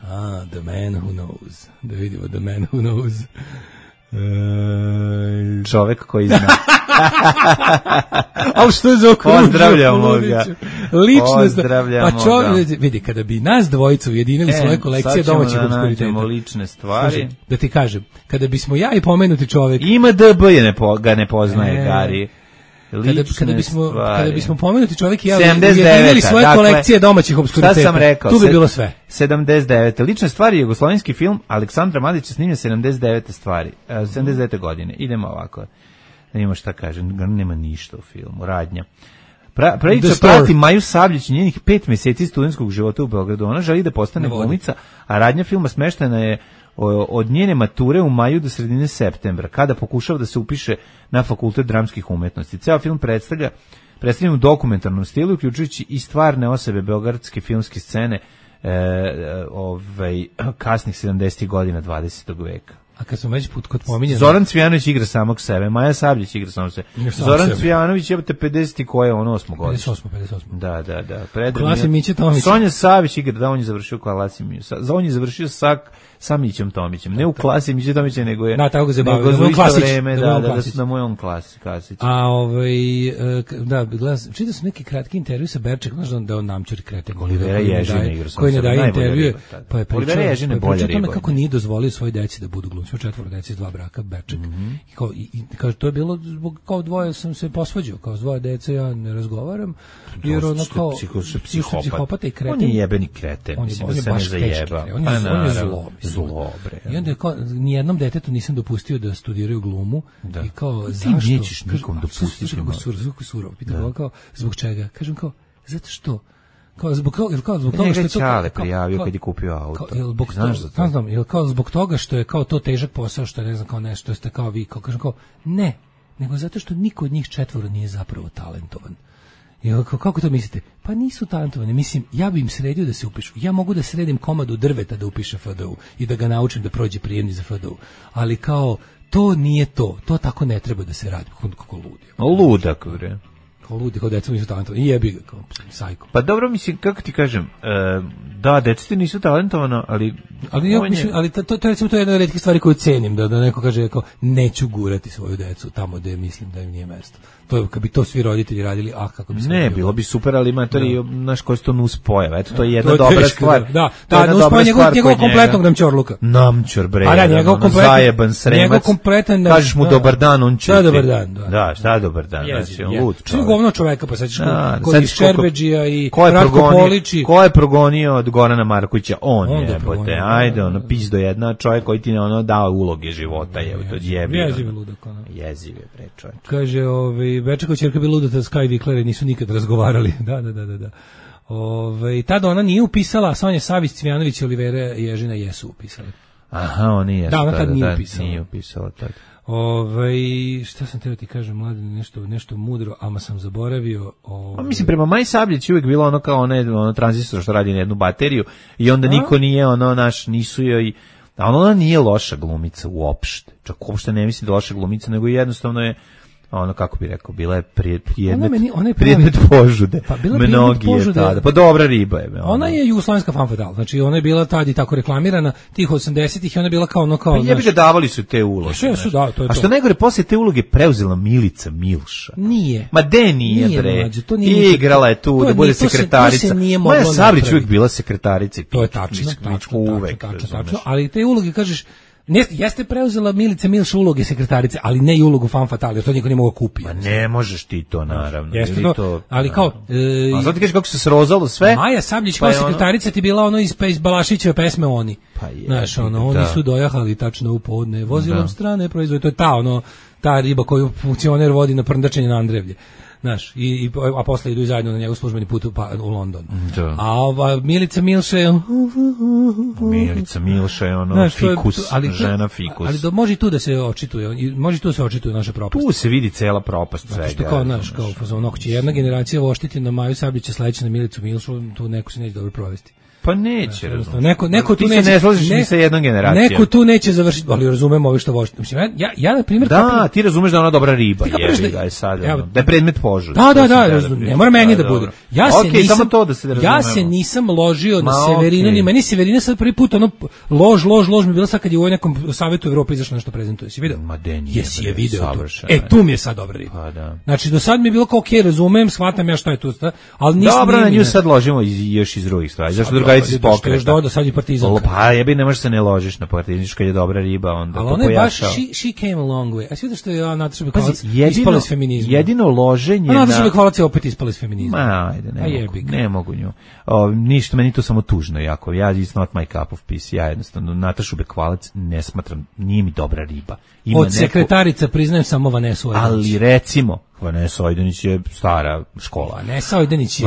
The man who knows. Da vidimo the man who knows. Čovek koji zna. Ali što je za okružio? Pozdravljamo ga. Pa čovjek, vidi, kada bi nas dvojicu ujedinili svoje kolekcije domaćih obskuriteta. Lične stvari. Da ti kažem, kada bismo ja i pomenuti čovjek... Ima DB ga ne poznaje, Gari. Kada bismo pomenuti čovjek i ja ujedinili svoje kolekcije domaćih obskuriteta. Šta sam rekao? Tu bi bilo sve. 79. Lične stvari je jugoslovenski film Aleksandra Mladića snimljen 79. godine. Idemo ovako. Nema šta kažem, nema ništa u filmu. Radnja. Priča prati Maju Sabljić i njenih 5 mjeseci studentskog života u Beogradu. Ona želi da postane glumica, a radnja filma smeštena je od njene mature u maju do sredine septembra, kada pokušava da se upiše na Fakultet dramskih umetnosti. Ceo film predstavlja u dokumentarnom stilu, uključujući i stvarne osobe beogradske filmske scene kasnih 70. godina 20. veka. A kad smo već kod pominjeni... Zoran Cvijanović igra samog sebe, Maja Sabljić igra samog sebe. Zoran Cvijanović je 50. koje je on 8. godište. 58. Da. Klasi Miće Tomić. Sonja Savić igra, on je završio klasi Miće. On je završio sa Mićem Tomićem. Ne u klasi Miće Tomića, nego je... Da, tako ga zabavio. Nego u isto vreme, da mu je on klasić. A čitao sam neki kratki intervju sa Berčekom, znaš da on namčuri kreten. Olivera Ježina igra koji ne daje intervju. Pa je Olivera Ježina je bolja riba. Kako nije dozvolio svoje deci da budu glumci. 4 dece iz 2 braka, Berček. I kaže, to je bilo zbog kao dvoje sam se posvađao, kao s 2 dece ja ne razgovaram, jer ono kao psihopata i kreten. On je jebeni kreten, mislim da se ne zajeba. On je zlo, bre. I onda je kao, nijednom detetu nisam dopustio da studiraju glumu. I kao, zašto? Ti nećeš nikom dopustiti. Kako surov. Pitam kao, zbog čega? Kažem kao, zato što zbog toga što je Čale prijavio kad je kupio auto. Znaš za to? Znam, kao zbog toga što je kao to težak posao, što je ne znam kao nešto, ste kao vi, kao kažem kao ne, nego zato što niko od njih 4 nije zapravo talentovan. I kako to mislite? Pa nisu talentovani, mislim, ja bi im sredio da se upišu. Ja mogu da sredim komadu drveta da upiše FDU i da ga naučim da prođe prijemni za FDU. Ali kao, to nije to tako ne treba da se radi. Kako ludi. Ludak, bre. Kao ludi, kao deca nisu talentovani. I jebi ga, kao sajko. Pa dobro, mislim, kako ti kažem, da, deca nisu talentovano, ali to je jedna od retkih stvari koju cenim, da neko kaže kao, neću gurati svoju decu tamo gde mislim da im nije mesto. To kad bi to svi roditelji radili, kako bi se ne bilo bi super, ali ima to i naš koji to nus pojava. Eto, to je jedna dobra stvar. Da, nus njegov kompletnog namćorluka. Namćor, bre. A da, njegov kompletan zajeban sremac. Njegov kompletan. Kažeš mu dobar dan, on će. Šta dobar dan? Da, šta dobar dan, znači on lud. Što govno čoveka, pa sećaš kod Šerbedžija i Ratko Polići. Ko je progonio od Gorana Markovića? On jebote. Ajde, ono pizdo jedna, čovjek koji ti ne dao uloge života, je to jebi. Jezive, bre, čovjek. Kaže, Bečekova ćerka bila luda, Sky Vikler nisu nikad razgovarali. Da. Tada ona nije upisala, a Sonja Savić, Cvijanović i Olivera Ježina jesu upisali. Aha, oni jesu. Da, ona tad nije upisala. Nije upisala tad. Šta sam teo ti kažem, mlade, nešto mudro, ama sam zaboravio. Pa mislim, prema Maji Sabljić uvijek bilo ono kao ono tranzistor što radi na jednu bateriju i onda niko nije nisu joj, a ona nije loša glumica uopšte. Čak uopšte ne mislim da je loša glumica, nego jednostavno je ono, kako bi rekao, bila je predmet požude. Pa bila mnogi je tada. Pa dobra riba je. Ona je jugoslovenska femme fatale. Znači ona je bila tad i tako reklamirana tih 80-ih i ona je bila kao Pa jebi ga, davali su te uloge. Sve su da, to je. A što najgore, posle te uloge preuzela Milica Milša. Nije. Ma de nije bre. Mlađe, to nije. Igrala je tu da bude sekretarica. Maja Sablić uvijek bila sekretarica. To je tačno. Tačno. Ali te uloge, kažeš, jeste preuzela Milica Milša uloge sekretarice, ali ne i ulogu femme fatale, to niko ne mogu kupiti. Ma ne možeš ti to, naravno. Jeste to, ali kao... A sad ti kažeš kako se srozalo sve? Maja Sabljić kao sekretarica ti bila ono iz Balašićeve pesme Oni. Pa je. Znaš, oni su dojahali tačno u podne, vozilom strane proizvode, to je ta riba koju funkcioner vodi na prndačenje na Andrevlje. Znaš, a posle idu zajedno na njegov službeni put u London. Da. A Milica Milša je fikus, žena fikus. Ali može i tu da se očituje, naša propast. Tu se vidi cela propast svega. Što kao, znaš, kao ako će jedna generacija voštiti na Maju Sabljića, sledeća na Milicu Milšu, tu neko se neće dobro provesti. Pa neće, neko tu neće, ne slažiš ni sa jednom generacijom. Neko tu neće završiti, ali razumem ovi što vošte. Mislim, ja na primjer... Da, ti razumeš da je ona dobra riba, jebi ga je sad, da je predmet požude. Da, ne mora meni da bude. Ja se nisam ložio na Severinu, ni meni Severina sad prvi put, lož mi bila sad kad je u ovoj nekom Savetu Evrope izašlo nešto prezentuje. Si vidio? Jesi je video tu. Tu mi je sad dobra riba. Znači, do sad mi je bilo kao, okej, razumem, shvatam ja šta je tu, ali nisam... Dobro, na nju sad ložimo još iz drugih stvari. Zašto drugarici iz pokreta? Sad je Partizanka. Pa jebi, ne možeš se ne ložiš na Partizanku kad je dobra riba, onda ali to pojačao. Ali ona je baš, she came a long way. A svi da što je Nataša Bekvalac ispala iz feminizma. Jedino loženje... A Nataša Bekvalac je opet ispala iz feminizma. Ma, ajde, ne mogu nju. Ništa, meni to samo tužno jako. It's not my cup of peace. Ja jednostavno Natašu Bekvalac ne smatram, nije mi dobra riba. Od sekretarica priznajem samo Vanesu Ojdanić. Ali recimo, Vanesa Ojdanić je stara škola. Vanesa Ojdanić je...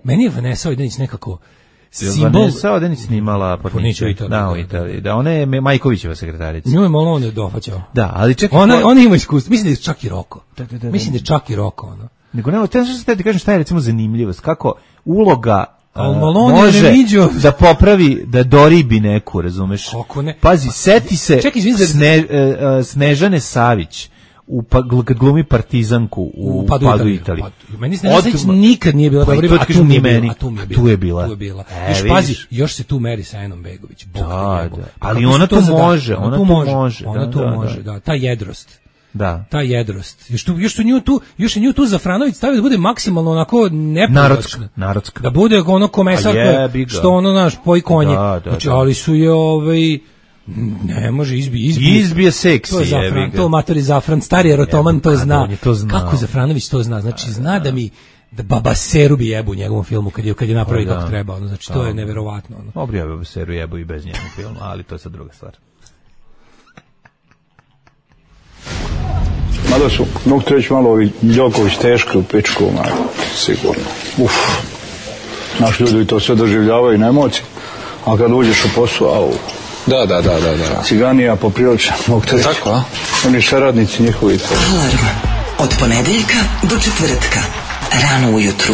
Meni je Vanesa Ojdanić nekako... Vanesa Ojdanić snimala Pornića u Italiji. Da, ona je Majkovićeva sekretarica. Nju je malo on je dohvaćao. Da, ali čekaj... Ona ima iskustvo. Mislim da je čak i Roko. Mislim da je čak i Roko, ono. Nego nema, te ti kažem šta je recimo zanimljivost. Kako uloga može da popravi, da doribi neku, razumeš? Kako ne? Pazi, seti se Snežane Savić kad glumi Partizanku u Padu Italije. Meni Snežana Savić nikad nije bila dobra riba, a tu je bila. Još pazi, još se tu meri sa Enom Begović. Ali ona to može. Ona to može, da, ta jedrost. Da. Ta jedrost. Još je nju tu Zafranović stavio da bude maksimalno onako narodska. Da bude ono komesar što ono naš poji konje. Znači, ali su je ne može izbije seksi. To je Zafran, to matori Zafran, stari erotoman to zna. Kako Zafranović to zna? Znači, zna da mi da Baba Seru bi jebu u njegovom filmu kad je napravi kako treba. Znači, to je neverovatno. Dobro je Baba Seru jebu i bez njegovog filma, ali to je sad druga stvar. Mada su, mogu te reći malo ovi Đoković teški u pičku, sigurno. Naši ljudi to sve doživljavaju na emociji, a kad uđeš u posao, Da. Ciganija poprilično, mogu te reći. Tako, a? Oni saradnici njihovi. Alarm od ponedeljka do četvrtka, rano ujutru.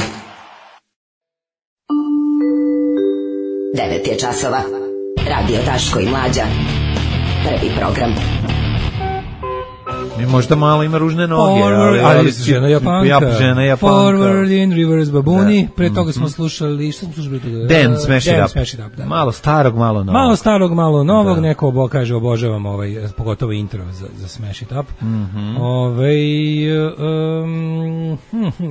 9 je časova. Radio Daško i Mlađa. Prvi program. Možda malo ima ružne noge, ali žena Japanka. Forward in reverse babuni. Pre toga smo slušali, što smo slušali? Dan Smash It Up. Malo starog, malo novog. Malo starog, malo novog. Neko kaže obožavam pogotovo intro za Smash It Up.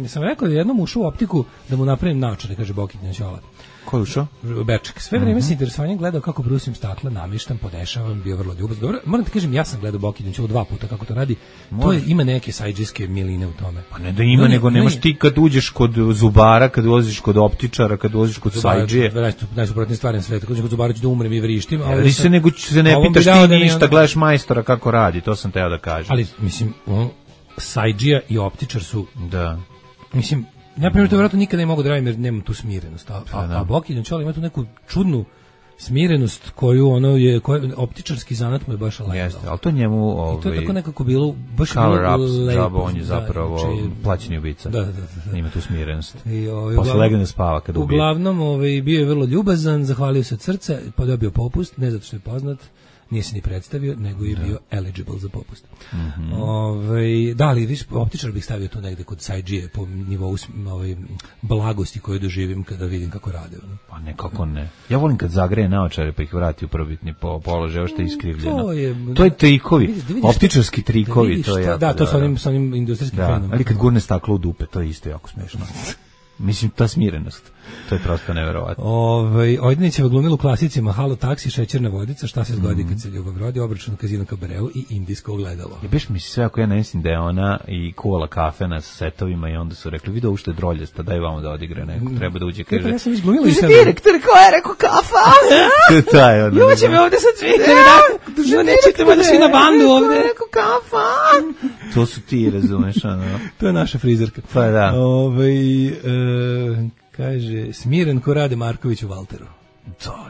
Sam rekao da jednom ušao u optiku da mu napravim naočare, kaže Bokitnja Ćola. Ko je ušao? Beček. Sve vreme se interesovanjem gledao kako brusim stakla, namještam, podešavam, bio vrlo ljubaz. Dobro, moram ti kažem, ja sam gledao Bokitnju 2 puta kako to radi. To ima neke sajdžijske miline u tome. Pa ne da ima, nego nemaš ti kad uđeš kod zubara, kad ulaziš kod optičara, kad ulaziš kod sajdžije. Najsuprotnije stvari na svetu. Kad uđeš kod zubara ću da umrem i vrištim. Ali se nego se ne pitaš ti ništa, gledaš majstora kako radi, to sam teo da kažem. Ali, mislim, sajdžija i optičar su... Da. Mislim, ja primjer to vjerojatno nikada ne mogu da radim jer nemam tu smirenost. A Bokitnja Ćola ima tu neku čudnu smirenost koju ono je, optičarski zanat mu je baš legao. Jeste, ali to njemu I to je tako nekako bilo, baš cover bilo ups, lepo. džaba, on je zapravo plaćeni ubica. Da. Ima tu smirenost. I, posle legne da spava kada ubije. Uglavnom, bio je vrlo ljubazan, zahvalio se od srca, pa dobio popust, ne zato što je poznat, nije se ni predstavio, nego je bio eligible za popust. Da, ali viš, optičar bih stavio tu negde kod Sajđije po nivou blagosti koju doživim kada vidim kako rade. Pa nekako ne. Ja volim kad zagreje naočare pa ih vrati u prvobitni položaj, ovo što je iskrivljeno. To je trikovi, optičarski trikovi. To je da, to sa onim industrijskim fenom. Ali kad gurne staklo u dupe, to je isto jako smešno. Mislim, ta smirenost. To je prosto neverovatno. Ojdanićeva glumila u klasicima Halo taksi, Šećerna vodica, Šta se zgodi kad se ljubav rodi, Obračun u Kazino Kabareu i Indijsko ogledalo. Ja biš mi sve ako ja ne mislim da je ona i kuvala kafe na setovima i onda su rekli, vidi ovo što je droljesta, daj vamo da odigre neko, treba da uđe, kaže. Ja sam izglumila i sad. Direktor, ko je rekao kafa? To je ono. Ljuće me ovde sad svi, nećete valjda svi na bandu ovde. Rekao kafa. To su ti, razumeš, ono. To je naša frizerka. Pa da. Kaže, smiren ko Rade Marković u Valteru.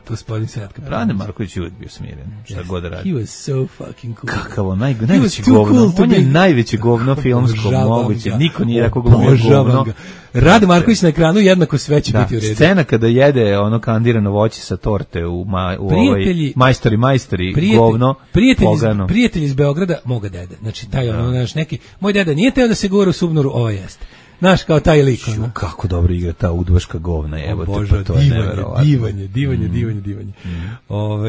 Gospodin Svetka. Rade Marković je uvijek bio smiren, šta god radi. He was so fucking cool. Kakav on, najveće govno. On je najveće govno filmsko moguće. Niko nije rekao glumio govno. Rade Marković na ekranu jednako sve će biti u redu. Scena kada jede ono kandirano voće sa torte u majstori, govno, pogano. Prijatelj iz Beograda, moga dede. Znači, taj ono, znaš, neki, moj deda nije teo da se govori u Subnoru, ovo jeste. Znaš, kao taj lik. Kako dobro igra ta udbaška govna, jebote, pa to je neverovatno. Divanje.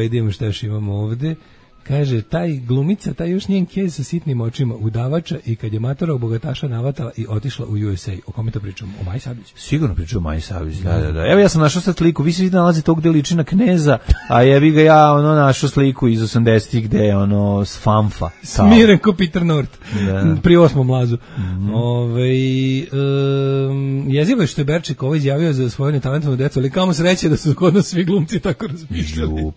Idemo šta još imamo ovde. Kaže, taj glumica, taj još njen kez sa sitnim očima, udavača i kad je matora bogataša navatala i otišla u USA. O kome to pričamo? O Maji Sablić? Sigurno pričam o Maji Sablić, da. Evo ja sam našao sad sliku, vi se vidi nalazi tog gde liči na Kneza, a jebi ga ja našao sliku iz 80-ih gde je s Famfa. Smiren ko Peter North, pri 8. mlazu. Jezivo je što je Berček izjavio za svoju netalentovnu decu, ali kamo sreće da su kod nas svi glumci tako razmišljali.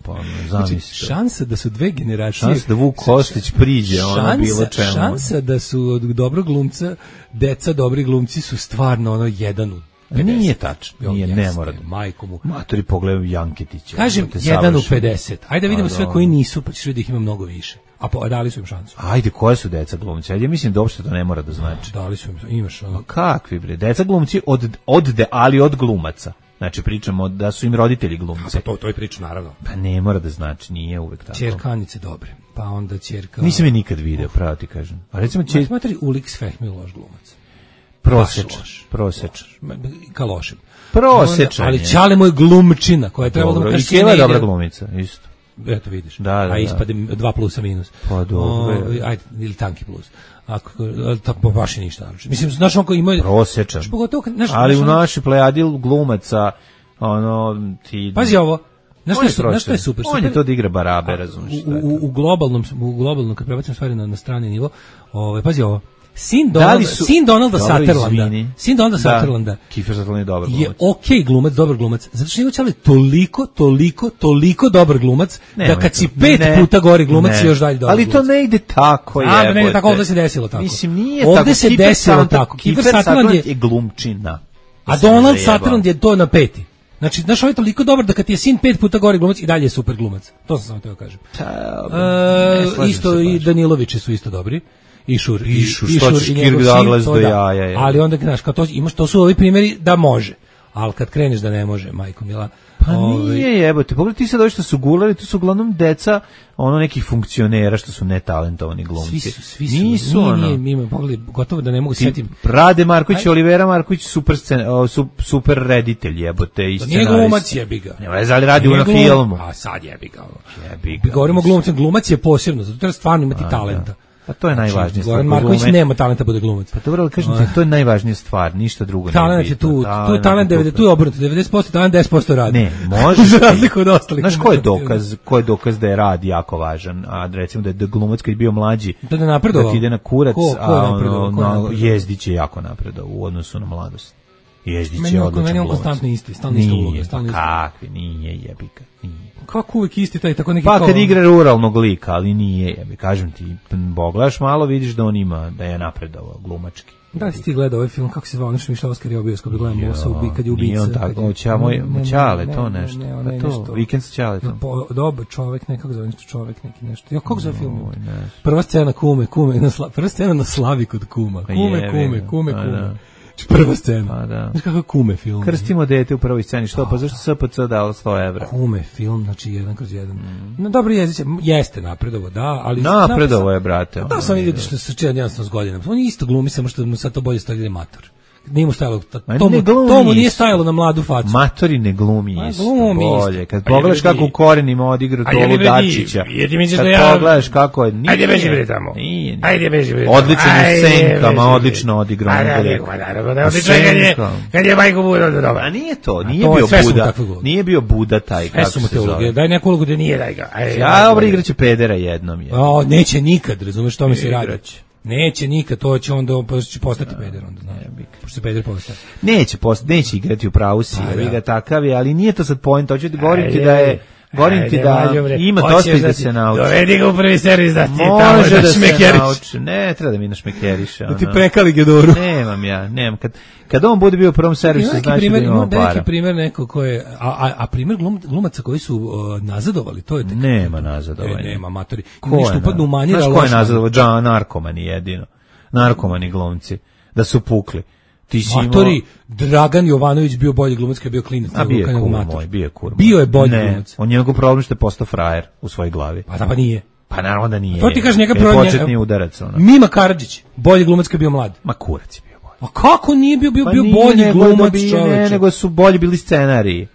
Znači, šansa da su dve generacije. Šansa da Vuk Kostić priđe, bilo čemu. Šansa da su od dobrog glumca, deca dobri glumci su stvarno jedan u 50. Nije tačno, ne mora. Majko mu. Matori pogledaju Janketića. Kažem, 1 u 50. Ajde vidimo sve koji nisu, pa ćeš vidjeti da ih ima mnogo više. A dali su im šansu. Ajde, koje su deca glumci? Ajde, mislim da uopšte to ne mora da znači. Dali su im, imaš. Kakvi bre? Deca glumci ali od glumaca. Znači pričamo da su im roditelji glumci. Pa to je priča, naravno. Pa ne mora da znači, nije uvek tako. Ćerkanice dobre, pa onda ćerka... Nisam je nikad video, pravo ti kažem. A recimo Smatri Ulix Fehmi loš glumac. Prosečan. Ka lošim. Prosečan. Ali Ćale moj glumčina, koja je trebalo da mu kaže... I Keva je dobra glumica, isto. Eto vidiš. Da. A ispade 2 plusa minus. Pa dobro. Ajde, ili tanki plus. Tako baš je ništa. Mislim, znaš on ko ima... Prosečan. Ali u našoj plejadi glumaca, ti... Pazi ovo. Znaš što je super? On je to da igra barabe, razumiješ. U globalnom, kad prebacim stvari na strani nivo, pazi ovo. Sin Donalda Sutherlanda. Kiefer Sutherland je dobar glumac. Je okej glumac, dobar glumac. Zato što je Ćale toliko dobar glumac da kad si 5 puta gori glumac još dalje dobar. Ali to ne ide tako, ne ide tako, ovdje se desilo tako. Mislim, nije tako. Ovdje se desilo tako. Kiefer Sutherland je glumčina. A Donald Sutherland je to na 5. Znači, znaš, ovo je toliko dobar da kad ti je sin 5 puta gori glumac i dalje je super glumac. To sam samo teo kažem. Isto i Danilovići su isto dobri. I Šur i njegov sin, ali onda, znaš, kao to, to su ovi primjeri da može, ali kad kreneš da ne može, majko mila. Pa nije jebote, pogledaj ti sad ovi što su gulali, to su uglavnom deca nekih funkcionera što su netalentovani glumci. Svi su, nije, pogledaj, gotovo da ne mogu sjetim. Rade Marković, Olivera Marković, super reditelj jebote i scenarist. Nije glumac, jebi ga. Ne veze, ali radi na filmu. A sad jebi ga. Govorimo o glumcu, glumac je posebno, zato treba stvarno imati talenta. Pa to je najvažnija stvar. Goran Marković nema talenta bude glumac. Pa dobro, ali kažem ti, to je najvažnija stvar, ništa drugo ne talent je tu je talent 90, tu je obrnuto, 90% talent, 10% rad. Ne, može. Za razliku od ostalih. Znaš ko je dokaz da je rad jako važan, a recimo da je glumac kad je bio mlađi, da ne napredovao, da ide na kurac, a Jezdić je jako napredovao u odnosu na mladost. Jezdić je odličan Meni on glumac. konstantno isti, stalno ista uloga, stalno isto. Kakvi, nije jebika, nije. Kako uvijek isti taj, tako neki Pa kao... kad igra ruralnog lika, ali nije, jebi, kažem ti, pogledaš malo, vidiš da on ima, da je napredovao glumački. Da li si ti gledao ovaj film, kako se zvao, ono što mi išao Oskar je u bioskopu, gledam Mosa, kad je ubica. Nije on tako, Ćale, to nešto. Ne, to, nešto. Vikend sa Ćaletom. Dobar čovek, nekako zove nešto čovek, neki nešto. Ja, kako zove film? Prva scena prva scena na slavi kod kuma. Kume. Prva scena. Pa da. Znaš kako kume film? Krstimo dete u prvoj sceni, što? Pa zašto SPC dao 100 evra? Kume film, znači 1/1. No, dobro jeziće, jeste napredovo, da, ali... Napredovo je, brate. Da, sam vidio što se čeo 11 godina. On je isto glumi, samo što mu sad to bolje stavljaju mator. Nije mu stajalo, to mu nije stajalo na mladu facu. Matori ne glumi isto, bolje. Kad pogledaš kako u korenima odigra Tolu Dačića, kad pogledaš kako je... Ajde beži bre tamo. Ajde beži bre tamo. Odlično u senkama, odlično odigrao. Kad je majko Buda dobro. A nije to, nije bio Buda. Nije bio Buda taj, kako se zove. Daj neku ulogu da nije, daj ga. Ja, dobro, igraće pedera jednom. Neće nikad, razumeš što mi se radi. Neće nikad, to će onda će postati peder onda, znaš. Pošto se peder postaje. Neće igrati u pravu si, ga takav je, ali nije to sad point, hoću ti govoriti da je ima dosta da se nauči. Dovedi ga u prvi servis da ti tamo da šmekeriš. Ne, treba da mi našmekeriše. Da ti prekali Gedoru. Nemam. Kad on bude bio u prvom servisu, znači da imamo para. Neki primjer neko ko je, a primjer glumaca koji su nazadovali, to je tek. Nema nazadovanja. Nema, matori. Ništa upadnu u manir. Znaš ko je nazadovao? Narkomani jedino. Narkomani glumci. Da su pukli. Matori, Dragan Jovanović bio bolji glumac kad je bio klinac. A bio je kur moj. Bio je bolji glumac. On je njegov problem što je postao frajer u svojoj glavi. Pa nije. Pa naravno da nije. To ti kaže njega početni udarac. Mima Karadžić, bolji glumac kad je bio mlad. Ma kurac je bio bolji. A kako nije bio bolji glumac, čoveče? Ne, nego su bolji bili scenariji.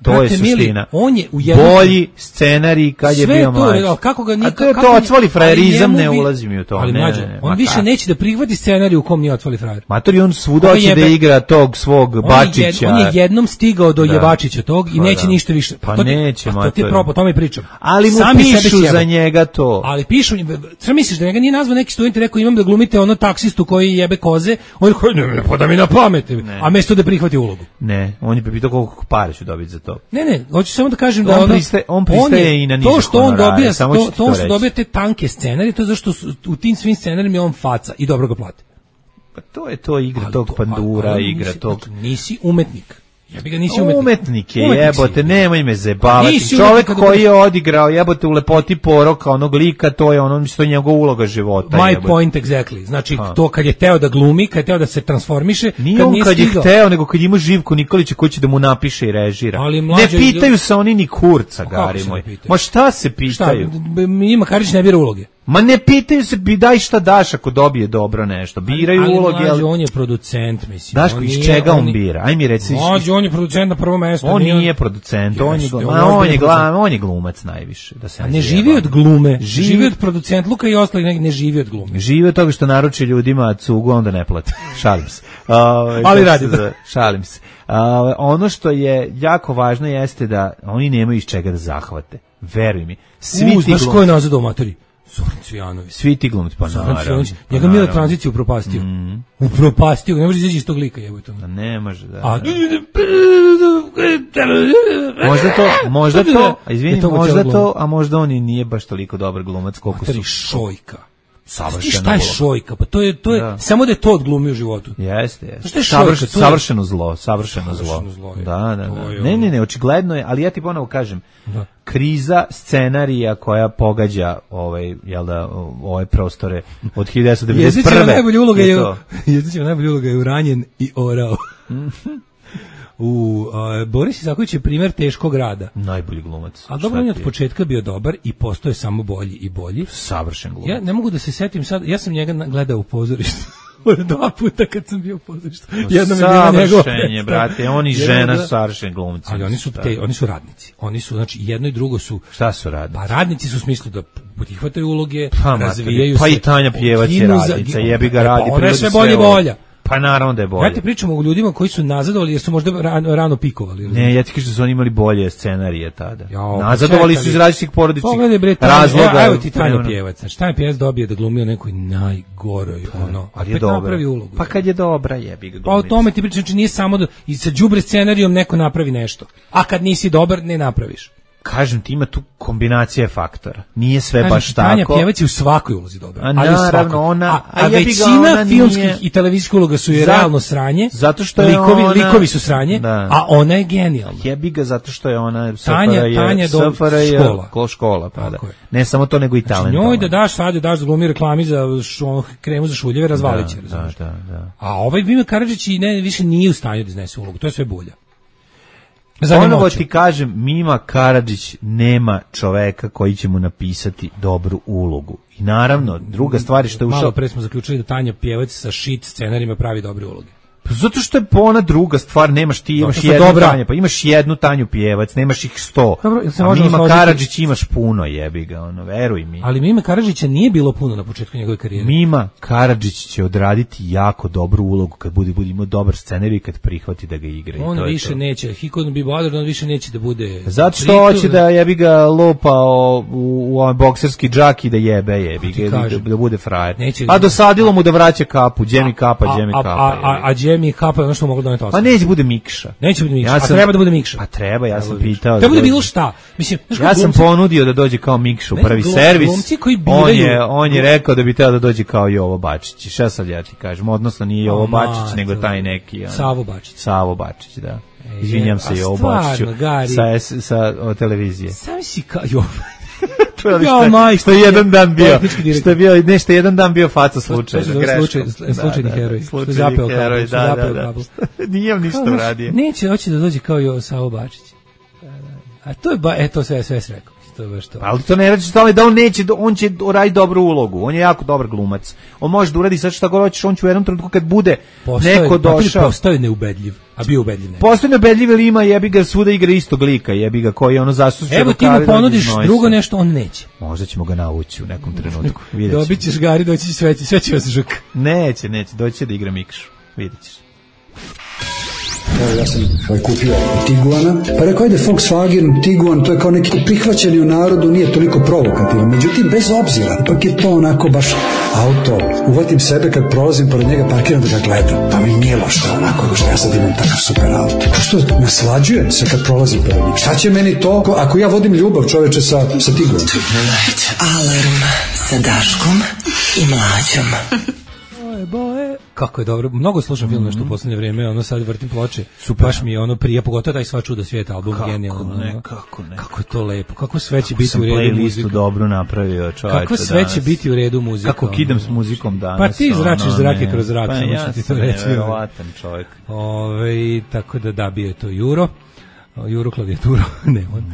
To je suština. On je bolji scenarij kad je bio mlađi. Kako ga nikako... A to je odsvali frajerizam, ne ulazi mi u to. Ali mlađe, on više neće da prihvati scenarij u kom nije odsvali frajer. Matori, on svuda hoće da igra tog svog Bačića. On je jednom stigao do Jebačića tog i neće ništa više. Pa neće, Matori. To ti je propo, to mi pričam. Ali mu pišu za njega to. Ali pišu, šta misliš da njega nije nazvao neki student i rekao imam da glumite ono taksistu koji jebe koze, on je rekao ne, pa da mi na pamet, a mesto da prihvati ulogu. Ne, on je pitao koliko pare ću dobiti za to. Ne, hoću samo da kažem da on pristaje i na niže to što on dobija, to što reći. dobija te tanke scenarije, to je zašto u tim svim scenarijima je on faca i dobro ga plati. Pa to je to igra tog pandura, igra tog... Nisi umetnik. Ja bi ga nisi umetnik je, jebote, nemoj me zebavati. Čovjek koji je odigrao, jebote, u Lepoti poroka onog lika, to je ono, što je njegova uloga života. My point exactly. Znači, to kad je teo da glumi, kad je teo da se transformiše, nije on kad je hteo, nego kad ima Živko Nikolića koji će da mu napiše i režira. Ne pitaju se oni ni kurca, gari moj. Ma šta se pitaju? Ima Karadžić ne bira uloge. Ma ne pitaju se, daj šta daš ako dobije dobro nešto. Biraju uloge. Ali on je producent, mislim. Daško, iz čega on bira? Aj mi reci. On je producent na prvo mesto. On nije producent, on je glumac najviše. Ne živi od glume, živi od producent. Luka i ostali ne živi od glume. Živi od toga što naruči ljudima cugu, onda ne plati. Šalim se. Ali radi. Šalim se. Ono što je jako važno jeste da oni nemaju iz čega da zahvate. Veruj mi. Svi ti glumci. Znaš ko je nazad u matori? Zoran Cvijanović. Svi ti glumci, pa naravno. Njega Mila tranziciju upropastio. Upropastio, ne može izaći iz tog lika, jebote. Ne može, da. Možda to, možda to, a možda on i nije baš toliko dobar glumac koliko su. Šojka. Savršeno Šojka, pa to je samo da je to odglumio u životu. Jeste. Savršeno zlo. Da. Ne, očigledno je, ali ja ti ponovo kažem, kriza scenarija koja pogađa ove prostore od 1991. Jezdićeva najbolja uloga je Uranjen i Orao. Boris Isaković je primjer teškog rada. Najbolji glumac. A dobro, on je od početka bio dobar i postoje samo bolji i bolji. Savršen glumac. Ja ne mogu da se setim sad, ja sam njega gledao u pozorištu. 2 puta kad sam bio u pozorištu. Savršen je, brate, on i žena su savršen glumci. Ali oni su radnici. Oni su, znači, jedno i drugo su... Šta su radnici? Pa radnici su u smislu da prihvataju uloge, razvijaju se. Pa i Tanja Pjevac je radnica, jebi ga radi. Ona je sve bolje volja. Pa naravno da je bolje. Ja ti pričam o ljudima koji su nazadovali jer su možda rano pikovali. Ne, ja ti kažem da su oni imali bolje scenarije tada. Jao, nazadovali su iz različitih porodičnih razloga. razloga. Evo ti Tanja Pjevac. Znači, Tanja Pjevac dobije da glumi u nekoj najgoroj, ali je dobra. Napravi ulogu. Pa kad je dobra, jebi ga. Pa o tome ti pričam, znači nije samo da i sa đubre scenarijom neko napravi nešto. A kad nisi dobar, ne napraviš. Kažem ti, ima tu kombinacija faktora. Nije sve baš tako. Tanja Pjevac je u svakoj ulozi dobra. Ali naravno, ona... A većina filmskih i televizijskih uloga su je realno sranje. Zato što je likovi su sranje, a ona je genijalna. Jebi ga zato što je ona... Tanja do škola. Pa da. Ne samo to, nego i talent. Njoj da daš sad, da glumi reklami za kremu za šuljeve, razvaliće. Da. A ovaj Mima Karadžić više nije u stanju da iznese ulogu. To je sve bulja. Ponovo ti kažem, Mima Karadžić nema čoveka koji će mu napisati dobru ulogu. I naravno, druga stvar je što je ušao... Malo pre smo zaključili da Tanja Pjevac sa shit scenarima pravi dobre uloge. Pa zato što je ona druga stvar, imaš jednu Tanju, pa imaš jednu Tanju Pjevac, nemaš ih 100. Dobro, a Mima Karadžić imaš puno, jebi ga, veruj mi. Ali Mima Karadžića nije bilo puno na početku njegove karijere. Mima Karadžić će odraditi jako dobru ulogu kad bude imao dobar scenarij i kad prihvati da ga igra. On više neće, he couldn't be bothered, on više neće da bude... Zato što hoće da jebi ga lupao u bokserski džak i da jebi ga, da bude frajer. A dosadilo mu da vraća kapu, Džemi kapa. A Džemi kapa je ono što moglo doneti osam. Pa neće bude Mikša. Neće bude Mikša, a treba da bude Mikša. Pa treba, ja sam pitao. Treba da bilo šta. Mislim, ja sam ponudio da dođe kao Mikša u prvi servis. On je rekao da bi trebao da dođe kao Jovo Bačić. Šta sad ja ti kažem? Odnosno nije Jovo Bačić, nego taj neki. Savo Bačić, da. Izvinjam se Jovo Bačiću sa televizije. Sam si kao Jovo. Što je jedan dan bio, nešto jedan dan bio faca slučajno. Slučajni heroj. Slučajni heroj, da. Nijem ništa uradio. Neće, hoće da dođe kao Savo Bačić. A to je to sve rekao. To je baš to. Ali to ne radi što da on će uraditi dobru ulogu. On je jako dobar glumac. On može da uradi sad šta god hoćeš, on će u jednom trenutku kad bude neko došao. Postao je neubedljiv, a bio ubedljiv. Postao je neubedljiv, ali ima jebi ga svuda igra istog lika, jebi ga koji ono zasuče. Evo ti mu ponudiš drugo nešto, on neće. Možda ćemo ga navući u nekom trenutku. Dobit ćeš Gari, doći će sve će vas žuk. Neće, doći da igra Mikšu. Vidjet ćeš. Evo, ja sam kupio Tiguana, pa rekao ajde Volkswagen, Tiguan, to je kao neki prihvaćeni u narodu, nije toliko provokativan, međutim bez obzira, ipak je to onako baš auto, uvatim sebe kad prolazim pored njega, parkiram da ga gledam, pa mi nije loše onako, što ja sad imam takav super auto, što naslađujem se kad prolazim pored njega, šta će meni to, ako ja vodim ljubav čoveče sa Tiguanom? Alarm sa Daškom i Mlađom. Boje. Kako je dobro, mnogo slušam film nešto u poslednje vreme, ono sad vrtim ploče, baš mi je ono prija, pogotovo taj Sva čuda svijeta album, genijalno. Kako je to lepo, kako sve će biti u redu muzika. Dobro napravio čovječe. Kako sve će biti u redu muzika. Kako kidam s muzikom danas. Pa ti zračiš zrake kroz zrak, samo što ti to reći. Nevjerovatan čovjek. Tako da bio je to Juro klavijaturo, ne on.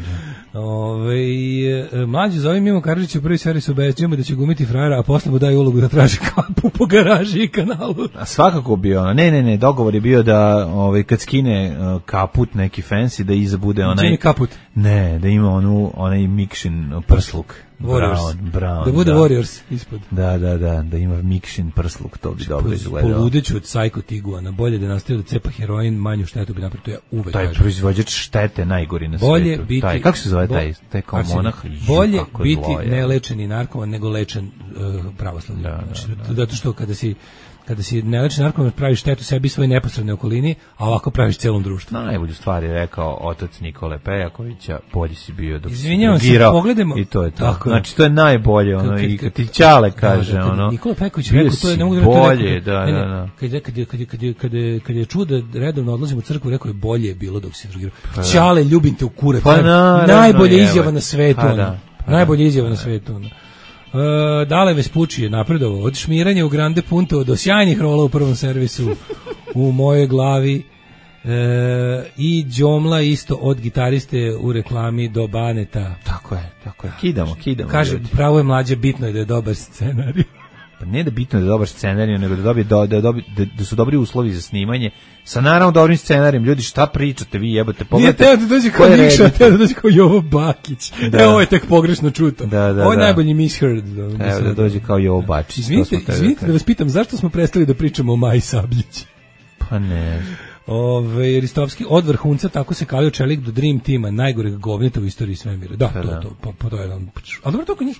Mlađe zove Mimo Karadžić u prvi servis obećujemo da će gumiti frajera, a posle mu daju ulogu da traži kapu po garaži i kanalu. A svakako bi ono, ne, dogovor je bio da kad skine kaput neki fancy, da iza bude onaj... Jimmy kaput? Ne, da ima onaj Mikšin prsluk. Brown, da bude Warriors ispod. Da ima Mikšin prsluk, to bi dobro izgledalo. Poludeću od Psycho Tiguana, bolje da nastavi da cepa heroin, manju štetu bi napravio, to ja uvek kažem. Taj proizvođač štete najgori na bolje svetu. Kako se zove taj kao monah? Bolje biti nelečeni narkoman nego lečen pravoslavni. Zato što kada si nelečen narkoman praviš štetu sebi i svojoj neposrednoj okolini, a ovako praviš celom društvu. Najbolju stvar je rekao otac Nikole Pejakovića, bolji si bio dok si drugirao. Pogledajmo. I to je to. Znači to je najbolje, i kad ti Ćale kaže, Nikola Pejaković rekao, to je ne mogu da bolje, kad je čuo da redovno odlazim u crkvu, rekao je bolje je bilo dok si drugirao. Ćale, ljubim te u kurac. Najbolja izjava na svetu. Najbolja izjava na svetu. Dale Vespucci je napredovao od šmiranja u Grande Punto do sjajnih rola u prvom servisu u mojoj glavi i Đomla isto od gitariste u reklami do Baneta. Tako je. Kidamo. Kaže, pravo je Mlađe, bitno je da je dobar scenarij. Pa ne da bitno da je dobar scenarij, nego da su dobri uslovi za snimanje. Sa naravno dobrim scenarijem, ljudi, šta pričate vi, jebote, pogledajte. Nije teo da dođe kao Nikša, teo da dođe kao Jovo Bakić. Ovo je tek pogrešno čuto. Ovo je najbolji misheard. Evo da dođe kao Jovo Bakić. Izvinite da vas pitam, zašto smo prestali da pričamo o Maji Sabljić? Pa ne. Ristovski od vrhunca, tako se kalio čelik do Dream Teama, najgoreg govneta u istoriji svemira. Da, to je jedan. Ali dobro, to kod njih,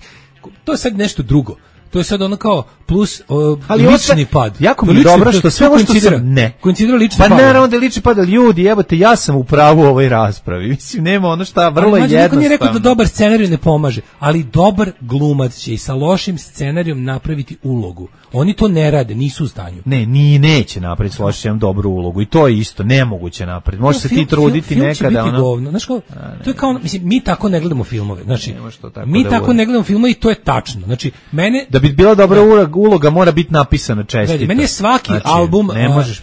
to je sad nešto drugo. To je sad ono kao plus lični pad. Jako mi je dobro što sve ovo što sam koincidira lični pad. Pa naravno da je lični pad, ali ljudi, jebote, ja sam u pravu u ovoj raspravi. Mislim, nema ono šta, vrlo je jednostavno. Niko nije rekao da dobar scenarij ne pomaže, ali dobar glumac će i sa lošim scenarijom napraviti ulogu. Oni to ne rade, nisu u stanju. Neće napraviti s lošim dobru ulogu i to je isto nemoguće napraviti. Može se ti truditi nekada ono. Govno. Znaš kao, to je kao, mislim, mi tako ne gledamo filmove. Znači, mi tako ne gledamo filmove i to je tačno. Znači, mene da bi bila dobra uloga mora biti napisana čestito. Meni je svaki album,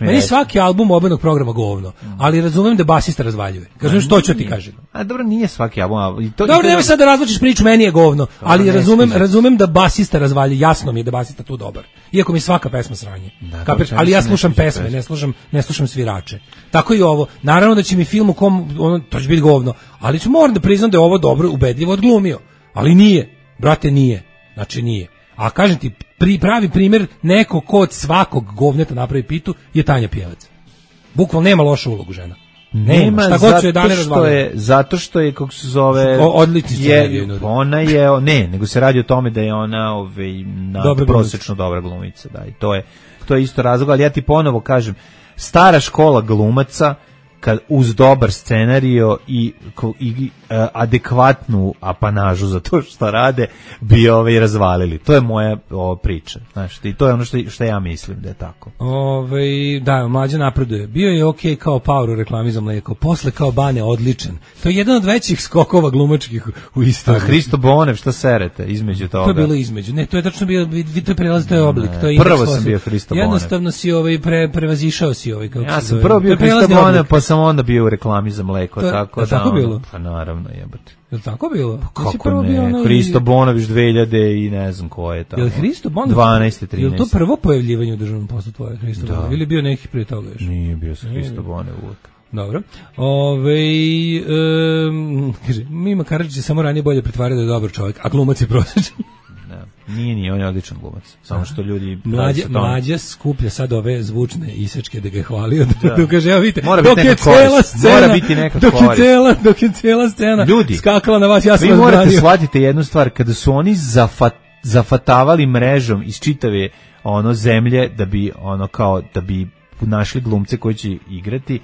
meni je svaki album obenog programa govno, ali razumem da basista razvaljuje. Kažem što ću ti kažem. A dobro, nije svaki album. Dobro, nemoj sad da razvučeš priču, meni je govno, ali razumem da basista razvaljuje, jasno mi je da basista tu dobar. Iako mi svaka pesma sranje. Ali ja slušam pesme, ne slušam svirače. Tako i ovo. Naravno da će mi film u kom to će biti govno, ali ću moram da priznam da je ovo dobro ubedljivo odglumio. Ali nije. Brate, nije. Znači nije. A kažem ti, pravi primjer neko ko od svakog govneta napravi pitu je Tanja Pjevac. Bukvalno nema lošu ulogu žena. Nema, šta god su je dane razvalili. Zato što je, kako se zove, odlični scenarij. Ona je, nego se radi o tome da je ona prosječno dobra glumica. Da, i to je isto razlog, ali ja ti ponovo kažem, stara škola glumaca, kad uz dobar scenario i adekvatnu apanažu za to što rade bi razvalili. To je moja priča. Znaš, i to je ono što ja mislim da je tako. Da, Mlađa napreduje. Bio je okej kao Power u reklami za mlijeko, posle kao Bane odličan. To je jedan od većih skokova glumačkih u istoriji. Hristo Bonev, šta serete između toga? To je bilo između. Ne, to je tačno bio, to je prelaz, to je oblik. To je prvo sam bio Hristo Bonev. Jednostavno si prevazišao si ja sam prvo bio Hristo Bonev, pa sam onda bio u reklami za mleko. Tako bilo? Pa naravno, jebate. Je li tako bilo? Kako ne? Hristo Bonović 2000 i ne znam ko je tamo. Je li Hristo Bonović? 12. 13. Je li to prvo pojavljivanje u državnom poslu tvoje Hristo Bonović? Ili bio neki prije toga još? Nije bio sa Hristo Bonović uvijek. Dobro. Kaže, Mima Karadžić je samo ranije bolje pretvarao da je dobar čovjek, a glumac je prosječan. Nije, on je odličan glumac. Samo što ljudi... Mlađa skuplja sad ove zvučne isečke da ga je hvalio. Da kaže, evo vidite, mora biti neka dok je cijela scena ljudi, skakala na vas, ja sam vi morate shvatiti jednu stvar, kada su oni zafatavali mrežom iz čitave zemlje da bi našli glumce koji će igrati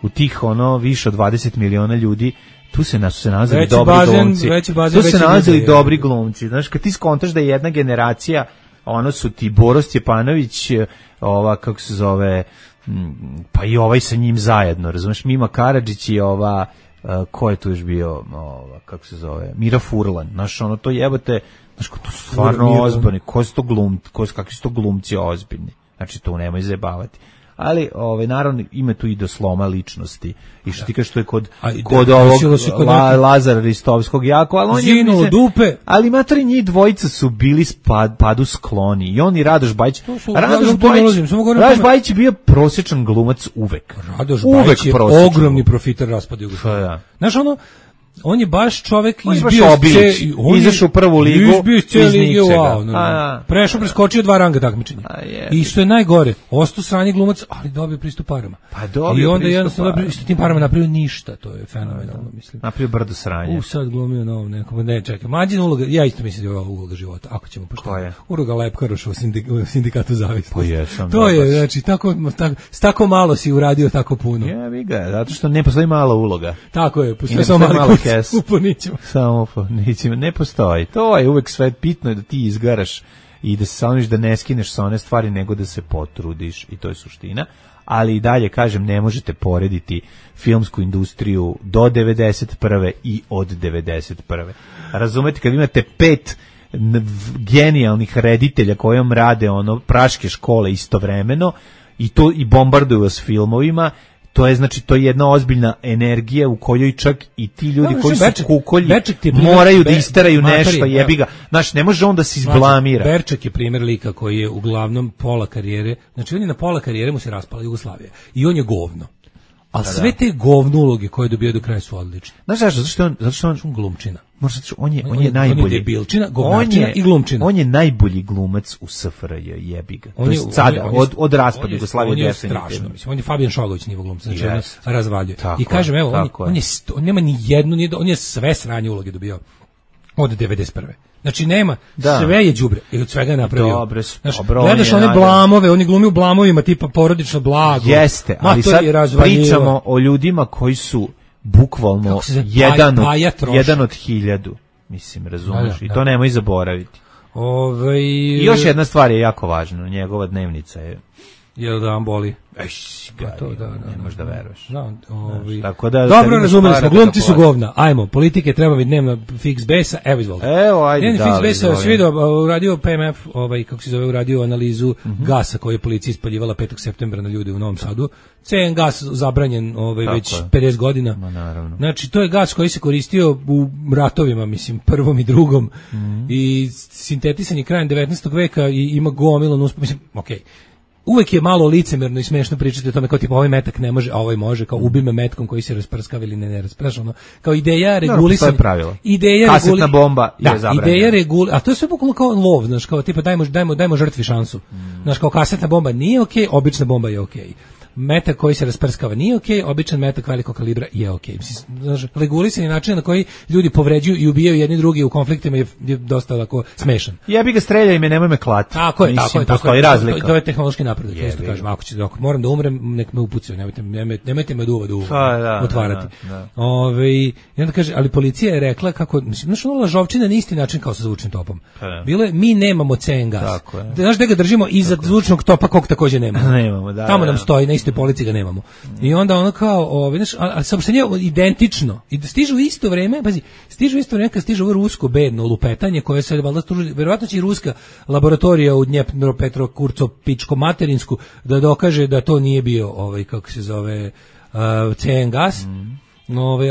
u tih više od 20 miliona ljudi. Tu se nalazili dobri glumci. Tu se nalazili dobri glumci. Znaš, kad ti skontaš da je jedna generacija, su ti Boro Stjepanović, kako se zove, pa i ovaj sa njim zajedno, razumeš, Mima Karadžić i ko je tu još bio, kako se zove, Mira Furlan. Znaš, to jebate, znaš, to su stvarno ozbiljni. Kakvi su to glumci ozbiljni? Znači, tu nemoj zajebavati. Ali naravno ima tu i do sloma ličnosti i što ti kažeš što je kod ovog Lazara Ristovskog jako, ali on je dupe. Ali matori njih dvojica su bili padu skloni i on i Radoš Bajić. Radoš Bajić je bio prosječan glumac uvek. Radoš Bajić je ogromni profiter raspada Jugoslavije. Znaš on je baš čovek izašao u prvu ligu iz ničega. Preskočio 2 ranga takmičenja. I što je najgore, ostao sranje glumac, ali dobio pristup parama. I onda jednostavno s tim parama napravio ništa, to je fenomenalno, mislim. Napravio brdo sranje. Sad glumio novom nekom, ne čekaj, Mlađina uloga, ja isto mislim da je ova uloga života, ako ćemo pošto. Uloga Lepkaroša u sindikatu zavisnosti. To je, znači, s tako malo si uradio tako puno. Jebi ga, zato što ne postoji mala uloga. Tako je, postoji samo mali samo ne postoji. To je uvek sve bitno, da ti izgaraš i da se saloniš, da ne skineš sa one stvari, nego da se potrudiš, i to je suština. Ali i dalje, kažem, ne možete porediti filmsku industriju do 91. i od 91. Razumete, kad imate 5 genijalnih reditelja kojom rade praške škole istovremeno i bombarduju vas filmovima, To je znači to je jedna ozbiljna energija u kojoj čak i ti ljudi koji su kukolji moraju da isteraju nešto, jebi ga. Znači ne može on da se izblamira. Berček je primjer lika koji je uglavnom pola karijere, znači on je na pola karijere mu se raspala Jugoslavija i on je govno. A sve te govno uloge koje je dobio do kraja su odlične. Znaš zašto? Zato što on glumčina. Možda on je najbolji. On je debilčina, govnačina i glumčina. On je najbolji glumac u SFRJ, jebi ga. To je sada, od raspada Jugoslavije definitivno. On je strašno, mislim. On je Fabijan Šogović nivo glumca, znači on razvaljuje. I kažem, evo, on nema ni jednu, on je sve sranje uloge dobio od 91. Znači nema, sve je đubre i od svega je napravio. Dobro, gledaš one blamove, oni glumi u blamovima tipa porodično blago. Jeste, ali sad pričamo o ljudima koji su bukvalno jedan od 1000, mislim, razumeš, i to nemoj zaboraviti. I još jedna stvar je jako važna, njegova dnevnica je... Jel da vam boli? Ne možeš da veruješ. Tako da, dobro, razumeli smo, glumci su govna. Ajmo, politike treba biti dnevna fix besa, evo izvolite. Evo, ajde, dnevni fix besa, svi vidio, uradio PMF, kako se zove, uradio analizu gasa koju je policija ispaljivala 5. septembra na ljudi u Novom Sadu. CN gas zabranjen već 50 godina. Znači, to je gas koji se koristio u ratovima, mislim, prvom i drugom. I sintetisan je krajem 19. veka i ima gomilan, mislim, okej. Uvek je malo licemerno i smešno pričati o tome kao tipa ovaj metak ne može, a ovaj može, kao ubi me metkom koji se rasprskava ili ne rasprskava. Kao ideja regulisanja. Kasetna bomba je zabranjena. A to je sve bukvalno kao lov, znaš, kao tipa dajmo žrtvi šansu. Znaš, kao kasetna bomba nije okej, obična bomba je okej. Metak koji se rasprskava nije okej, običan metak velikog kalibra je okej. Znaš, regulisanje načina na koji ljudi povređuju i ubijaju jedni drugi u konfliktima je dosta lako smešan. Jebi ga, streljaj me, nemoj me klati. Tako je. Postoji razlika. To je tehnološki napredak, isto kažem. Ako moram da umrem, nek me upucaju, nemojte me duva otvarati. I onda kaže, ali policija je rekla kako, znaš, ono lažovčina na isti način kao sa zvučnim topom. Bilo je, mi nemamo CN gas. Znaš gde ga držimo? Iza zvučnog topa kog takođe nemamo. Tamo nam stoji, na istoj polici ga nemamo. I onda ono kao, znaš, ali saopštenje identično. I stižu u isto vreme, pazi, kad stiže ovo rusko bedno lupetanje koje se valjda struži, verovatno će i ruska laboratorija u Dnjepropetrovkurco-Pičko-Materinsku da dokaže da to nije bio kako se zove CN gas.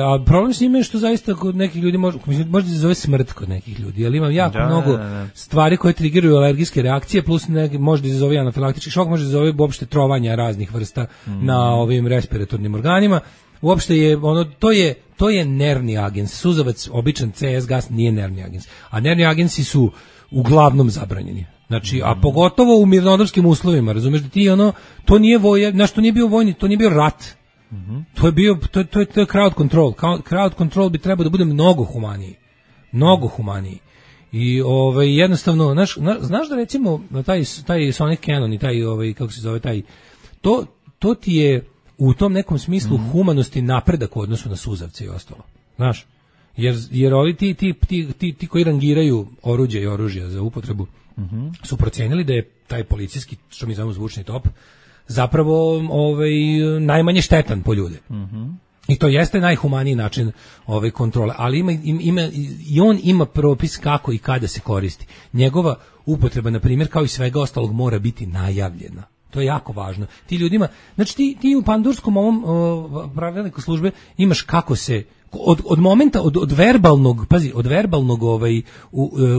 A problem s njime je što zaista kod nekih ljudi možda se zove smrt kod nekih ljudi, ali imam jako mnogo stvari koje trigiraju alergijske reakcije, plus možda se zove anafilaktički šok, možda se zove uopšte trovanja raznih vrsta na ovim respiratornim organima. Uopšte je to je nervni agens. Suzavac, običan CS gas nije nervni agens, a nervni agensi su uglavnom zabranjeni. Znači, a pogotovo u mirnodopskim uslovima, razumeš da ti to nije to nije bio vojni, to nije bio rat. To je crowd control. Crowd control bi trebao da bude mnogo humaniji. I jednostavno, znaš da recimo taj Sonic Cannon i taj kako se zove taj to ti je u tom nekom smislu humanosti napredak u odnosu na suzavce i ostalo. Znaš? Jer ovi ti koji rangiraju oruđe i oružja za upotrebu su procenili da je taj policijski, što mi zovemo zvučni top, zapravo najmanje štetan po ljude. I to jeste najhumaniji način kontrole, ali on ima propis kako i kada se koristi. Njegova upotreba, na primjer, kao i svega ostalog, mora biti najavljena. To je jako važno. Ti ljudima, znači ti u pandurskom ovom pravilniku službe imaš kako se od momenta, od verbalnog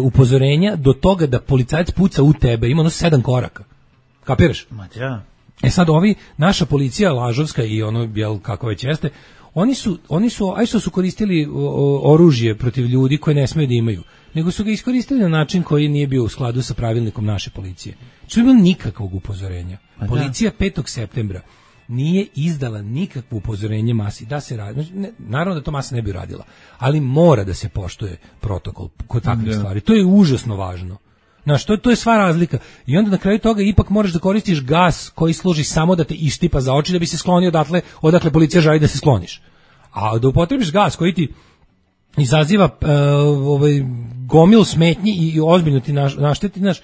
upozorenja do toga da policajac puca u tebe, ima 7 koraka. Kapiraš? Sad naša policija lažovska i kako već jeste, oni su koristili oružje protiv ljudi koje ne smeju da imaju, nego su ga iskoristili na način koji nije bio u skladu sa pravilnikom naše policije. Što je bilo nikakvog upozorenja. Policija 5. septembra nije izdala nikakvo upozorenje masi da se radi. Naravno da to masa ne bi radila, ali mora da se poštuje protokol kod takvih stvari. To je užasno važno. Znaš, to je sva razlika. I onda na kraju toga ipak moraš da koristiš gas koji služi samo da te ištipa za oči da bi se sklonio odakle policija želi da se skloniš. A da upotrebiš gas koji ti izaziva gomilu smetnji i ozbiljno ti našteti, znaš,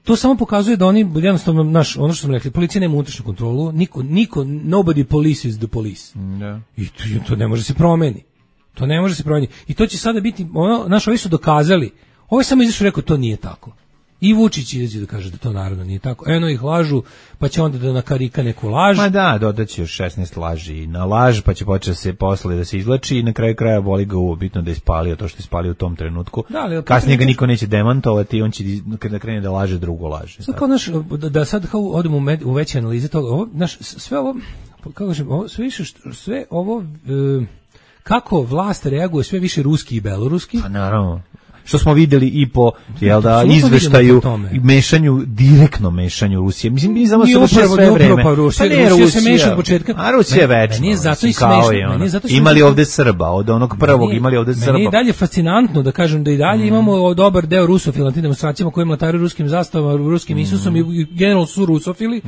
to samo pokazuje da oni jednostavno, ono što smo rekli, policija nema unutrašnju kontrolu, nobody polices the police. I to ne može se promeni. I to će sada biti, ovi su dokazali. Ovo je samo izašao rekao, to nije tako. I Vučić izađe da kaže da to naravno nije tako. Eno ih lažu, pa će onda da nakarika neku laž. Ma da, dodaće još 16 laži na laž, pa će početi se posle da se izlači i na kraju kraja boli ga uvo, bitno da je ispalio to što je ispalio u tom trenutku. Da, kasnije ga niko neće demantovati i on će da krene da laže, drugo laže. Sad kao da sad kao odemo u veće analize toga, ovo, sve ovo, kako kažem, sve ovo kako vlast reaguje sve više ruski i beloruski. Pa naravno. Što smo videli i po izveštaju direktno mešanju Rusije. Mislim, mi znamo se sve vreme. Rusija se meša od početka. A Rusija je večno. Nije zato i smešno. Imali ovde Srba, od onog prvog imali ovde Srba. Meni je dalje fascinantno da kažem da i dalje imamo dobar deo rusofila na tim demonstracijama koji mlatari ruskim zastavama, ruskim Isusom i generalno su rusofili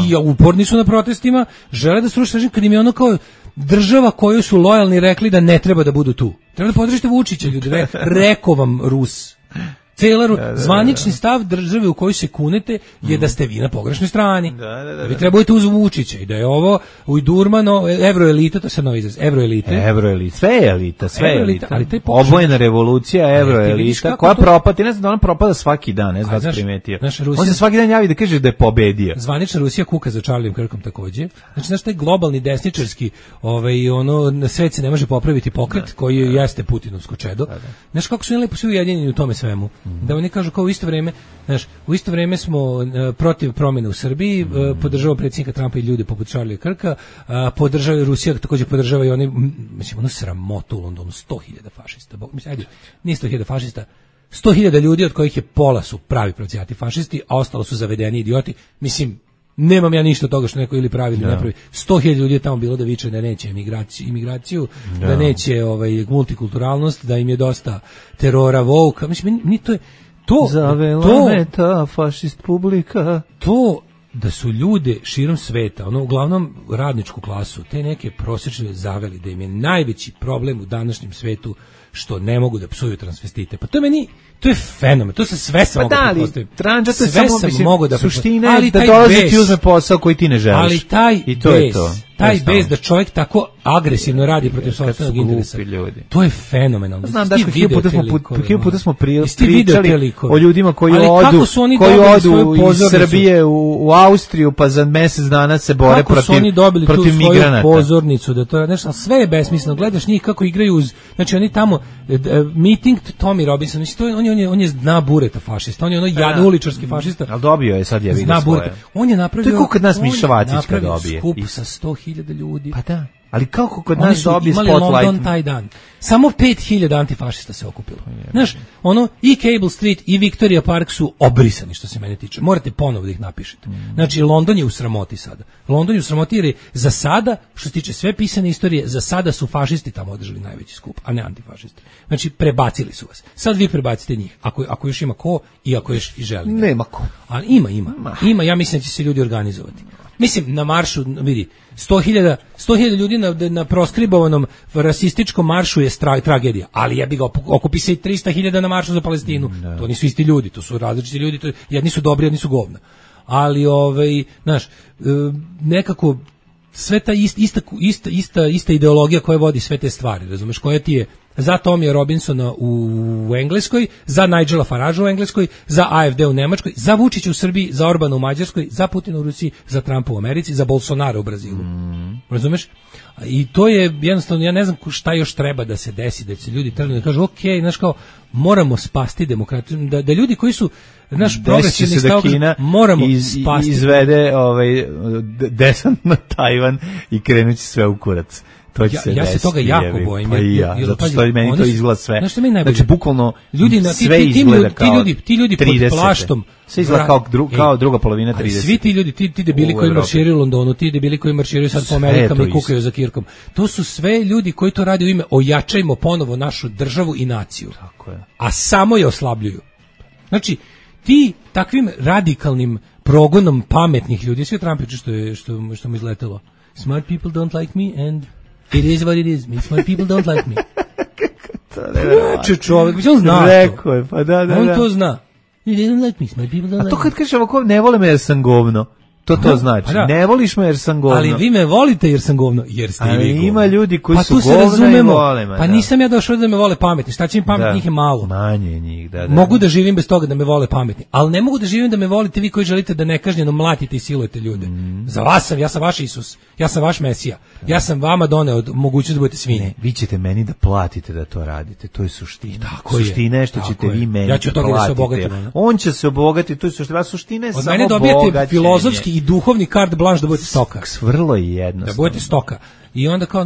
i uporni su na protestima, žele da sruše režim, kad im je ono kao država koju su lojalni rekli da ne treba da budu tu. Treba da podržite Vučića, ljudi. Rekao vam Rus. Zvanični stav države u kojoj se kunete je da ste vi na pogrešnoj strani. Da vi trebujete uz Vučića i da je ovo Ujdurmano, evroelita, to je sad novi izraz, evroelite. Sve je elita. Obojena revolucija, evroelita, koja propati, ne znam da ona propada svaki dan, ne znam da si primetio. On se svaki dan javi da kaže da je pobedio. Zvanična Rusija kuka za Charliem Kirkom takođe. Znači, znaš, taj globalni desničarski, na svet se ne može popraviti pokret, koji jeste Putinovsko čedo. Znaš, kako su oni lepo svi ujedinjeni u tome svemu. Da oni kažu kao u isto vrijeme smo protiv promjene u Srbiji, podržava predsjednika Trumpa i ljude poput Charlie Kirka, podržava Rusija, također podržava i oni, mislim, ono sramotu u Londonu, 100.000 fašista, nije 100.000 fašista, 100.000 ljudi od kojih je pola su pravi pravcijati fašisti, a ostalo su zavedeni idioti, mislim, nemam ja ništa od toga što neko ili pravi ili ne pravi. 100.000 ljudi je tamo bilo da viče da neće imigraciju, da neće multikulturalnost, da im je dosta terora, vouka. Mislim, meni to je zavela me ta fašist publika. To da su ljude širom sveta, uglavnom radničku klasu, te neke prosječne zaveli, da im je najveći problem u današnjem svetu što ne mogu da psuju transvestite. Pa to je fenomen, to se sve sam mogu da postavim. Sve sam mogu da suština je da dolazi ti uzme posao koji ti ne želiš. Ali taj bez da čovjek tako agresivno radi protiv sopstvenog interesa. To je fenomenalno. Znam da puta smo pričali o ljudima koji odu iz Srbije u Austriju pa za mjesec dana se bore protiv migranata. Kako su oni dobili tu svoju pozornicu da to nešto, sve je besmisleno. Gledaš njih kako igraju znači oni tamo meeting Tommy Robinson, on je zna bureta fašista, on je jadno uličarski fašista. Ali dobio je sad je vidio svoje. On je napravio, to je kod nas Miša Vacić kad dobije. Skup sa 100.000 ljudi. Pa da. Ali kako kod nas dobije spotlight? Oni su imali London taj dan. Samo 5.000 antifašista se okupilo. Znaš, i Cable Street i Victoria Park su obrisani što se mene tiče. Morate ponovo da ih napišete. Znači, London je u sramoti sada. London je u sramoti jer je za sada, što se tiče sve pisane istorije, za sada su fašisti tamo održali najveći skup, a ne antifašisti. Znači, prebacili su vas. Sad vi prebacite njih. Ako još ima ko i ako još i želi. Nema ko. Ali ima. Ja mislim da će se ljudi organizovati. Mislim, na maršu, vidi, 100.000 ljudi na proskribovanom rasističkom maršu je tragedija, ali jebi ga, okupi se i 300.000 na maršu za Palestinu. To nisu isti ljudi, to su različiti ljudi, jedni su dobri, jedni su govna. Ali, znaš, nekako, sve ta ista ideologija koja vodi sve te stvari, razumeš, koja ti je za Tomija Robinsona u Engleskoj, za Nigela Faragea u Engleskoj, za AFD u Nemačkoj, za Vučića u Srbiji, za Orbana u Mađarskoj, za Putina u Rusiji, za Trumpa u Americi, za Bolsonaro u Brazilu. Razumeš? I to je jednostavno, ja ne znam šta još treba da se desi, da se ljudi trgnu da kažu, ok, znaš kao, moramo spasti demokratiju, da ljudi koji su naš progresivni stav, moramo spasti. Izvede desant na Tajvan i krenući sve u kurac. Ja se toga jako bojim. Pa i ja, zato što meni to izgleda sve. Znaš što mi najbolje? Znači, bukvalno sve izgleda kao ti ljudi pod plaštom. Sve izgleda kao druga polovina 30. Svi ti ljudi, ti debili koji marširaju u Londonu, ti debili koji marširaju sad po Amerikama i kukaju za Kirkom. To su sve ljudi koji to rade u ime ojačajmo ponovo našu državu i naciju. Tako je. A samo je oslabljuju. Znači, ti takvim radikalnim progonom pametnih ljudi, sve Trumpiću što mu izletelo. Smart people don't like me and it is what it is. Smart people don't like me. Kako čovjek, on zna rekao je, pa da. On to zna. They don't like me, smart people don't like me. A to kad kažeš ovako, ne vole me jer sam govno. To znači. Ne voliš me jer sam govno. Ali vi me volite jer sam govno, jer ste i vi govno. Ima ljudi koji pa su govno i vole me. Pa nisam ja došao da me vole pametni. Šta će mi pametni, njih je malo. Manje njih, da. Mogu da živim bez toga da me vole pametni, ali ne mogu da živim da me volite vi koji želite da nekažnjeno mlatite i silujete ljude. Za vas ja sam vaš Isus, ja sam vaš Mesija. Ja sam vama doneo mogućnost da budete svinje. Vi ćete meni da platite da to radite. To je suština. Suština je što ćete vi meni ja ću da platite. On će se obogatiti, to je suština je samo mene dobijete filozofski i duhovni carte blanche da budete stoka. Vrlo je jednostavno. Da budete stoka. I onda kao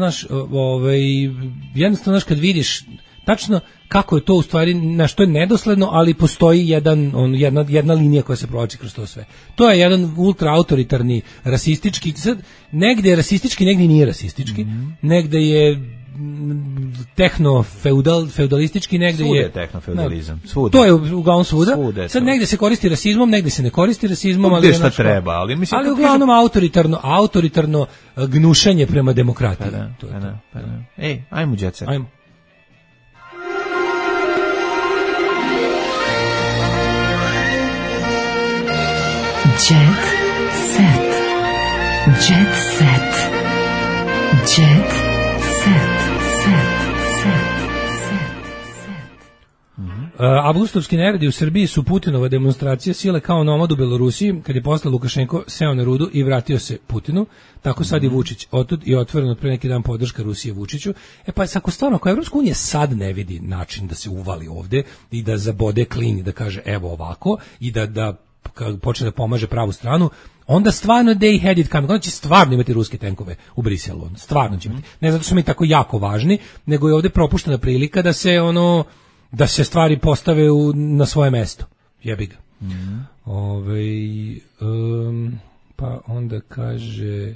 jednostavno kad vidiš tačno kako je to u stvari, na što je nedosledno, ali postoji jedna linija koja se provlači kroz to sve. To je jedan ultra autoritarni, rasistički, negde je rasistički, negde nije rasistički, negde je feudalistički, negde je tehnofeudalizam. To je uglavnom svuda. Sad negde se koristi rasizmom, negde se ne koristi rasizmom, ali šta treba, ali mislim ali uglavnom autoritarno gnušenje prema demokratiji. Ej, ajmo đece. Ajmo. Jet set. Jet set. Jet set. Avgustovski neredi u Srbiji su Putinova demonstracija sile kao nomad u Belorusiji, kad je posle Lukašenko seo na rudu i vratio se Putinu, tako sad je Vučić otud i otvoreno pre neki dan podrška Rusije Vučiću. Pa ako stvarno, ako Evropska unija sad ne vidi način da se uvali ovde i da zabode klin i da kaže evo ovako i da počne da pomaže pravu stranu, onda stvarno they had it coming. Onda će stvarno imati ruske tenkove u Briselu. Stvarno će imati. Ne zato što su mi tako jako važni, nego je ovde propuštena prilika da se stvari postave na svoje mesto. Jebi ga. Pa onda kaže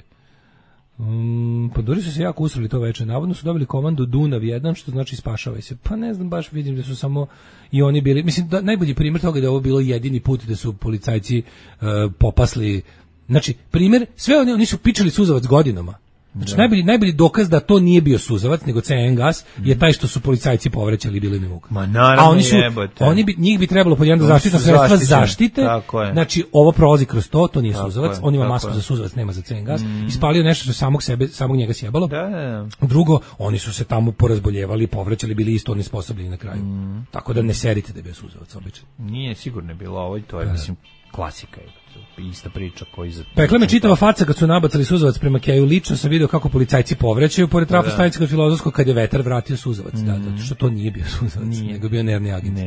pa Dori su se jako usrali to veče. Navodno su dobili komandu Dunav 1, što znači spašavaj se. Pa ne znam, baš vidim da su samo i oni bili. Mislim, najbolji primjer toga je da ovo bilo jedini put da su policajci popasli. Znači, primjer, sve oni su pičali suzavac godinama. Znači, najbolji dokaz da to nije bio suzavac, nego CN gas, je taj što su policajci povraćali bili na muka. Ma naravno jebote. Njih bi trebalo pod jedno zaštitna sredstva zaštite. Znači, ovo prolazi kroz to nije suzavac, on ima masku za suzavac, nema za CN gas. Ispalio nešto što samog njega sjebalo. Drugo, oni su se tamo porazboljevali, povraćali, bili isto onesposobljeni na kraju. Tako da ne serite da je bio suzavac obično. Nije sigurno bilo ovo, to je, mislim, klasika je. Ista priča koji za... Pekla me čitava faca kad su nabacali suzavac prema Keju. Lično sam video kako policajci povraćaju pored trafostanice kod Filozofskog kad je vetar vratio suzavac. Zato što to nije bio suzavac, nego bio nervni agent.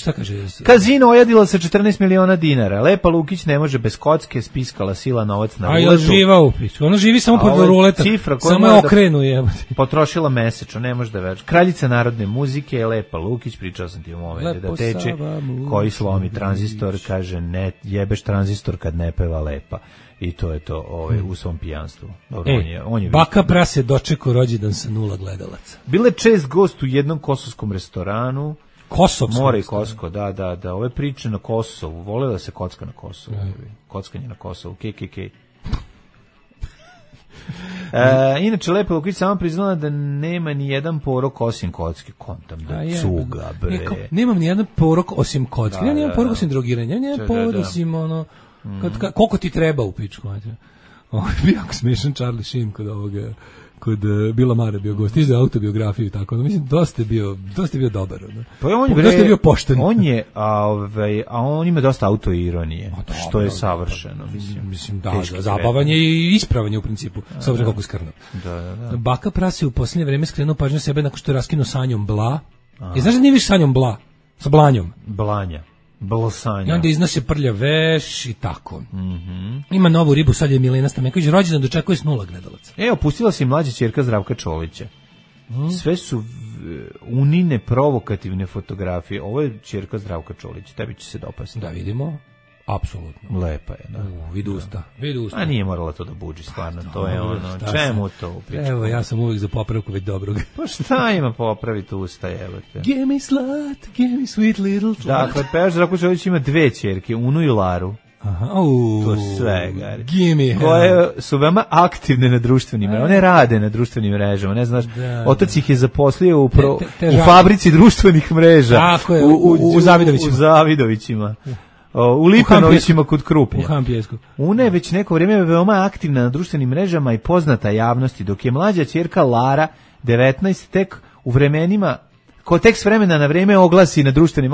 Šta kaže? Kazino ojadilo se 14 miliona dinara. Lepa Lukić ne može bez kocke, spiskala sila novac na ruletu. Živa u pičku. Ona živi samo pod ruleta. Samo je okrenu jebote. Potrošila mesečno, ne može da veruje. Kraljica narodne muzike, Lepa Lukić, pričao sam ti u momentu da teče, koji slomi tranzistor, kaže ne jebeš tranzistor kad ne peva Lepa. I to je to u svom pijanstvu. Dobro, on je baka prase dočekao rođendan sa 0 gledalaca. Bile čest gost u jednom kosovskom restoranu. Kosovskom? More i Kosko, da. Ove priče na Kosovu. Vole da se kocka na Kosovu. Kockanje na Kosovu. KKK. Inače, Lepa Lukić sama priznala da nema ni jedan porok osim kocke. Kontam da cuga, bre. Nemam ni jedan porok osim kocke. Ja nemam porok osim drogiranja. Ja nemam porok osim koliko ti treba u pičku. Ovo je bio jako smešan Charlie Sheen kod Bila Mare bio gost, izde autobiografiju i tako. Mislim, dosta je bio dobar. Pa dosta je bio pošten. A on ima dosta autoironije, što je savršeno. Mislim, zabavanje i ispravanje u principu, s obzirom kako skrno. Baka prase u posljednje vreme skrenuo pažnju sebe nakon što je raskinuo sanjom Bla. Znaš da nije više sanjom Bla? Sa Blanjom. Blanja. Blosanja. I onda iznose prlja veš i tako. Ima novu ribu, sad je Milena Stamenković, rođendan dočekuje s 0 gledalaca. Opustila se i mlađa ćerka Zdravka Čolića. Sve su unine provokativne fotografije. Ovo je ćerka Zdravka Čolića, tebi će se dopasti. Da vidimo. Apsolutno. Lepa je, da. Vidi usta. A nije morala to da buđi, stvarno. To je čemu to? Evo, ja sam uvijek za popravku već dobrog. Pa šta ima popraviti usta, jebate? Give me slut, give me sweet little slut. Dakle, pevač Zdravko Čolić ima 2 ćerke, Unu i Laru. To sve, gari. Koje su veoma aktivne na društvenim mrežama. One rade na društvenim mrežama. Ne znaš, otac ih je zaposlio u fabrici društvenih mreža. Tako je, u Zavidovićima. U Zavidovićima. u Lipanovićima kod Krupnja. U Hampjesku. Una je već neko vrijeme veoma aktivna na društvenim mrežama i poznata javnosti, dok je mlađa ćerka Lara, 19, tek u vremenima ko tek s vremena na vrijeme oglasi na društvenim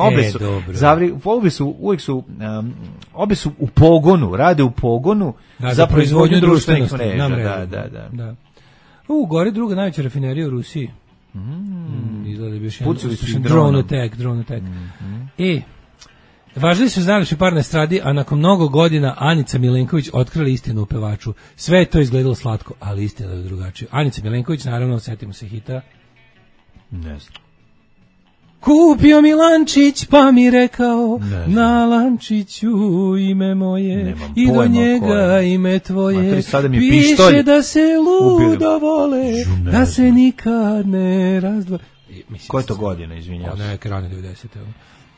obe su u pogonu, rade u pogonu za proizvodnju društvenih mreža. Da. Gore druga najveća rafinerija u Rusiji. Izgleda bi još jedan drone attack. Važili su znali par na estradi, a nakon mnogo godina Anica Milenković otkrila istinu u pevaču. Sve je to izgledalo slatko, ali istina je drugačija. Anica Milenković, naravno, setimo se hita. Ne znam. Kupio mi lančić, pa mi rekao, na lančiću ime moje i do njega ime tvoje. Piše da se ludo vole, da se nikad ne razdvoje. Koje to godine, izvinjavam se? Neke rane 90.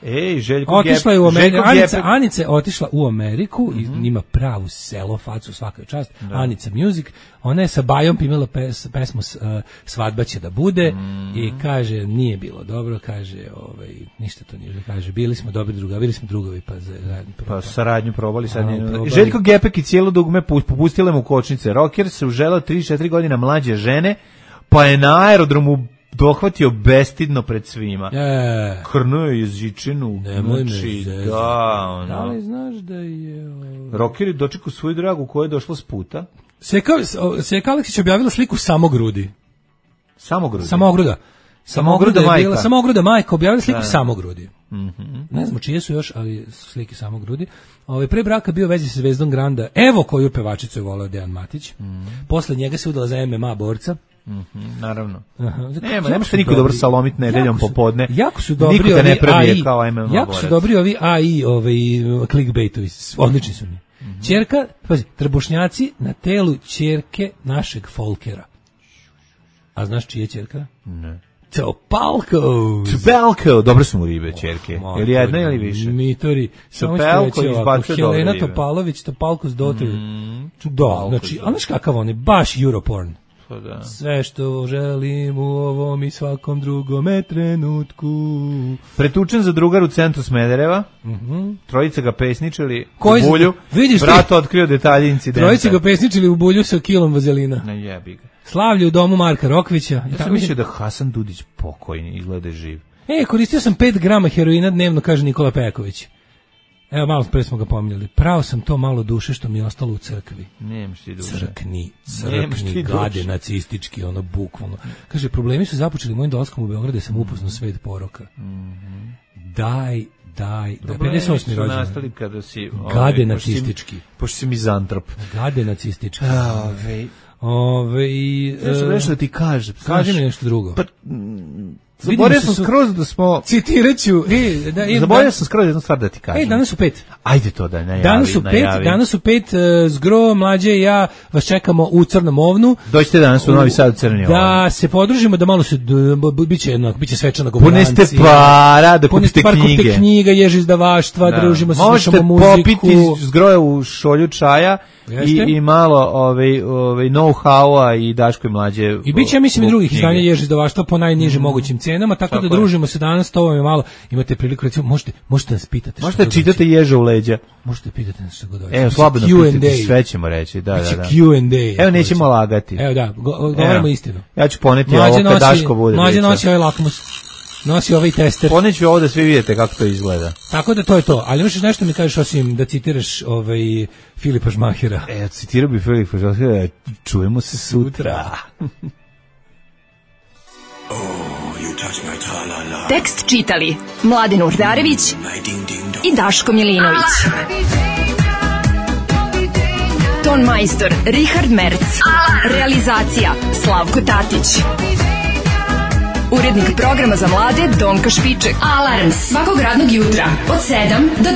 Ej, Željko otišla je u Ameriku. Anica je otišla u Ameriku i ima pravu selo facu, svaka čast. Anica Music. Ona je sa Bajom imala pesmu Svadba će da bude i kaže nije bilo dobro, kaže ništa to nije, kaže bili smo dobri drugovi, bili smo drugovi pa saradnju probali sad. Željko Gepek i cijelo dugme popustile mu kočnice. Rocker se uželao 3-4 godina mlađe žene, pa je na aerodromu dohvatio bestidno pred svima. Krnuo je jezičinu. Da li znaš da je... Rocker je dočekao svoju dragu koja je došla s puta. Seka Aleksić objavila sliku samogrudi. Samogrudi? Samogruda majka objavila sliku samogrudi. Ne znam čije su još, ali slike samogrudi. Pre braka bio vezi sa zvezdom Granda. Evo koju pevačicu je voleo Dejan Matić. Posle njega se udala za MMA borca. Naravno. Nema što niko dobro salomit nedeljom popodne. Jako su dobri ovi AI. Jako su dobri ovi AI, clickbaitovi. Odlični su mi. Ćerka, pazi, trbušnjaci na telu ćerke našeg Folkera. A znaš čije ćerka? Ne. Topalko, dobro su mu ribe ćerke. Ili jedna ili više? Mitori. Topalko izbacio dobre ribe. Helena Topalović, Topalko's daughter. Da, znači, a znaš kakav on je? Baš Europorn. Sve što želim u ovom i svakom drugome trenutku. Pretučen za drugar u centru Smedereva. Trojica ga pesničili u bulju. Brat otkrio detalje incidenta. Trojica ga pesničili u bulju sa kilom vazelina. Ne jebi ga. Slavlje u domu Marka Rokvića. Ja sam mislio da Hasan Dudić pokojni izgleda živ. Koristio sam 5 grama heroina dnevno, kaže Nikola Pejaković. Evo, malo pre smo ga pominjali. Pravo sam to malo duše što mi je ostalo u crkvi. Nemaš ti duše. Crkni, gade nacistički, bukvalno. Kaže, problemi su započeli mojim dolaskom u Beograd, sam upoznao svet poroka. Daj. 58. rođendan. Nastali kada si... Gade nacistički. Pošto si mizantrop. Gade nacistički. Ja sam nešto da ti kažem. Kaži mi nešto drugo. Zaboravio sam skroz da smo... Citiraću. Zaboravio sam skroz jednu stvar da ti kažem. Danas su 5. Ajde to da najavi. Danas su 5, Zgro, Mlađe i ja vas čekamo u Crnom ovnu. Dođite danas u Novi Sad u Crni Ovn. Da se podružimo, da malo se, biće svečana govorancija. Puneste para, da kupite knjige. Knjiga, ježi izdavaštva, družimo se, slušamo muziku. Možete popiti Zgroja u šolju čaja i malo know-howa i Daško i Mlađe. I biće, ja mislim, i drugih izdanja ježi izdavaštva po najnižim mogućim cenama, tako da družimo se danas, to vam je malo, imate priliku, recimo, možete nas pitati. Možete čitati Ježa u leđa. Možete pitati nas što god hoćete. Evo, slobodno pitati, sve ćemo reći. Da. Q&A. Evo, nećemo lagati. Evo, da, govorimo istinu. Ja ću poneti ovo kad Daško bude. Mlađe nosi ovaj lakmus. Nosi ovaj tester. Poneću ovo da svi vidite kako to izgleda. Tako da to je to. Ali imaš nešto mi kažeš osim da citiraš Filipa Žmahera. Citirao bi Filipa Žmahera. Čujemo se sutra. Tekst čitali Mladin Urdarević i Daško Milinović. Ton majstor Richard Merc. Realizacija Slavko Tatić. Urednik programa za mlade Donka Špiček. Alarms svakog radnog jutra od 7 do 10.